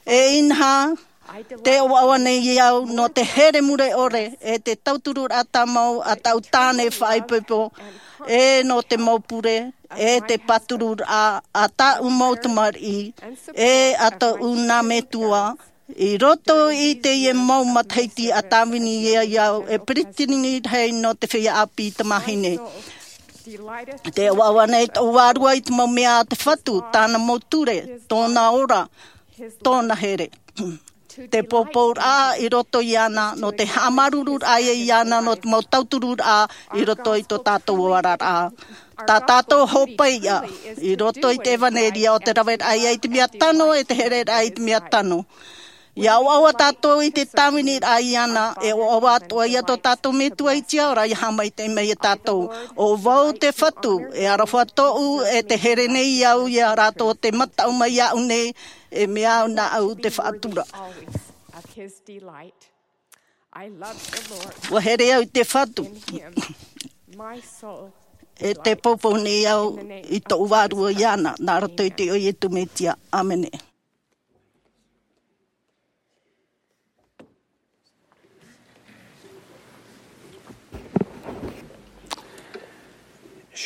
E inaha, tē ʻoaʻoa nei au nō te here mure ʻore, e te tautururaʻa tāmau a tāʻu tāne faʻaipoipo, e nō te mau pure, e te pātururaʻa a tāʻu mau tamariʻi, e a tōʻu nā metua, i roto i teie mau matahiti a tāvini ai au e peresideni rahi nō te feiā ʻāpī tamāhine. Tē ʻoaʻoa nei tōʻu vārua i te mau mea a te Fatu, tāna mau ture, tōna ora, tōna here. Te pōpouraʻa i roto iāna, nō te haʻamāuruururaʻa iāna, nō te mau tautururaʻa i roto i tō tātou oraraʻa. Tā tātou hōpoiʻa, i roto i te ʻevanelia o te raveraʻa ia i te mea tano, e te hereraʻa i te mea tano. ʻIa ʻoaʻoa tātou i te tāviniraʻa iāna, e ʻoaʻoa atoʻa ia tō tātou Metua i te ao ra, ʻia haʻamaitaʻi mai ia tātou. ʻO vau te Fatu, e aroha tōʻu, e tē here nei au ia rātou tē mataʻu mai iāʻu nei, e mea au nāʻu te faʻatura. ʻUa here au i te Fatu. E tē poupou nei au i tōʻu vārua iāna, nā roto i te iʻoa o Iesu Mesia. ʻĀmene.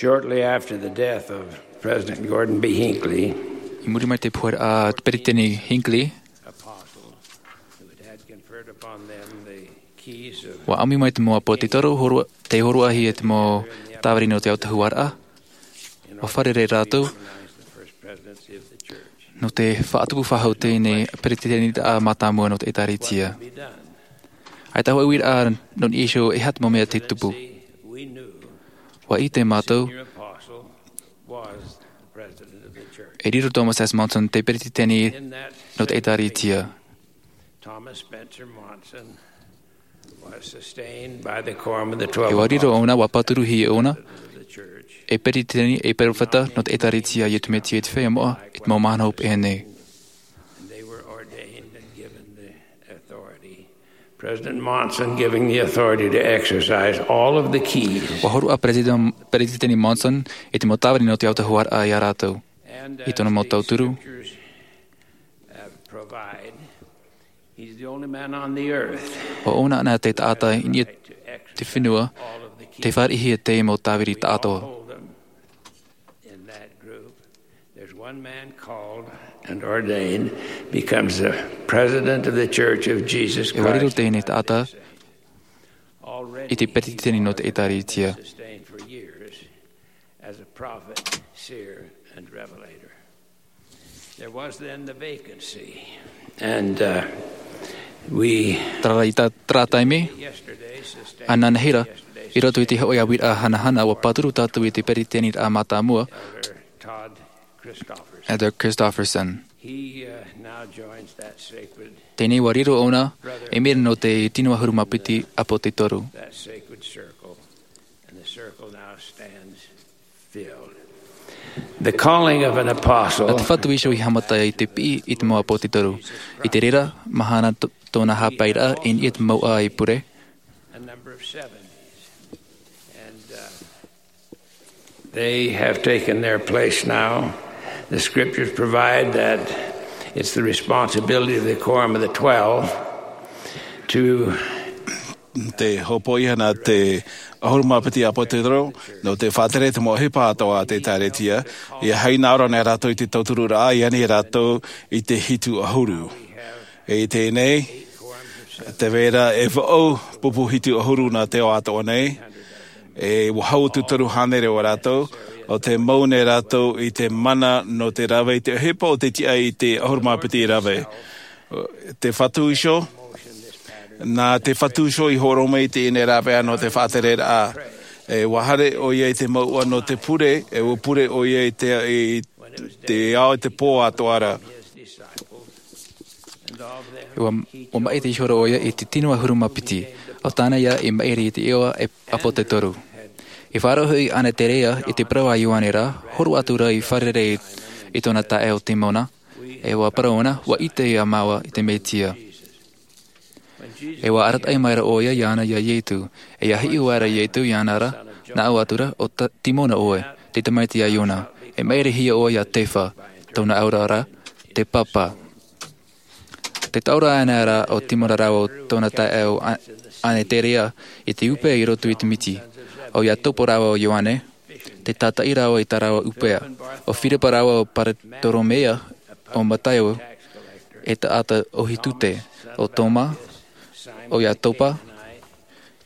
Shortly after the death of President Gordon B. Hinckley, I muri mai i te pohe a Peretiteni Hinckley, apostle who had conferred upon them the keys of ua ʻamu mai te mau ʻāpōsetolo, hōroʻa, tei hōroʻahia te mau tāviri nō te autahuʻaraʻa. Ua fārerei rātou nō te faʻatupu faʻahou i teie nei Peretiteniraʻa mātāmua nō te ʻĒtārētia. ʻAita hoʻi uiraʻa nō niʻa iho e aha te mau mea tei tupu. Ua ʻite mātou e riro Thomas S. Monson te Peretiteni nō te ʻĒtārētia. Thomas Spencer Monson was sustained by the quorum of the twelve apostles. E ua riro ʻōna, ua pāturuhia ʻōna e Peretiteni, e perofeta nō te ʻĒtārētia a Iesu Mesia i te feiā moʻa, i te mau mahana hopeʻa nei. And they were ordained and given the authority. President Monson giving the authority to exercise all of the keys. Ua hōroʻa Peretiteni, Peretiteni Monson i te mau tāviri nō te autahuʻaraʻa ia rātou. I tōna mau tauturu, ʻo ʻōna anaʻe te taʻata i niʻa i te fenua tei fāriʻihia te mau tāviri taʻatoʻa. There's one man called and ordained, becomes the president of the Church of Jesus Christ. E ua riro teie nei taʻata i te Peretiteni nō te ʻĒtārētia. As a prophet, seer, and revelator. There was then the vacancy. And, uh, we Terā rā, i tā, terā taime, ananahi ra, i roto i te hōʻē uiraʻa hanahana, ua pāturu tātou i te Peretiteniraʻa mātāmua, Elder Todd Christofferson. Elder Christofferson. He, uh, now joins that sacred Teie nei ua riro ʻōna, e mea nō te tino ʻahuru mā piti ʻāpōsetolo. That sacred circle. And the circle now stands filled. The calling of an apostle. Nā te Fatu iho i haʻamata i te piʻi i te mau ʻāpōsetolo. I te reira mahana tō-, tōna haʻapaeraʻa i niʻa i te mouʻa i pure. A number of seventies. And, uh, they have taken their place now. The scriptures provide that it's the responsibility of the quorum of the twelve to Te hōpoiʻa nā te ʻahuru mā piti ʻāpōsetolo, nō te faʻatere te mau ʻohipa atoʻa a te ʻĒtārētia, ʻia hinaʻaro nei rātou i te tautururaʻa, ʻia ani rātou i te hitu ʻahuru. E i teie nei, tē vai ra e vaʻu pupu hitu ʻahuru nā te ao atoʻa nei, e ua hau atu toru hānere o rātou, ʻo tē mau nei rātou i te mana nō te rave i te ʻohipa o te tiʻa i te ʻahuru mā piti rave. Te Fatu iho, nā te Fatu iho i hōroʻa mai i teie nei rāveʻa nō te faʻatereraʻa. E ua haere ʻoia i te mouʻa nō te pure, e ua pure ʻoia i te, i te ao, i te pō atoʻa ra. Ua, ua maʻiri ihora ʻoia i te tino ʻahuru mā piti, ʻo tāna ia i maʻiri i te iʻoa e ʻāpōsetolo. I faʻaroʻo hoʻi Aneterea i te parau a Ioane ra, hōroʻa atu ra i fārerei i tōna taeaʻe ʻo Timona, e ua parau ʻōna, ʻua ʻite ā māua i te Mesia. E ua arataʻi mai ra ʻoia iāna ia Iesu, e ʻia hiʻo aʻera Iesu iāna ra, nā ʻō atu ra, ʻo Ta-, Timona ʻoe, te tamaiti a Iona, e maʻirihia ʻoe iā Kefa, tōna auraʻa ra, te papa. Tē taʻo ra anaʻe ra ʻo Timona rāua ʻo tōna taeaʻe ʻo A-, Aneterea i te ʻūpea i roto i te miti, ʻo Iakobo rāua ʻo Ioane, te tātaʻi rāua i tā rāua ʻūpea, ʻo Firipa rāua ʻo Paretolomeo, ʻo Mataio, e taʻata ʻohipa tute, ʻo Toma, ʻo Iakobo,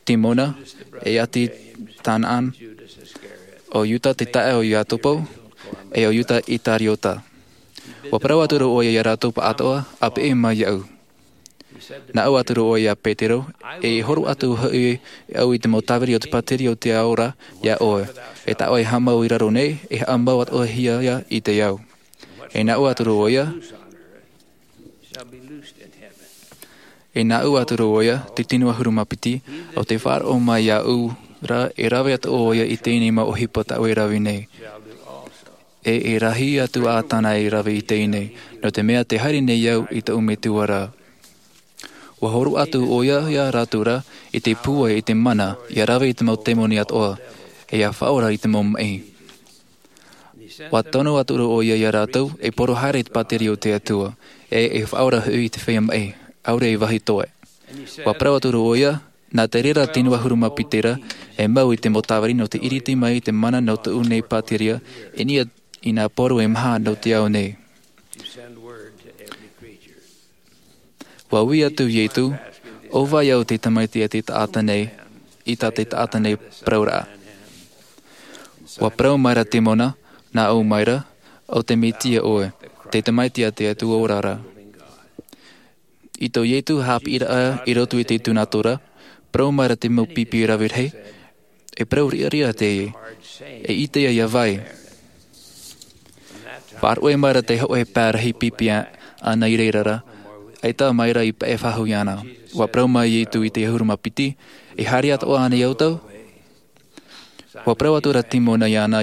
Timona, e ʻāti Kanaan, ʻo Iuta te taeaʻe o Iakobo, e ʻo Iuta Isikariota. Ua parau atu ra ʻoia iā rātou pāʻatoʻa, ʻa peʻe mai iāʻu. Nā ʻō atu ra ʻoia iā Petero, e hōroʻa atu hoʻi au i te mau tāviri o te pātireia o te ao ra iā ʻoe, e tā ʻoe e haʻamau i raro nei, e haʻamau atoʻahia ia i te ao. E nā ʻō atu ra ʻoia, e nā ʻō atu ra ʻoia, te tino ʻahuru mā piti, ʻo tē faʻaroʻo mai iāʻu ra, e rave atoʻa ʻoia i teie nei mau ʻohipa tā ʻoe e rave nei. E, e rahi atu ā tāna e rave i teie nei, nō te mea tē haere nei au i tōʻu Metua ra. Ua hōroʻa atu ʻoia iā rātou ra, i te pūai, i te mana, ʻia rave i te mau tēmoni atoʻa, e ʻia faʻaora i te mau maʻi. Ua tono atu ra ʻoia iā rātou, e poro haere i te pātireia o te Atua, e, e faʻaora hoʻi i te feiā maʻi, ʻaore e vāhi toe. Ua parau atu ra ʻoia, Nā te reira tino ʻahuru mā piti ra, e mau i te mau tāviri nō te ʻiriti mai i te mana nō tōʻu nei pātireia, i niʻa i nā poro e maha nō te ao nei. Ua ui atu Ietu, ʻo vai au te tamaiti a te taʻata nei, i tā te taʻata nei parauraʻa. Ua parau mai ra Timona, nā ʻō mai ra, ʻo te Metia ʻoe, te tamaiti a te Atua ora ra. I tō Ietu haʻapiʻiraʻa i roto i te tūnato ra, parau mai ra te mau pipi rave rahi, e parau riʻariʻa teie, e ʻite ia vai. Faʻaruʻe mai ra te hōʻē pae rahi pipi ʻana i reira ra, ʻaita mai ra i paʻe faʻahou iāna. Ua parau mai Ietu i te ʻahuru mā piti, e haere atoʻa ānei ʻoutou? Ua parau atu ra Timona iāna,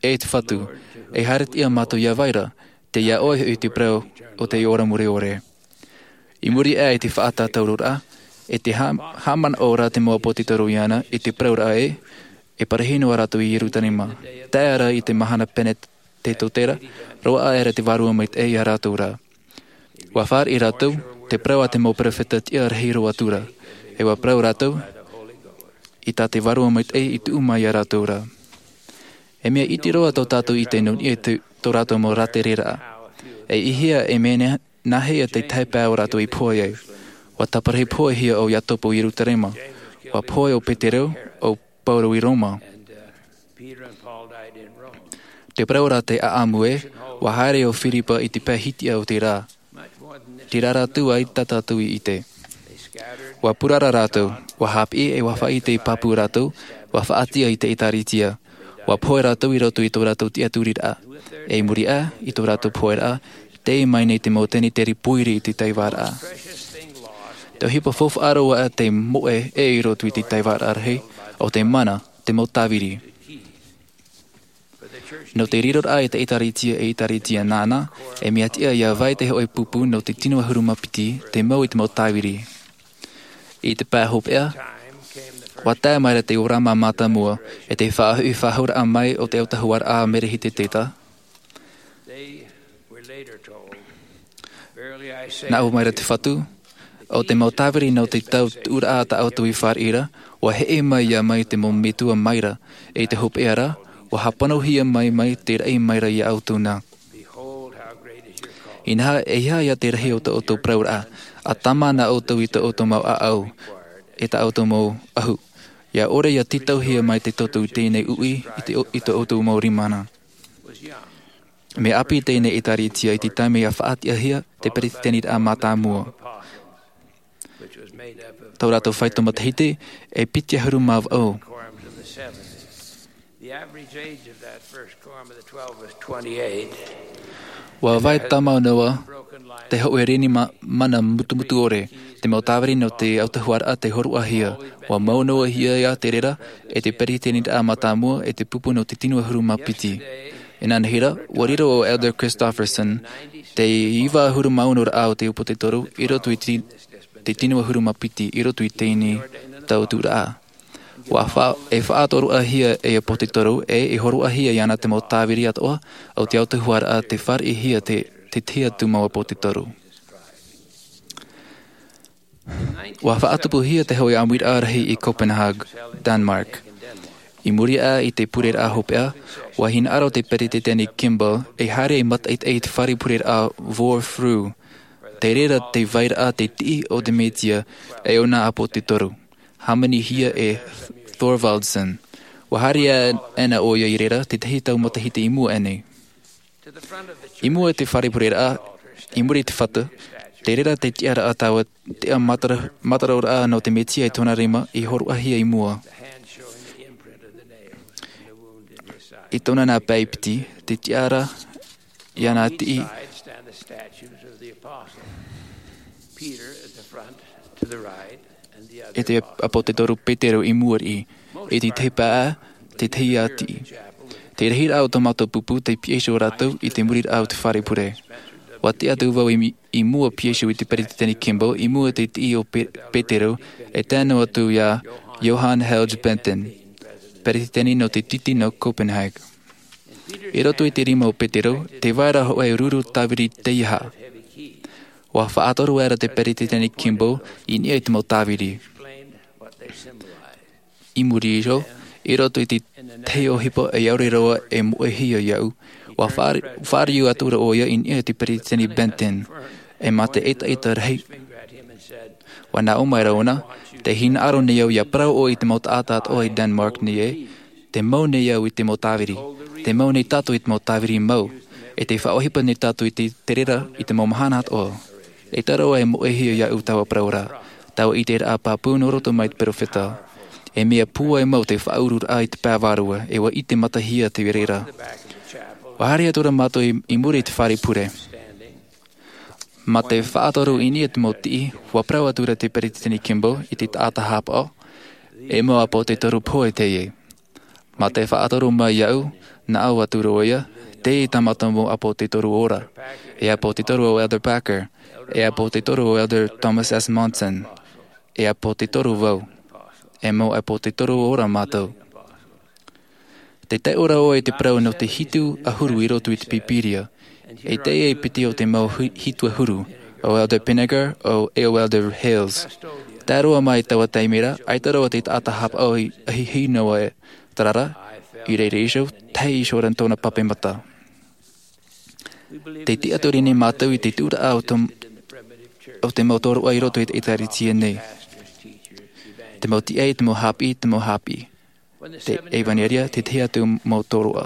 e te Fatu, e haere atu mātou ia vai ra, tei iā ʻoe hoʻi te parau o te ora mure ʻore. I muri aʻe i te faʻatātauroraʻa, e te hā-, haʻamanaʻo ra te mau ʻāpōsetolo iāna i te parauraʻa ē, e parahi noa rātou i Ierutarema. Tae ra i te mahana Penetetotera, roaʻa aʻera te Vārua Maitaʻi ia rātou ra. Ua fāriʻi rātou, te parau a te mau peropheta tiʻa rahi roa atu ra. E ua parau rātou, i tā te Vārua Maitaʻi i tuʻu mai ia rātou ra. E mea iti roa tō tātou ʻite nō niʻa i te, tō rātou mau rātereraʻa. E ʻihia e mea nā-, nāhea te tahi pae ʻo rātou i pohe ai. Ua taparahi pohehia ʻo Iakobo i Ierutarema. Ua pohe ʻo Petero, ʻo Paulo i Roma. Te parau ra te ʻāʻamu ē, ua haere ʻo Firipa i te pae hitiʻa o te rā. Terā rā atu ʻaita tātou i ʻite. Ua purara rātou, ua haʻapiʻi e ua faʻaʻite i pāpū rātou, ua faʻaʻite i te ʻētārētia. Ua pohe rātou i roto i tō rātou tiʻaturiraʻa. E i muri aʻe i tō rātou poheraʻa, tei mai nei te mau tenetere pōiri i te taivāraʻa. Te ʻohipa faufaʻa roa te moʻe ē i roto i te taivāraʻa rahi, ʻo te mana, te mau tāviri. Nō te riroraʻa i te ʻētārētia, e ʻētārētia nāna, e mea tiʻa ia vai te hōʻē pupu nō te tino ʻahuru mā piti, te mau i te mau tāviri. I te pae hopeʻa, ua tae mai ra te ora mātāmua, e te faʻahoʻi faʻahouraʻa mai o te autahuʻaraʻa a Merehiteseteka. Nā ʻō mai ra te Fatu, ʻo te mau tāviri nō te tau tuʻuraʻa tā ʻoutou i fāriʻi ra, ua heʻe mai ia mai te mau metua mai ra, e i te hopeʻa ra, ua hāpanohia mai mai te raʻi mai ra ia ʻoutou nā. Inaha, e aha ia te rahi o tō ʻoutou parauraʻa, ʻa tāmā na ʻoutou i tō ʻoutou mau ʻāʻau, e tā ʻoutou mau ʻahu. ʻIa ʻore ia tītauhia mai te toto i teie nei uʻi i te, i tō ʻoutou mau rima nā. Mea ʻāpī teie nei ʻētārētia i te taime ʻia faʻatiʻahia te peretiteniraʻa mātāmua. Tō rātou faito matahiti, e piti ʻahuru mā vaʻu. Ua vai tāmau noa te hōʻē reni ma-, mana mutumutu ʻore, te mau tāviri nō te autahuʻaraʻa tei hōroʻahia. Ua mau noa hia ia te reira, e te peretiteniraʻa mātāmua, e te pupu nō te tino ʻahuru mā piti. Inanahi ra, ua riro ʻo Elder Christofferson, te iva ʻahuru mā ono raʻa o te ʻāpōsetolo, i roto i te, te tino ʻahuru mā piti, i roto i teie nei tau tuʻuraʻa. Ua fa-, e faʻatoroʻahia e ʻāpōsetolo, e, e hōroʻahia iāna te mau tāviri atoʻa, o te autahuʻaraʻa tei fāriʻihia te, te tahi atu mau ʻāpōsetolo. Ua faʻatupuhia te hōʻē ʻāmuiraʻa rahi i Copenhagen, Denmark. I muri aʻe i te pureraʻa hopeʻa, ua hinaʻaro te peretiteni Kimball, e haere e mātaʻitaʻi i te fare pureraʻa Vor Frue. Te reira te vairaʻa te tiʻi o te Mesia, e ʻōna ʻāpōsetolo. Hāmanihia e Thorvaldsen. Ua haere aʻena ʻoia i reira, te tahi tau matahiti i mua aʻenei. I mua i te fare pureraʻa, i muri i te fatu, te reira te tiʻaraʻa taua, te ʻa matara-, mataraʻa nō te Mesia i tōna rima, i hōroʻahia i mua. I tōna nā pae piti, te tiʻaraʻa iāna tiʻi. E te ʻāpōsetolo Petero i mua riʻi, e te tahi pae, te tahi ʻa tiʻi. Te rahiraʻa o tō mātou pupu, tei pihaʻi iho rātou i te muriraʻa o te fare pure. Ua tiʻa atu vau i, i mua pihaʻi iho i te peretiteni Kimball, i mua i te tiʻi o Pe-, Petero, e tae noa atu iā Johan Helge Benton, peretiteni nō te titi nō Copenhagen. I roto i te rima o Petero, tē vai ra hōʻē ruru tāviri teiaha. Ua faʻatoro aʻera te peretiteni Kimball i niʻa i te mau tāviri. I muri iho, i roto i te tahi ʻohipa e ʻaore roa e moʻehia iāʻu, ua fāri-, fāriu atu ra ʻoia i niʻa i te Peresideni Benton, e mā te ʻetaʻeta rahi. Ua nā ʻō mai ra ʻōna, tē hinaʻaro nei au ʻia parau ʻoe i te mau taʻata atoʻa i Denmark nei ē, tē mau nei au i te mau tāviri, tē mau nei tātou i te mau tāviri mau, e tē faʻaʻohipa nei tātou i te, te reira i te mau mahana atoʻa. ʻAita roa e moʻehia iāʻu taua parau ra, taua ʻiteraʻa pāpū nō roto mai te perofeta. E mea pūai mau te faʻaururaʻa i te pae vārua, e ua ʻite matahia te reira. Ua haere atu ra mātou i, i muri i te fare pure. Mā te faʻatoro i niʻa i te mau tiʻi, ua parau atu ra te Peresideni Kimball i te taʻata haʻapaʻo, e mau ʻāpōsetolo pohe teie. Mā te faʻatoro mai iāʻu, nā ʻō atu ra ʻoia, teie tā mātou mau ʻāpōsetolo ora, e ʻāpōsetolo ʻo Elder Packer, e ʻāpōsetolo ʻo Elder Thomas S. Monson, e ʻāpōsetolo vau, e mau ʻāpōsetolo ora mātou. Tē tae ʻoe ra ʻoe i te parau nō te hitu ʻahuru i roto i te Pīpīria, e teie e piti o te mau hi-, hitu ʻahuru, ʻo Elder Pinnegar, ʻo, e ʻo Elder Hales. Tae roa mai i taua taime ra, ʻaita roa te taʻata haʻapaʻo i ʻahiʻahi noa e, terā rā, i reira iho, tae iho ra tōna pape mata. Tē tiʻaturi nei mātou i te tuʻuraʻa o tō-, o te mau tōroʻa i roto i te ʻētārētia nei. Te mau tiʻa, te mau haʻapiʻi, te mau haʻapiʻi. Te ʻevanelia, te tahi atu mau tōroʻa.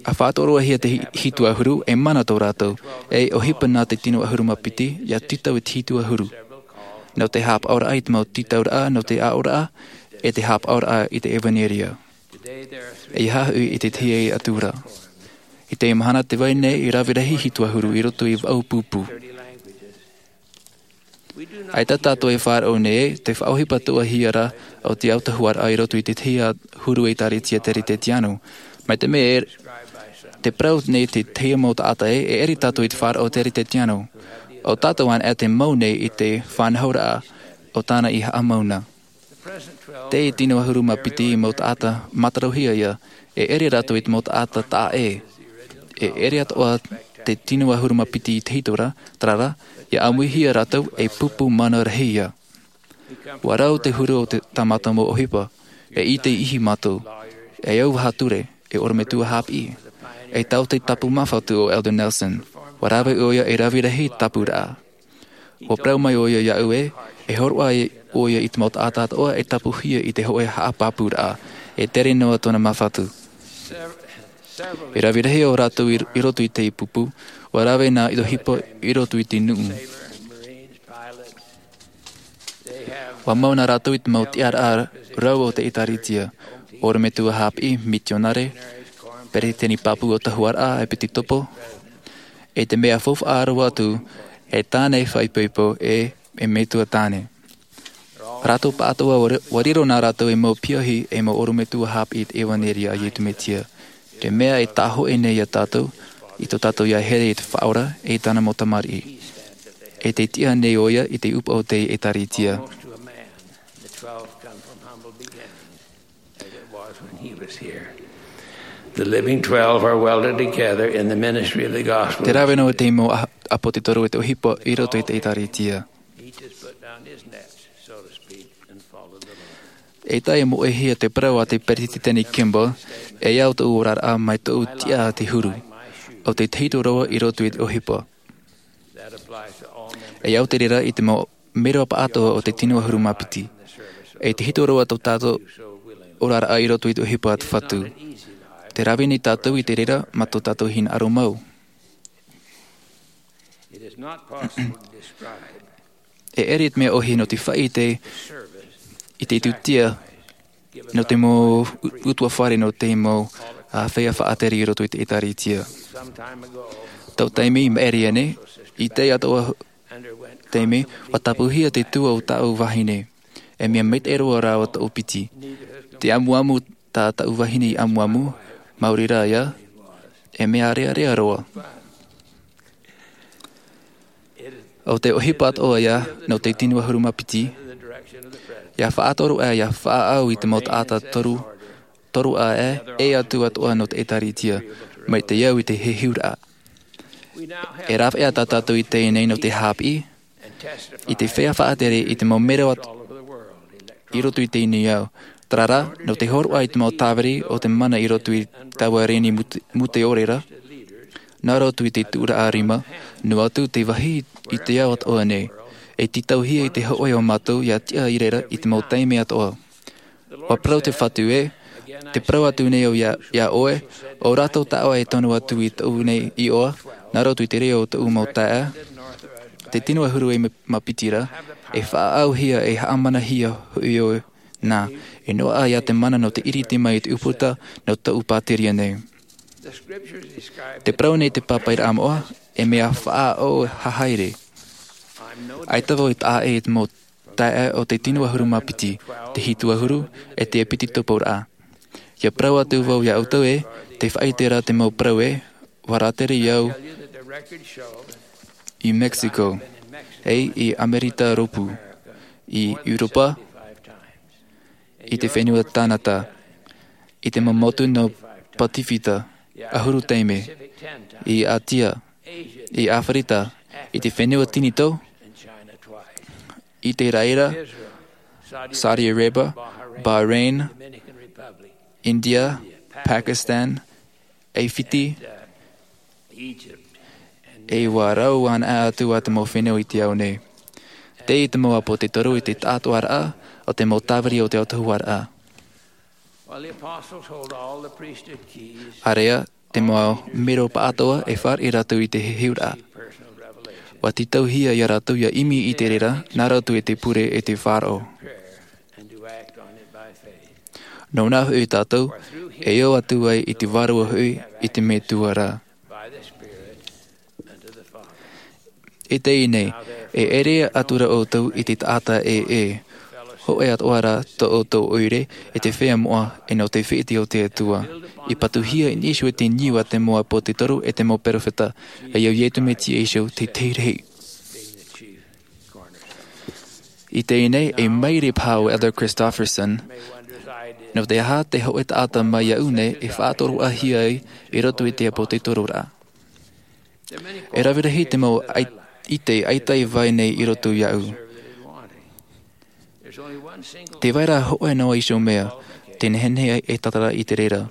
ʻA faʻatorohia te hi-, hitu ʻahuru, e mana tō rātou, e ʻohipa nā te tino ʻahuru mā piti, ʻia tītau i te hitu ʻahuru. Nō te haʻapaʻoraʻa i te mau tītauraʻa, nō te aʻoraʻa, e te haʻapaʻoraʻa i te ʻevanelia. E haʻahoʻi i te tahi atu ra. I te mahana tē vai nei, e rave rahi hitu ʻahuru i roto i vaʻu pupu. ʻAita tātou e faʻaroʻo nei, te faʻaʻohipa tuahia ra o te autahuʻaraʻa i roto i te tahi ʻahuru ʻētārētia Teretetiāno. Mai te mea e, te parau nei te tahi mau taʻata ē, e ʻere tātou i te faʻaroʻo Teretetiāno. ʻO tātou anaʻe te mau nei i te faʻanahoraʻa o tāna i haʻamau na. Te tino ʻahuru mā piti mau taʻata mātarohia ïa, e ʻere rātou i te mau taʻata taʻa ʻē. E ʻere atoʻa te tino ʻahuru mā piti i te hitu ra, terā rā, ʻia ʻāmuihia rātou e pupu mana rahi ïa. ʻUa rau te huru o te, tā mātou mau ʻohipa, e ʻite ihi mātou, e auvaha ture, e ʻorometua haʻapiʻi, e taote tapu māfatu ʻo Elder Nelson. ʻUa rave ʻoia e rave rahi te tapuraʻa. ʻUa parau mai ʻoia iāʻu ē, e hōroʻa ʻoia i te mau taʻata atoʻa e tapuhia i te hōʻē haʻapāpūraʻa, e tere noa tōna māfatu. E rave rahi ʻo rātou i, i roto i te pupu, ʻua rave nā ʻohipa i roto i te nuʻu. ʻUa mau nā rātou i te mau tiʻaraʻa rau o te ʻētārētia, ʻorometua haʻapiʻi, mitionare, peretiteni pāpū o tahuʻaraʻa, ʻepitokopo, e te mea faufaʻa roa atu, e tāne faʻaipoipo, e, e metua tāne. Rātou pāʻatoʻa ʻua ri-, ʻua riro nā rātou e mau piahi, e mau ʻorometua haʻapiʻi i te ʻevanelia a Iesu Mesia. Te mea e tāhōʻē nei iā tātou, i tō tātou ʻia here i te Faʻaora, e tāna mau tamariʻi. E tē tiʻa nei ʻoia i te ʻūpaʻo o te ʻētārētia. The living twelve are welded together in the ministry of the gospel. Te rave noa te mau a-, ʻāpōsetolo e te ʻohipa i roto i te ʻētārētia. Eita e moʻehia te parau a te Peretiteni Kimball, e au tōʻu oraraʻa mai tōʻu tiʻa te huru, ʻo te tahito roa i roto i te ʻohipa. E au te reira i te mau mero paʻatoʻa o te tino ʻahuru mā piti. E tahito roa tō tātou oraraʻa i roto i te ʻohipa a te Fatu. Te rave nei tātou i te reira mā tō tātou hinaʻaro mau. E ʻere te mea ʻohi nō te faʻaʻite i te tūtia nō te mau u-, ʻutuāfare nō te mau, ā, feiā faʻatere i roto i te ʻētārētia. Tau taime i maʻiri aʻe nei, i te atoʻa taime, ʻua tapuhia te tua o tāʻu vahine. E mea maitaʻi roa rāua tōʻu piti. Te amuamu tā tāʻu vahine i amuamu, maori rā ïa, e mea ʻārearea roa. ʻO te ʻohipa atoʻa ïa, nō te tino ʻahuru mā piti, ʻia faʻatoro aʻe, ʻia faʻaau i te mau taʻata toru, toru aʻe, e atu atoʻa nō te ʻētārētia, mai te au i te heheuraʻa. E rāveʻa tā tātou i teie nei nō te haʻapiʻi, i te feiā faʻatere i te mau mero i roto i teie nei ao. Terā rā, nō te hōroʻa i te mau tāviri o te mana i roto i taua reni mute-, muteʻore ra, nā roto i te tuʻuraʻa rima, noa atu te vāhi i te ao atoʻa nei, e tītauhia i te hōʻē o mātou ʻia tiʻa i reira i te mau taime atoʻa. ʻUa parau te Fatu ē, tē parau atu nei au iā, iā ʻoe, ʻo rātou taʻoe e tono atu i tōʻu nei iʻoa, nā roto i te reo o tōʻu mau taeaʻe, te tino ʻahuru e mā piti ra, e faʻaauhia, e haʻamanahia hoʻi ʻoe nā, e noaʻa iā te mana nō te ʻiriti mai i te ʻūputa nō tōʻu pātireia nei. Tē parau nei te pāpaʻiraʻa moʻa, e mea faʻaʻō hahaere. ʻAita vau e taʻa ʻē i te mau taeaʻe o te tino ʻahuru mā piti, te hitu ʻahuru, e te piti tupuraʻa. ʻIa parau atu vau iā ʻoutou ē, tē faʻaʻite ra te mau parau ē, ʻua rātere au i Mexico, ʻe i Amerika Rōpū, i ʻEuropa, i te fenua Kanata, i te mau motu nō Pasifika, ʻahuru taime, i Ātia, i ʻĀfirika, i te fenua Tinitō, i te Raʻi ra, Saudi Arabia, Bahrain, India, Pakistan, ʻe Fiti, ʻe ʻua rau anaʻe atu ā te mau fenua i te ao nei. Teie te mau ʻāpōsetolo i te taʻatoʻaraʻa o te mau tāviri o te autahuʻaraʻa. ʻĀreʻa, te mau mero pāʻatoʻa e fāriʻi rātou i te heheuraʻa. ʻUa tītauhia iā rātou ʻia ʻimi i te reira, nā roto i te pure ʻe te faʻaroʻo. Nōna hoʻi tātou, e ō atu ai i te vārua hoʻi i te Metua ra. I teie nei, e ʻere atu ra ʻoutou i te taʻata ʻē, hōʻē atoʻa rā tō ʻoutou ʻoire, i te feiā moʻa, ʻe nō te fētiʻi o te Atua. I patuhia i niʻa iho i te niu a te mau ʻāpōsetolo ʻe te mau peropheta, ʻe ʻo Iesu Mesia iho te tahi rahi. I teie nei, e mairi paha ʻo Elder Christofferson, nō te aha te hōʻē taʻata mai iāʻu nei e faʻatoroʻahia ai i roto i te ʻāpōsetoloraʻa. E rave rahi te mau ʻai-, ʻite ʻaita i vai nei i roto iāʻu. Tē vai ra hōʻē noa iho mea, tē nehenehe ai e tātara i te reira.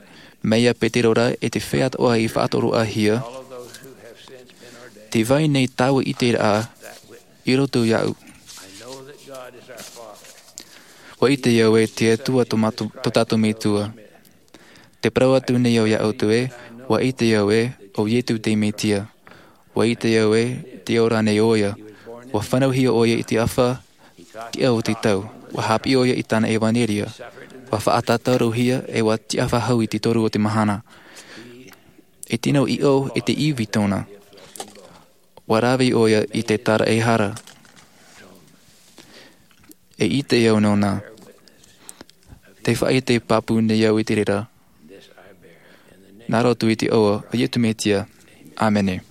Mai iā Petero ra ʻe te feiā atoʻa i faʻatoroʻahia, tē vai nei taua ʻiteraʻa i roto iāʻu. ʻUa ʻite au ē te Atua tō mātou, tō tātou Metua. Tē parau atu nei au iā ʻoutou ē, ʻua ʻite au ē, ʻo Iesu te Mesia. ʻUa ʻite au ē, tē ora nei ʻoia. ʻUa fānauhia ʻoia i te ʻāfa, tiʻa o te tau. ʻUa haʻapiʻi ʻoia i tāna ʻevanelia. ʻUa faʻatātaurohia ʻe ʻua tiʻa faʻahou i te toru o te mahana. E tino ʻiʻo ʻe te ivi tōna. ʻUa rave ʻoia i te tāraʻehara. E ʻite au nōna. Tē faʻaʻite pāpū nei au i te reira. Nā roto i te iʻoa o Iesu Mesia. ʻĀmene.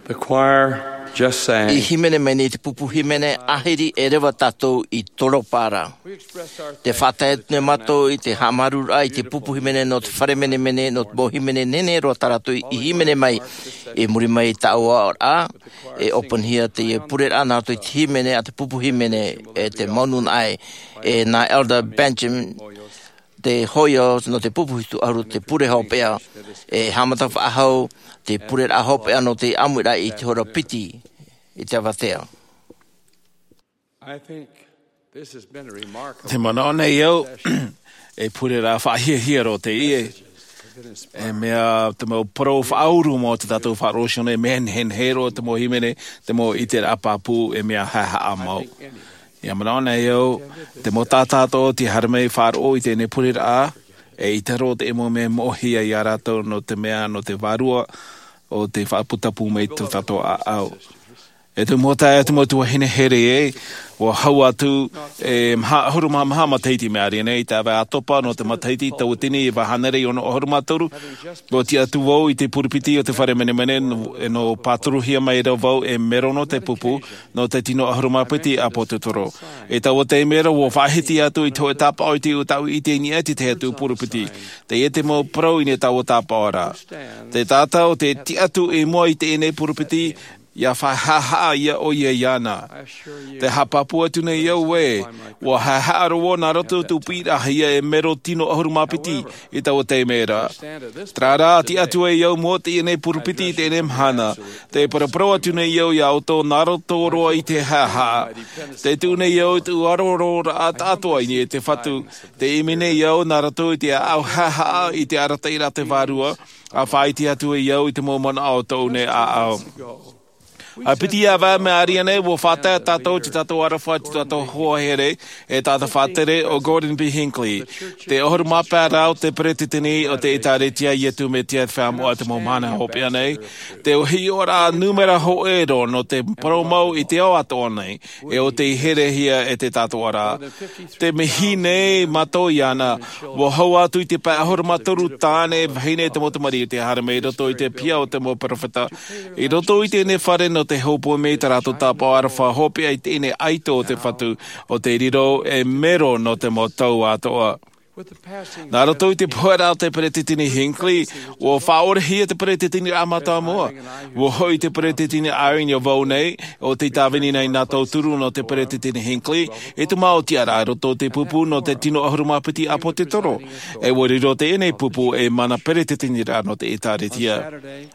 The choir just sang. I hīmene mai nei te pupu hīmene, ahiri e reva tātou i toropa ra. Te faʻatae atu nei mātou i te haʻamāuruururaʻa i te pupu hīmene nō te fare menemene, nō te mau hīmene nehenehe roa tā rātou i hīmene mai. I muri mai i taua oraraʻa, e ʻōpanihia teie pureraʻa nā roto i te hīmene a te pupu hīmene, e te mau nūnaʻa, e nā Elder Benjamin, te hōʻē nō te pupu hitu ʻahuru, te pure hopeʻa, e haʻamata faʻahou te pureraʻa hopeʻa nō te ʻāmuiraʻa i te hora piti i te avatea. I think this has been a remarkable Te manaʻo nei au, e pureraʻa faʻahiahia roa teie. E mea te mau parau faʻauru mō te tātou faʻaroʻo nei, e mea nehenehe roa te mau hīmene, te mau ʻiteraʻa pāpū, e mea haʻehaʻa mau. Ia manaʻo nei au, te mau taʻata atoʻa tē haere mai faʻaroʻo i teie pureraʻa, e ʻaita roa te mau mea e moʻehia ia rātou nō te mea, nō te vārua o tei faʻataputapuhia mai tō tātou ʻāʻau. E te mau taeaʻe, te mau tuahine here ē, ʻua hau atu e maha ʻahuru mā maha matahiti mai ʻāreʻa nei, i te ʻāvae ʻātopa nō te matahiti tauatini iva hānere ono ʻahuru mā toru, ʻua tiʻa atu vau i te purupiti o te fare menemene, nō, nō pāturuhia mai ra vau e mero nō te pupu, nō te tino ʻahuru mā piti ʻāpōsetolo. I taua taime ra, ʻua faʻahiti atu i te hōʻē tāpaʻo i te, ʻo tāʻu i ʻite i niʻa i te tahi atu purupiti. Teie te mau parau i niʻa i taua tāpaʻo ra. Te taʻata ʻo tē tiʻa atu i mua i teie purupiti, ʻia haʻehaʻa ʻoia iāna. Te haʻapāpū atu nei au ē, ʻua haʻehaʻa roa nā roto i tō pupu ra ia e mero tino ʻahuru mā piti i taua taime ra. Terā rā, tiʻa atu ai au i mua i teie purupiti i teie mahana. Tē paraparau atu nei au ia ʻoutou nā roto roa i te haʻehaʻa. Tē tuʻu nei au i te ʻuarororaʻa atoʻa i niʻa i te Fatu. Tē ʻimi nei au nā roto i te ʻāʻau haʻehaʻa i te arataʻiraʻa a te Vārua, ʻa faʻaʻite atu ai au i te mau manaʻo o tōʻu nei ʻāʻau. ʻA piti ʻāvae mai ʻāreʻa nei, ʻua faʻatae tātou i tō tātou aroha, tō tātou hoa here, e taʻata faʻatere ʻo Gordon B. Hinckley, te ʻahuru mā pae ra o te Peretiteni o te ʻĒtārētia a Iesu Mesia Feiā Moʻa i te mau mahana hopeʻa nei, te hiʻoraʻa nūmera hōʻē roa nō te parau mau i te ao atoʻa nei, e ʻo tei herehia e te taʻatoʻaraʻa. Te mihi nei mātou iāna, ʻua hau atu i te pae ʻahuru mā toru tāne, vahine, te mau tamariʻi tei haere mai i roto i te piha o te mau perofeta. I roto i teie fare nō te hōpoi mai i tā rātou tāpaʻo aroha hopeʻa i teie ʻaito o te Fatu, ʻo tei riro e mero nō te mau tau atoʻa. Nā roto i te poheraʻa a te Peretiteni Hinckley, ʻua faʻaorehia te Peretiteniraʻa Mātāmua. ʻUa hoʻi te Peretiteni Eyring ia vau nei, ʻo tei tāvini nei nā tauturu nō te Peretiteni Hinckley, i te mau tiʻaraʻa i roto i te pupu nō te tino ʻahuru mā piti ʻāpōsetolo. E ʻua riro teie pupu ei mana peretiteniraʻa nō te ʻĒtārētia.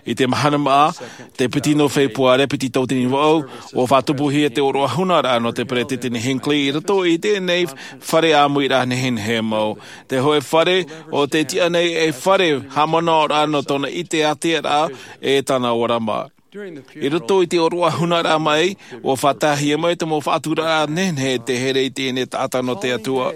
I te mahana māʻa, te piti nō Fepuare, piti tauatini vaʻu, ʻua faʻatupuhia te ʻōroʻa hunaraʻa nō te Peretiteni Hinckley i roto i teie fare ʻāmuiraʻa nehenehe mau. Te hōʻē fare ʻo tē tiʻa nei ei fare haʻamanaʻoraʻa nō tōna ʻite ātea ra e tāna ʻōrama. I roto i te ʻōroʻa hunaraʻa mai, ʻua faʻataehia mai te mau faʻaturaraʻa nehenehe e te here i teie taʻata nō te Atua.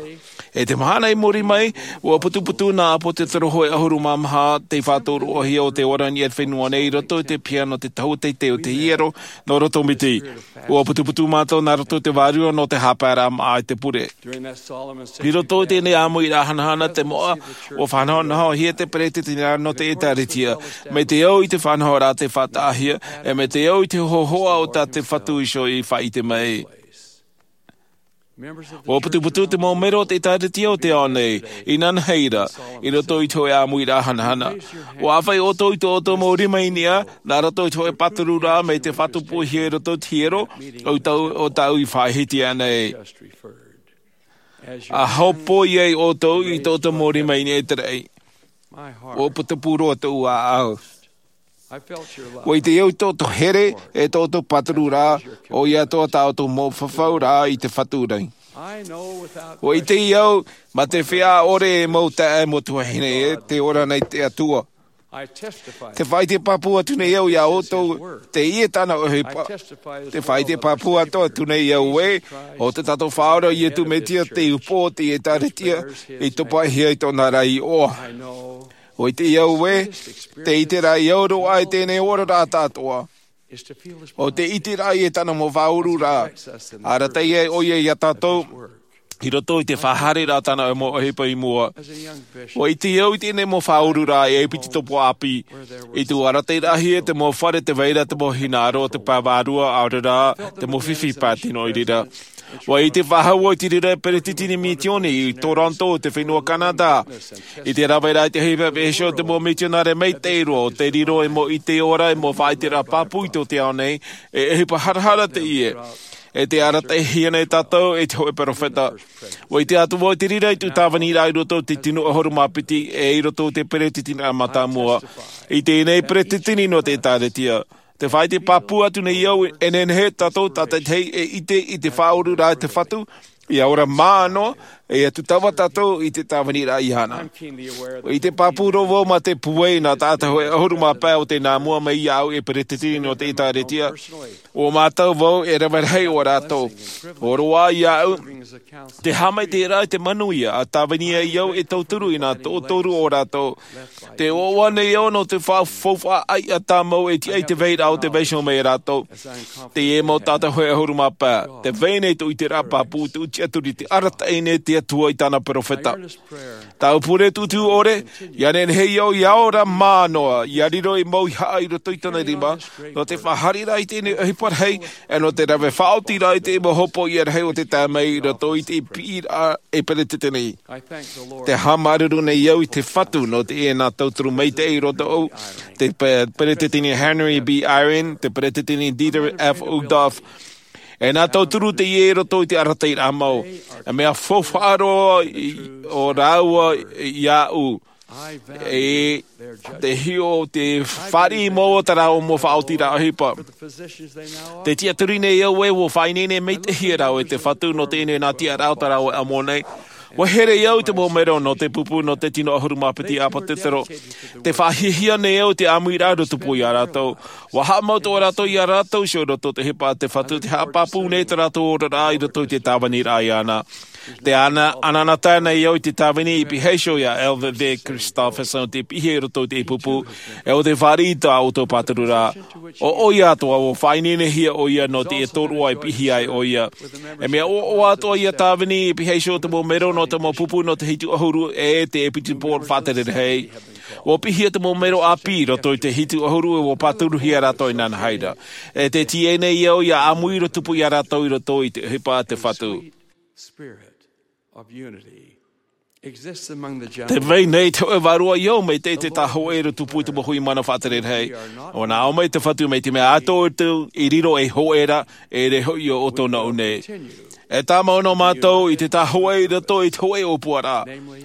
I te mahana i muri mai, ʻua putuputu nā ʻĀpōsetolo hōʻē ʻahuru mā maha tei faʻatoroʻahia ʻo tē ora i niʻa i te fenua nei i roto i te piha nō te Tohu Teitei o te Hiero nō roto miti. ʻUa putuputu mātou nā roto i te Vārua nō te haʻapaeraʻa māʻa i te pure. I roto i teie ʻāmuiraʻa hanahana te moʻa, ʻua faʻanahonahohia te Peretiteniraʻa nō te ʻĒtārētia, mai te au i te faʻanahoraʻa tei faʻataʻahia, e mai te au i te hōhoʻa o tā te Fatu iho i faʻaʻite mai. ʻUa putuputu te mau mero o te ʻĒtārētia o te ao nei, inanahi ra, i roto i te hōʻē ʻāmuiraʻa hanahana. ʻUa ʻāfaʻi ʻoutou i tō ʻoutou mau rima i niʻa, nā roto i te hōʻē pātururaʻa mai te faʻatupuhia i roto i te hiero, ʻo tāʻu, ʻo tāʻu i faʻahiti aʻe nei. ʻA hōpoi ai ʻoutou i tō ʻoutou mau rima i niʻa i te raʻi. ʻUa putuputu roa tōʻu ʻāʻau. ʻUa ʻite au i tō ʻoutou here, e tō ʻoutou pātururaʻa, ʻoia atoʻa tā ʻoutou mau fafauraʻa i te Fatu nei. ʻUa ʻite au, mā te feiā ʻore e mau taeaʻe, mau tuahine ē, tē ora nei te Atua. Tē faʻaʻite pāpū atu nei au ia ʻoutou, teie tāna ʻohipa. Tē faʻaʻite pāpū atu, atu nei au ē, ʻo tā tātou Faʻaora ʻo Iesu Mesia te upoʻo o te ʻĒtārētia, i topa hia i tōna ra iʻoa. ʻUa ʻite au ē, te ʻiteraʻa i au roa i teie oraraʻa atoʻa. ʻO te ʻiteraʻa i tāna mau faʻaururaʻa. Arataʻi ai ʻoia ia tātou, I roto i te faʻahaereraʻa tāna e mau ʻohipa i mua. Ua ʻite au i teie nei mau faʻaururaʻa e piti topo ʻāpī. I te arataʻiraʻahia te mau fare te vai ra te mau hinaʻaro te pae vārua ʻaore rā te mau fifi pae tino i reira. Ua ʻite faʻahou au i te reira e peretiteni misioni i Toronto te fenua Canada. I te rave ra i te ʻohipa e hōʻē te mau misionare maitaʻi roa o te riro e mau ʻite ora e mau faʻaʻiteraʻa pāpū i tō te ao nei. E ʻohipa harahara teie. E te arataʻihia nei tātou e te hōʻē perofeta. Ua ʻite atu vau i te reira i tū tāvini rā i roto i te tino ʻahuru mā piti e i roto i te peretiteni mātāmua. I teie nei peretiteni nō te ʻēkālesia. Te faʻaʻite pāpū atu nei au e nehenehe tātou tātaitahi e ʻite i te faʻaururaʻa te Fatu. Ia ora mānoa e atu tava tātou i te tāvini rā iāna. I te pāpū roa vau mā te pūai nā taʻata hōʻē ʻahuru mā pae o te nā mua mai iāʻu e peretiteni nō te ʻēkālesia. O mātou vau e rave rahi o rātou. Oroʻa iāʻu te haʻamaitaʻiraʻa i te manuia a tāvini ai au e tauturu i nā toʻotoru o rātou. Te ʻoaʻoa nei au nō te faʻafaufaʻa ʻaiʻa tāmau e tiʻa i te vairaʻa o te vaiho mai rātou. Teie mau taʻata hōʻē ʻahuru mā pae te vai nei tō ʻiteraʻa pāpū te tiʻaturi te arataʻi nei te Atua i tāna perofeta. Tāʻu pure tūtū ʻore ia nehenehe au ia ora mānoa ia riro i mau haʻa i roto i tōna rima. Nō te faʻahaereraʻa i teie nei ʻohipa rahi e nō te rave faʻaotiraʻa i te mau hopoiʻa rahi o te tae mai i roto i te piʻiraʻa e peretiteni. Te haʻamāuruuru nei au i te Fatu nō teie nā tauturu maitaʻi i roto i te peretiteni Henry B Eyring, te peretiteni Dieter F Uchtdorf. E nā tauturu teie i roto i te arataʻiraʻa mau e mea faufaʻa roa o rāua iāʻu. E te hiʻo te fāriʻi mau o tā rāua mau faʻaotiraʻa ʻohipa. Te tiʻaturi nei au e ua faʻaineine maitaʻihia rāua e te Fatu nō teie nei nā tiʻaraʻa o tā rāua ʻamo nei. Ua here au i te mau mero nō te pupu nō te tino ʻahuru mā piti ʻāpōsetolo. Te faʻahiahia nei au i te ʻāmuiraʻa i roto pū iā rātou. Ua haʻamau tō rātou iā rātou iho i roto i te ʻohipa a te Fatu te haʻapāpū nei tō rātou oraraʻa i roto i te tāviniraʻa iāna. Te anaanatae nei au i te tāvini i piha iho iā Elder Christofferson te piha i roto i te pupu. E o te fāriʻi tā ʻoutou pāturu rā. O ʻoia atoʻa ua faʻaineinehia ʻoia nō te tōroʻa e piha ai ʻoia. E mea ʻoaʻoa atoʻa ia tāvini i piha iho te mau mero nō te mau pupu nō te hitu ʻahuru e te episipōro faʻatere rahi. Ua pihia te mau mero ʻāpī i roto i te hitu ʻahuru e ua pāturuhia rātou i nānahaira. E te tiʻa nei au ia ʻāmui roa tupu iā rātou i roto i te ʻohipa a te Fatu. Te vai nei te hōʻē vārua i au mai te tāhōʻē roa tupu i te mau hui mana faʻatere rahi. Ua nā ʻō mai te Fatu mai te mea atoʻa ʻoutou i riro ei hōʻē ra e riro hoʻi ʻo ʻoutou nō ʻō nei. E tāmau nō mātou i te tāhōʻē i roto i te hōʻē ʻōpuaraʻa.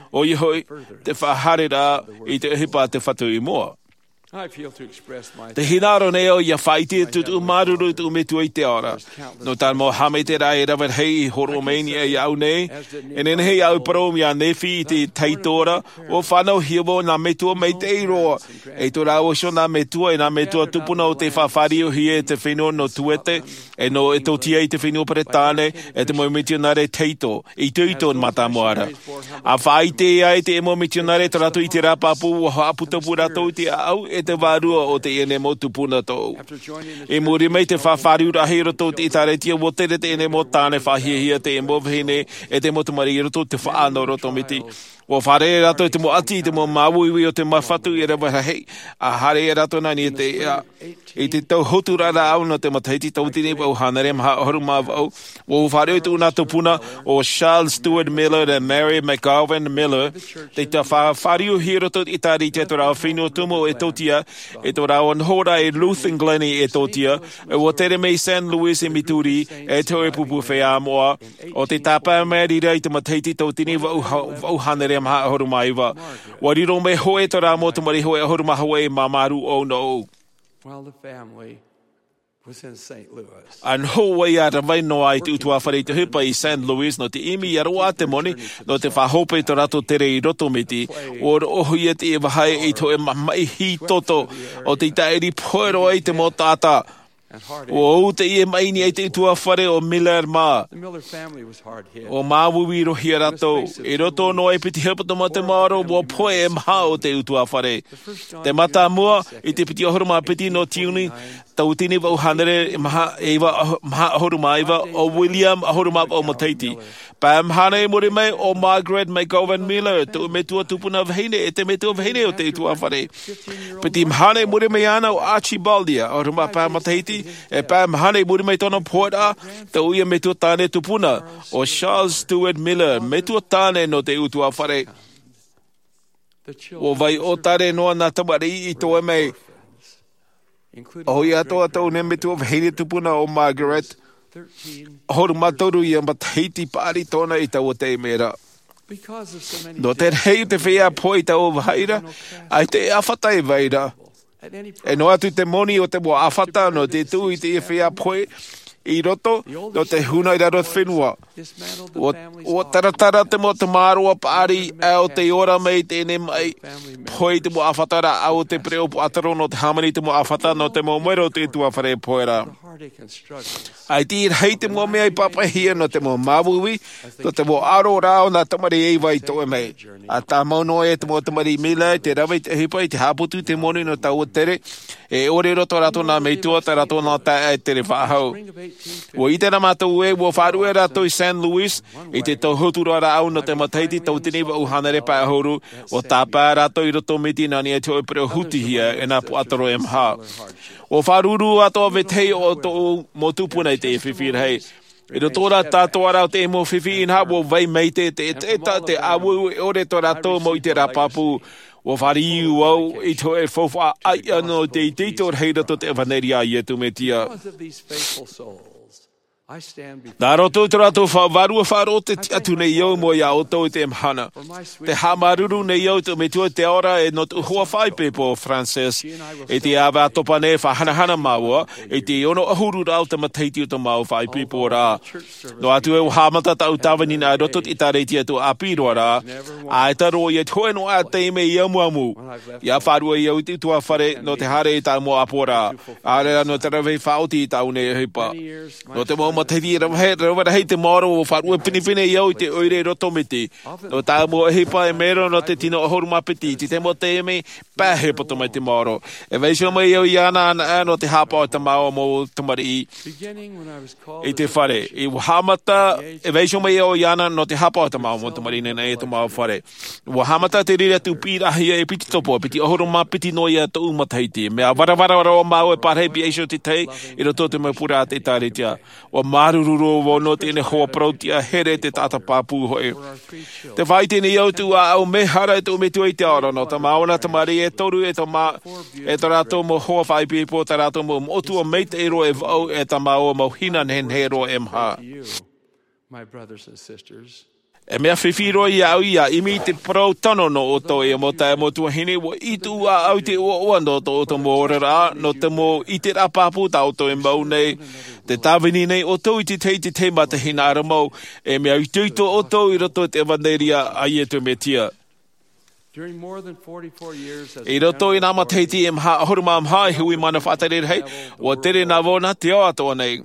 ʻOia hoʻi te faʻahaereraʻa i te ʻohipa a te Fatu i mua. Te hinaʻaro nei au ia faʻaʻite atu tōʻu māuruuru i tōʻu metua i te ao ra. Nō tāna mau haʻamaitaʻiraʻa e rave rahi i hōroʻa mai nei iāʻu nei. E nehenehe iāʻu parau iā Nephi i te tahito ra. Ua fānauhia vau nā metua maitaʻi roa. E tō rāua iho nā metua e nā metua tupuna o tei faʻafāriuhia e te fenua nō Tuete e nō Etotia i te fenua Peretāne e te mau mitionare tahito. I te itoito mātāmua ra. A faʻaʻite ai te mau mitionare tō rātou ʻiteraʻa pāpū ua haʻaputopū rātou i te ʻāʻau e te vārua o teie nei mau tupuna tōʻu. I muri mai te faʻafāriuraʻahia i roto i te ʻēkālesia ua tere teie nei mau tāne faʻahiahia te mau vahine e te mau tamariʻi i roto i te faʻaʻano roto miti. Ua fārerei rātou i te mau ʻati i te mau māuiui o te mau Fatu e rave rahi. A haere rātou nā niʻa i te ea. I te tau hotu rā rāʻau nō te matahiti tauatini vaʻu hānere maha ʻahuru mā vaʻu. Ua fāriu tōʻu nā tupuna o Charles Stewart Miller e Mary McGowan Miller. Te faʻafāriuhia i roto i te ʻēkālesia tō rāua fenua tumu o Etotia e tō rāua noho ra i Ruth and Glennie Etotia. E ua tere mai San Luis i Missouri e te hōʻē pupu feiā moʻa. O te tāpae mai rā i te matahiti tauatini vaʻu hānere maha ʻahuru mā iva. Ua riro mai hoʻi tō rāua mau tamariʻi hōʻē ʻahuru mā hōʻē i māmārū ʻōna ʻō. While the family was in Saint Louis. A noho ai ia rave noa i te ʻutuāfare i te ʻohipa i San Luis nō te ʻimi ia roaʻa te moni nō te faʻahope i tō rātou tere i roto miti. Ua roʻohia te vahaʻa i te hōʻē mamaʻi hītoto o te taʻiri pohe roa i te mau taʻata. Ua ʻū teie maʻi i te ʻutuāfare o Miller mā. Ua māuiui roa hia rātou i roto noa i piti hepetoma te maoro ua pohe e maha o te ʻutuāfare. Te mātāmua i te piti ʻahuru mā piti nō tiuni. tauatini vaʻu hānere maha ʻahuru mā iva, o William ʻahuru mā vaʻu matahiti. Pae maha nei i muri mai, o Margaret McGovern Miller, tōʻu metua tupuna vahine, e te metua vahine o te ʻutuāfare. Piti maha nei i muri mai iāna, o Archibald ia, ʻahuru mā pae matahiti, e pae maha nei i muri mai tōna pōʻoraʻa, tōʻu ia metua tāne tupuna, o Charles Stewart Miller, metua tāne nō te ʻutuāfare. ʻUa vai ʻōtare noa nā tamariʻi i toe mai. ʻOia atoʻa tōʻu nei metua vahine tupuna, o Margaret, ʻahuru mā toru ia matahiti paʻari tōna i taua taime ra. Nō te rahi o te feiā pohe i taua vāhi ra, ʻaita e ʻāfata e vai ra. E noa atu te moni o te mau ʻāfata nō te tuʻu i te feiā pohe i roto, nō te huna i raro te fenua. ʻUa, ʻua taratara te mau tamaroa paʻari, ʻa o te ora mai teie nei maʻi, pohe i te mau ʻāfata rāʻau o te pereʻoʻo puaʻatoro nō te hāmani i te mau ʻāfata nō te mau mero o te ʻutuāfare pohe ra. ʻAita e rahi te mau mea i pāpaʻihia nō te mau māuiui, nō te mau ʻaro rā o nā tamariʻi e vai i toe mai. ʻA tāmau noa e te mau tamariʻi Miller i te rave i te ʻohipa i te haʻaputu i te moni nō taua tere, e ʻore roa tō rātou nā metua, tā rātou nā taeaʻe tere faʻahou. ʻUa ʻite rā mātou ē, ʻua faʻaruʻe rātou i San Luis, i te tauhotu rāʻau nō te matahiti tauatini vaʻu hānere pae ʻahuru, ʻua tāpae rātou i roto Miti nā niʻa i te hōʻē pereʻoʻo hutihia e nā puaʻatoro e maha. ʻUa faʻaruru atoʻa vetahi o tōʻu mau tupuna i te fifi rahi. I roto rā tātou rā o te mau fifi, inā ʻua vai maitaʻi te, te, te, te ʻāueue ʻore tō rātou mau ʻiteraʻa pāpū. ʻUa fāriu au i te hōʻē faufaʻa ʻāiʻa nō te itoito rahi i roto i te ʻevaneria a Iesu Mesia. Nā roto i tō rātou fa-, vārua faʻaroʻo tē tiʻa atu nei au mai iā ʻoutou i teie mahana. Tē haʻamāuruuru nei au i tōʻu metua i te ao ra e nō tōʻu hoa faʻaipoipo, Frances. I te ʻāvaʻe ʻātopa nei e faʻahanahana māua, i te ono ʻahuru rā o te matahiti o tō māua faʻaipoipo ra. Noa atu ē ʻua haʻamata tāʻu tāvini nā i roto i te ʻĒtārētia i tōʻu ʻāpī roa ra, ʻaita roa ia te hōʻē noa taime i amuamu, ʻia faʻaruʻe au i te ʻutuāfare nō te haere i tāʻu mau ʻāpoʻoraʻa, ʻaore rā nō te rave faʻaoti i tāʻu nei ʻohipa. Nō te mau matahiti rave, rave rahi te maoro ʻua faʻaruʻe pinepine au i te ʻoire i roto Miti. Nō tāʻu mau ʻohipa e mero nō te tino ʻahuru mā piti, i te mau taime, pae e poto mai te maoro. E vaiiho mai au iāna anaʻe nō te haʻapaʻo i tā māua mau tamariʻi i te fare. ʻUa haʻamata, e vaiiho mai au iāna nō te haʻapaʻo i tā māua mau tamariʻi i niʻa i tō māua fare. ʻUa haʻamata te reira tūpīraʻahia e piti topa, piti ʻahuru mā piti noa ia tōʻu matahiti. Mea varavara roa māua e pārahi pihaʻi iho i te tahi i roto i te mau pure a te ʻĒtārētia. ʻUa māuruuru roa vau nō teie nei hoa parau-tiʻa here, te taʻata pāpū hoʻi. Tē faʻaʻite nei au i tōʻu ʻāʻau mehara e tōʻu metua i te ao ra, nō tā māua nā tamariʻi e toru, e tō mā-, e tō rātou mau hoa faʻaipoipo, tā rātou mau moʻotua maitaʻi roa e vaʻu, e tā māua mau hina nehenehe roa e maha. E mea fifi roa iāʻu ʻia ʻimi i te parau tano nō ʻoutou, e mau taeaʻe, mau tuahine, ʻua ʻī tōʻu ʻāʻau i te ʻoaʻoa nō tō ʻoutou mau oraraʻa, nō te mau ʻiteraʻa pāpū tā ʻoutou e mau nei. Tē tāvini nei ʻoutou i te tahi, i te tahi mā te hinaʻaro mau, e mea itoito ʻoutou i roto i te ʻevaneria a Iesu Mesia. I roto i nā matahiti e maha ʻahuru mā maha i hui mana faʻatere rahi, ʻua tere nā vau nā te ao atoʻa nei.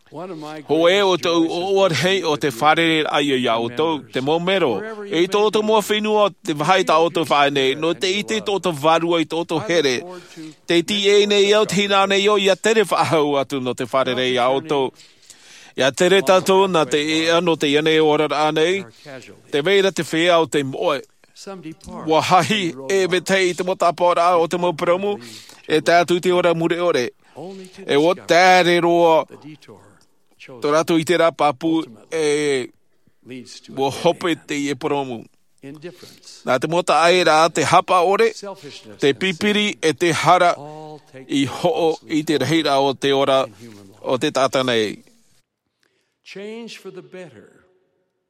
Hōʻē o tōʻu ʻoaʻoa rahi ʻo te fārereiraʻa ia iā ʻoutou, te mau mero, i tō ʻoutou mau fenua, te vāhi tā ʻoutou e faʻaʻī nei, nō te ʻite i tō ʻoutou vārua, i tō ʻoutou here. Tē tīaʻi nei au, tē hinaʻaro nei au, ʻia tere faʻahou atu nō te fārerei iā ʻoutou. ʻIa tere tātou nā te ʻēʻa nō teie nei oraraʻa nei, tē vai ra te feiā ʻo tei moʻe. ʻUa hahi e vetahi i te mau tāpaʻoraʻa o te mau purōmu, e tae atu i te ora mure ʻore. E ʻua taere roa tō rātou ʻiteraʻa pāpū, e ʻua hope teie purōmu. Nā te mau taʻaʻēraʻa, te haʻapaʻo ʻore, te pipiri, e te hara i hoʻo i te rahiraʻa o te ora o te taʻata nei. Change for the better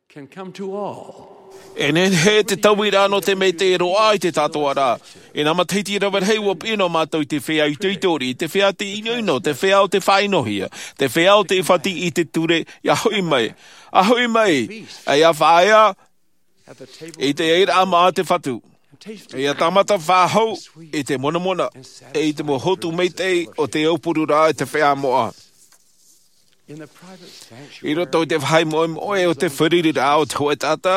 can come to all. E nehenehe te tauiraʻa nō te maitaʻi roa i te taʻatoʻaraʻa. I nā matahiti rave rahi ʻua piʻi noa mātou i te feiā itoito riʻi, te feiā ʻinoʻino, te feiā ʻo tē faʻaʻinohia, te feiā ʻo tē ʻīfati i te ture, ʻia hoʻi mai, ʻia hoʻi mai, ʻia faʻaea i te airaʻa mā te Fatu. ʻIa tāmata faʻahou i te monamona, e i te mau hotu maitaʻi o te aupururaʻa e te feiā moʻa. I roto i te vāhi moʻemoʻe o te fārereiraʻa o te hōʻē taʻata,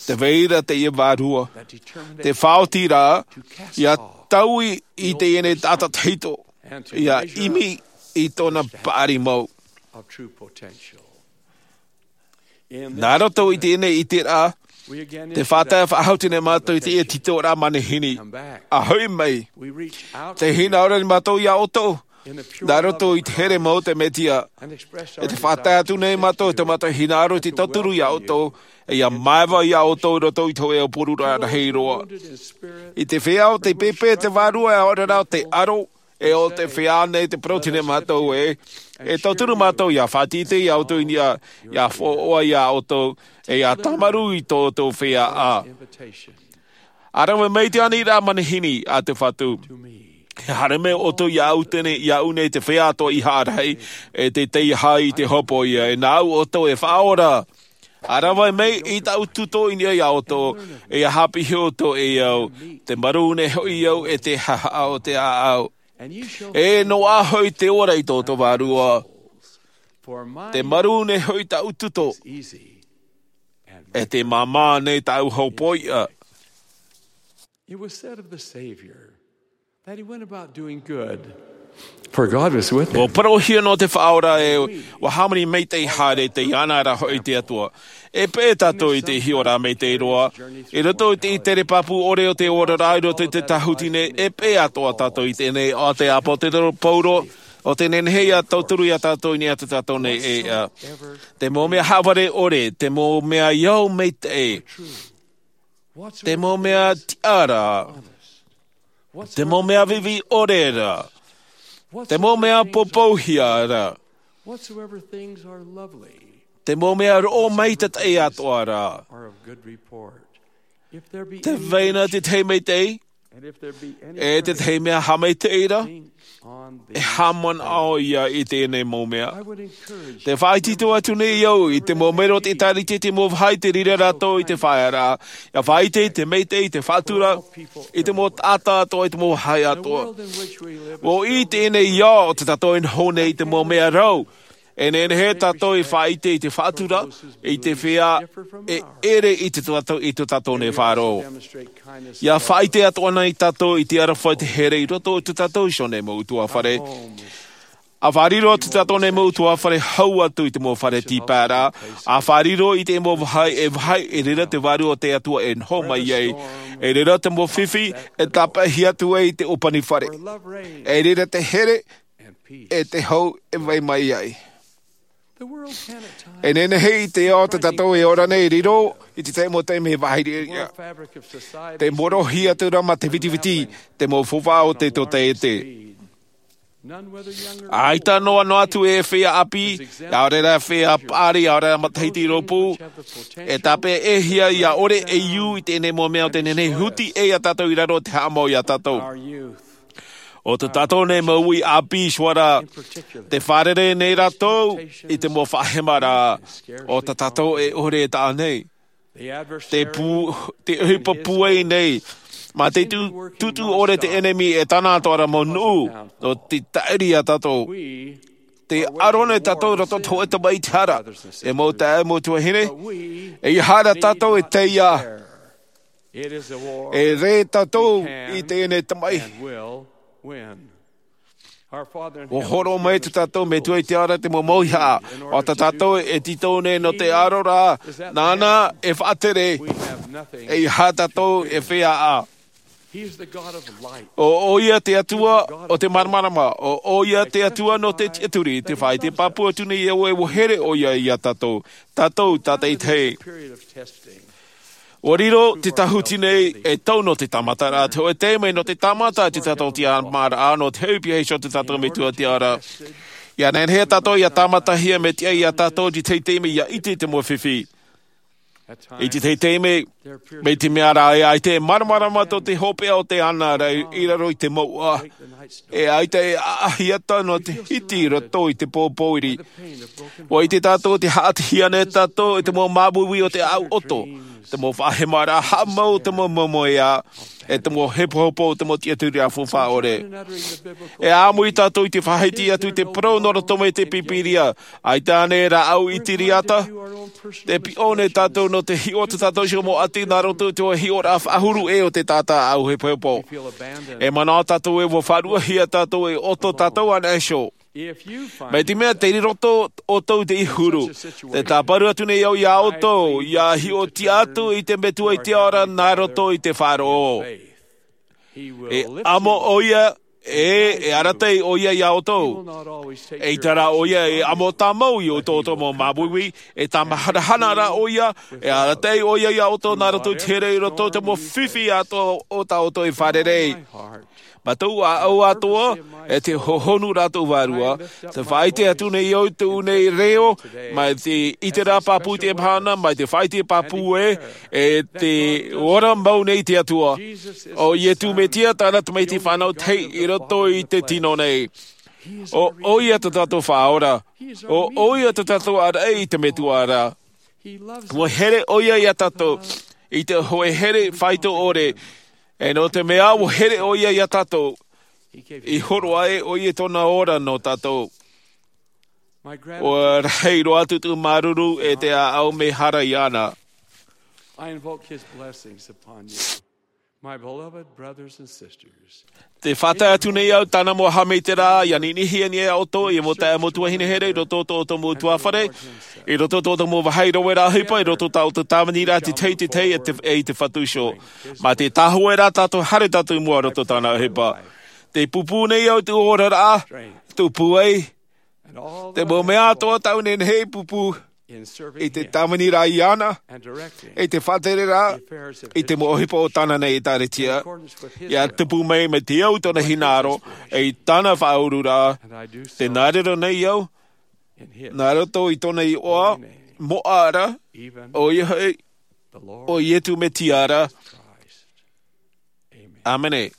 tē vai ra teie vārua, te faʻaoti ra, ʻia taui i teie nei taʻata tahito, ʻia ʻimi i tōna paʻari mau. Nā roto i teie nei ʻiteraʻa, te faʻatae faʻahou nei mātou i teie tītauraʻa manihini. ʻA hoʻi mai, te hinaʻaro nei mātou iā ʻoutou, nā roto i te here mau o te Mesia. E te faʻatae atu nei mātou, te mātou hinaʻaro i te tauturu iā ʻoutou, e ʻia māevaʻe iā ʻoutou i roto i te hōʻē ʻōpūraʻa rahi roa. I te feiā o te pēpē te Vārua, e ʻaore rā o te aro, e o te feiā nei te parau nei mātou ē, e tauturu mātou ʻia faʻatītī iā ʻoutou i niʻa, ʻia fōʻoa iā ʻoutou, e ʻia tāmarū i tō ʻoutou feiā. ʻA rave mai i te aniraʻa manihini a te Fatu. E haere mai ʻoutou iāʻu nei, iāʻu nei te feiā atoʻa i haʻarahi, e te tei aha i te hopoiʻa, e nāʻu ʻoutou e faʻaora. ʻA rave mai i tāʻu tuto i niʻa iā ʻoutou, e ʻia haʻapiʻi ʻoutou e au, te marū nei hoʻi au e te haʻahaʻa o te ʻāʻau. E noaʻa hoʻi te ora i tō ʻoutou vārua. Te marū nei hoʻi tāʻu tuto, e te māmā nei tāʻu hopoiʻa. It was said of the Savior that he went about doing good, for God was with him. Ua parauhia nō te Faʻaora ē, ʻua hāmani maitaʻi haere, tei iāna ra hoʻi te Atua. E peʻe tātou i te hiʻoraʻa maitaʻi roa, i roto i te tere pāpū ʻore o te oraraʻa, i roto i te tāhuti nei, e peʻe atoʻa tātou i teie nei, ʻo te ʻāpōsetolo Paulo, ʻo tē nehenehe ʻia tauturu iā tātou i niʻa i tō tātou nei ʻēʻa. Te mau mea haʻavare ʻore, te mau mea ʻia au maitaʻi, te mau mea tiʻa ra, te mau mea viʻiviʻi ʻore ra, te mau mea pōpouhia ra, te mau mea roʻo maitaʻi atoʻa ra, tē vai na te tahi maitaʻi, e te tahi mea haʻamaitaʻi ra, e haʻamanaʻo ʻia i teie nei mau mea. Te faʻaitoito atu nei au i te mau mero o te ʻĒtārētia i te mau vāhi tē reira rātou i te faʻaearaʻa, ʻia faʻaʻite i te maitaʻi, i te faʻatura, i te mau taʻata atoʻa, i te mau vāhi atoʻa. ʻUa ʻite nei au ʻo tā tātou e noho nei i te mau mea rau, e nehenehe tātou e faʻaʻite i te faʻatura, i te feiā e ʻere i tō tātou, i tō tātou nei faʻaroʻo. ʻIa faʻaʻite atoʻa na tātou i te aroha, te here i roto i tō tātou iho nei mau ʻutuāfare. ʻA fārerei tō tātou nei mau ʻutuāfare hau atu i te mau fare tīpaeraʻa, ʻa fārerei i te mau vāhi e vāhi, e reira te Vārua o te Atua e noho mai ai, e reira te mau fifi e tāpeʻahia atu ai i te ʻōpani fare, e reira te here e te hau e vai mai ai. E nehenehe i te ao tā tātou e ora nei, riro i te tahi mau taime vāhi ʻē. Te morohi atu ra mā te vitiviti, te mau faufaʻa o te tōtaiete. ʻAita noa noa atu e feiā ʻāpī, ʻaore rā feiā paʻari, ʻaore rā matahiti rōpū, e tāpeʻahia ʻia ʻore e ʻū i teie nei mau mea o tē nehenehe e huti ʻē iā tātou i raro, te haʻamau iā tātou. ʻO tā tātou nei mau uʻi ʻāpī, ʻoia hoʻi rā, tē fārerei nei rātou i te mau faʻahemaraʻa o tā tātou e ʻore e taʻa nei. Te pū, te ʻohipa pūai nei, mā te tū, tūtū ʻore te ʻenemi e tāna atoʻa ra mau nuʻu, nō te taʻiri iā tātou. Tē ʻaro nei tātou i roto i te hōʻē tamaʻi i te hara, e mau taeaʻe, mau tuahine, ʻeiaha rā tātou e taiā. E rē tātou i teie nei tamaʻi. ʻUa hōroʻa mai tā tātou Metua i te ao ra te mau mauhaʻa, ʻo tā tātou e tītau nei nō te aro ra, nāna e faʻatere, ʻeiaha tātou e feiā. ʻO, ʻoia te Atua o te māramarama, ʻo, ʻoia te Atua nō te tiʻaturi, tē faʻaʻite pāpū atu nei au ē ʻua here ʻoia iā tātou, tātou tātaʻitahi. ʻUa riro te tāhuti nei ei tau nō te tāmataraʻa, te hōʻē taime nō te tāmata i tō tātou tiʻamāraʻa, nō te hoʻi pihaʻi iho o tō tātou Metua i te ao ra. ʻIa nehenehe tātou ʻia tāmatahia, mai te tahi iā tātou i te tahi taime ʻia ʻite i te mau fifi. I te tahi taime, mai te mea rā e ʻaita e māramarama tō te hopeʻa o te ana ra i raro i te mouʻa. E ʻaita e ʻaʻahi ata nō te hiti i roto i te pōpōiri. ʻUa ʻite tātou tē haʻatihia nei tātou e te mau māuiui o te ʻāʻau ʻoto, te mau faʻahemaraʻa haʻamau, te mau moemoeā, e te mau hepohepo, te mau tiʻaturiraʻa faufaʻa ʻore. E ʻāmui tātou i te faʻahiti atu i te parau nō roto mai i te Pīpīria, ʻaita ānei rāʻau i te reira? Tē piʻo nei tātou nō te hiʻo o tō tātou iho mau ʻati nā roto i te hiʻoraʻa faʻahuru ʻē o te taʻata ʻāʻau hepohepo. E manaʻo tātou ē ʻua faʻaruʻahia tātou, e ʻoto tātou anaʻe iho. Mai te mea tei roto ʻoutou i te huru, te tāparu atu nei au iā ʻoutou, ʻia hiʻotia atu i te Metua i te ao ra nā roto i te faʻaroʻo. E amo ʻoia, e, e arataʻi ʻoia iā ʻoutou. ʻEita rā ʻoia e amo tāmau i tō ʻoutou mau māuiui, e tāmaharahana rā ʻoia, e arataʻi ʻoia iā ʻoutou nā roto i te here i roto i te mau fifi atoʻa o tā ʻoutou e fārerei. Mā tōʻu ʻāʻau atoʻa, e te hohonu rātou vārua, te faʻaʻite atu nei au i tōʻu nei reo, mai te ʻite rā pāpū i te mahana, mai te faʻaʻite pāpū ē, e te ora mau nei te Atua. ʻO Iesu Mesia tāna tamaiti fānau tahi i roto i te tino nei. ʻO ʻoia tā tātou Faʻaora. ʻO ʻoia tā tātou araʻi i te Metua ra. ʻUa here ʻoia iā tātou, i te hōʻē here faito ʻore. E nō te mea ʻua here ʻoia iā tātou, i horo aʻe ʻoia i tōna ora nō tātou. ʻUa rahi roa atu tōʻu māuruuru e te ʻāʻau mehara iāna. I invoke his blessings upon you, my beloved brothers and sisters. Te faʻatae atu nei au tāna mau haʻamaitaʻiraʻa, ʻia ninihia nei iā ʻoutou, ʻia mau taeaʻe mau tuahine here, i roto i tō ʻoutou mau ʻutuāfare, i roto i tō ʻoutou mau vāhi rave ra ʻohipa, i roto i tā ʻoutou tāviniraʻa i te tahi, i te tahi, e te, e i te Fatu iho. Mā te tāhōʻē rā tātou, haere tātou i mua i roto i tāna ʻohipa. Te pūpū nei au i tōʻu oraraʻa, tōʻu pūai, te mau mea atoʻa tāʻu e nehenehe e pūpū, i te tāviniraʻa iāna, i te faʻatereraʻa, i te mau ʻohipa o tāna nei ʻĒkālesia. ʻIa tupu mai, mai te au i tōna hinaʻaro, e i tāna faʻaururaʻa, tē nā reira nei au, nā roto i tōna iʻoa, moʻa ra, ʻoia hoʻi, ʻo Iesu Mesia ra. ʻĀmene.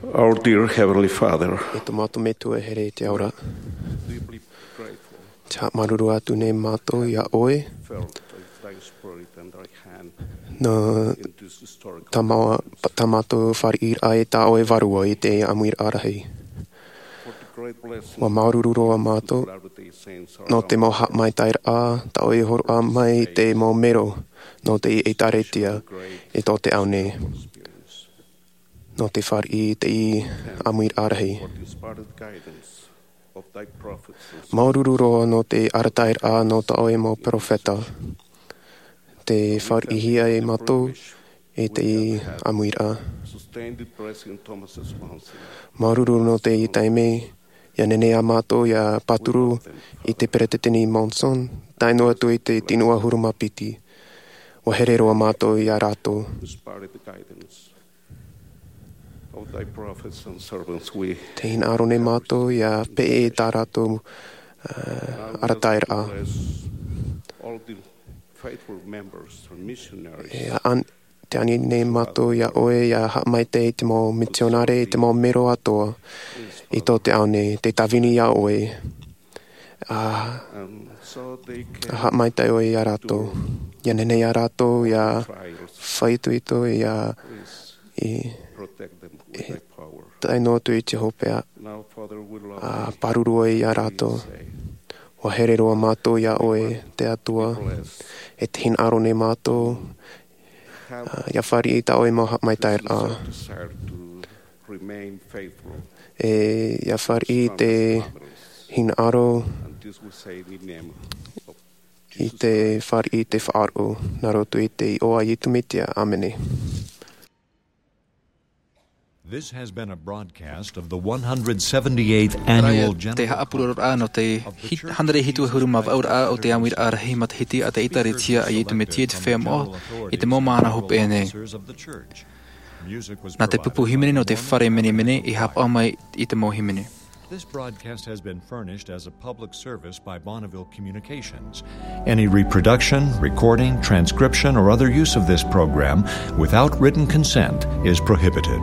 Our dear Heavenly Father, e tō mātou Metua here i te ao ra, deeply grateful, te haʻamāuruuru atu nei mātou iā ʻoe, felt thy Spirit and thy hand nō in this historic tā mā-, tā mātou fāriʻiraʻa e tā ʻoe vārua i te ʻāmuiraʻa rahi. For the great blessing ua māuruuru roa mātou nō te mau haʻamaitaʻiraʻa tā ʻoe i hōroʻa mai i te mau mero nō te ʻēkālesia i tō te ao nei. Nō te fāriʻi i te ʻāmuiraʻa rahi. Māuruuru roa nō te arataʻiraʻa nō tā ʻoe mau peropheta. Te fāriʻihia e mātou i te ʻāmuiraʻa. Māuruuru nō te taime, ʻia nehenehe ā mātou ʻia pāturu i te Peretiteni Monson, tae noa atu i te tino ʻahuru mā piti. Ua here roa mātou iā rātou. Te hinaʻaro nei mātou ʻia peʻe i tā rātou, ā, arataʻiraʻa. E an-, te ani nei mātou iā ʻoe ʻia haʻamaitaʻi i te mau mitionare, i te mau mero atoʻa i tō te ao nei, te tāvini iā ʻoe. Ā, ʻa haʻamaitaʻi ʻoe iā rātou. ʻIa nehenehe iā rātou ʻia faʻaitoito, ʻia, i, i, tae noa atu i te hopeʻa, ʻa pāruru ʻoe iā rātou. Ua here roa mātou iā ʻoe, te Atua, e te hinaʻaro nei mātou, ā, ʻia fāriʻi i tā ʻoe mau haʻamaitaʻiraʻa. E ʻia fāriʻi te hinaʻaro i te fāriʻi i te faʻaroʻo, nā roto i te iʻoa a Iesu Mesia. ʻĀmene. This has been a broadcast of the one hundred seventy-eighth annual general conference of the Church of Jesus Christ of Latter-day Saints of the United States. Terā ia te haʻapuroroʻa nō te hit-, hānere hitu ʻahuru mā vaʻu raʻa o te ʻāmuiraʻa rahi matahiti a te ʻēkālesia a Iesu Mesia i te Feiā Moʻa i te mau mahana hopeʻa nei. Nā te pupu hīmene nō te fare menemene i haʻapaʻo mai i te mau hīmene. This broadcast has been furnished as a public service by Bonneville Communications. Any reproduction, recording, transcription, or other use of this program without written consent is prohibited.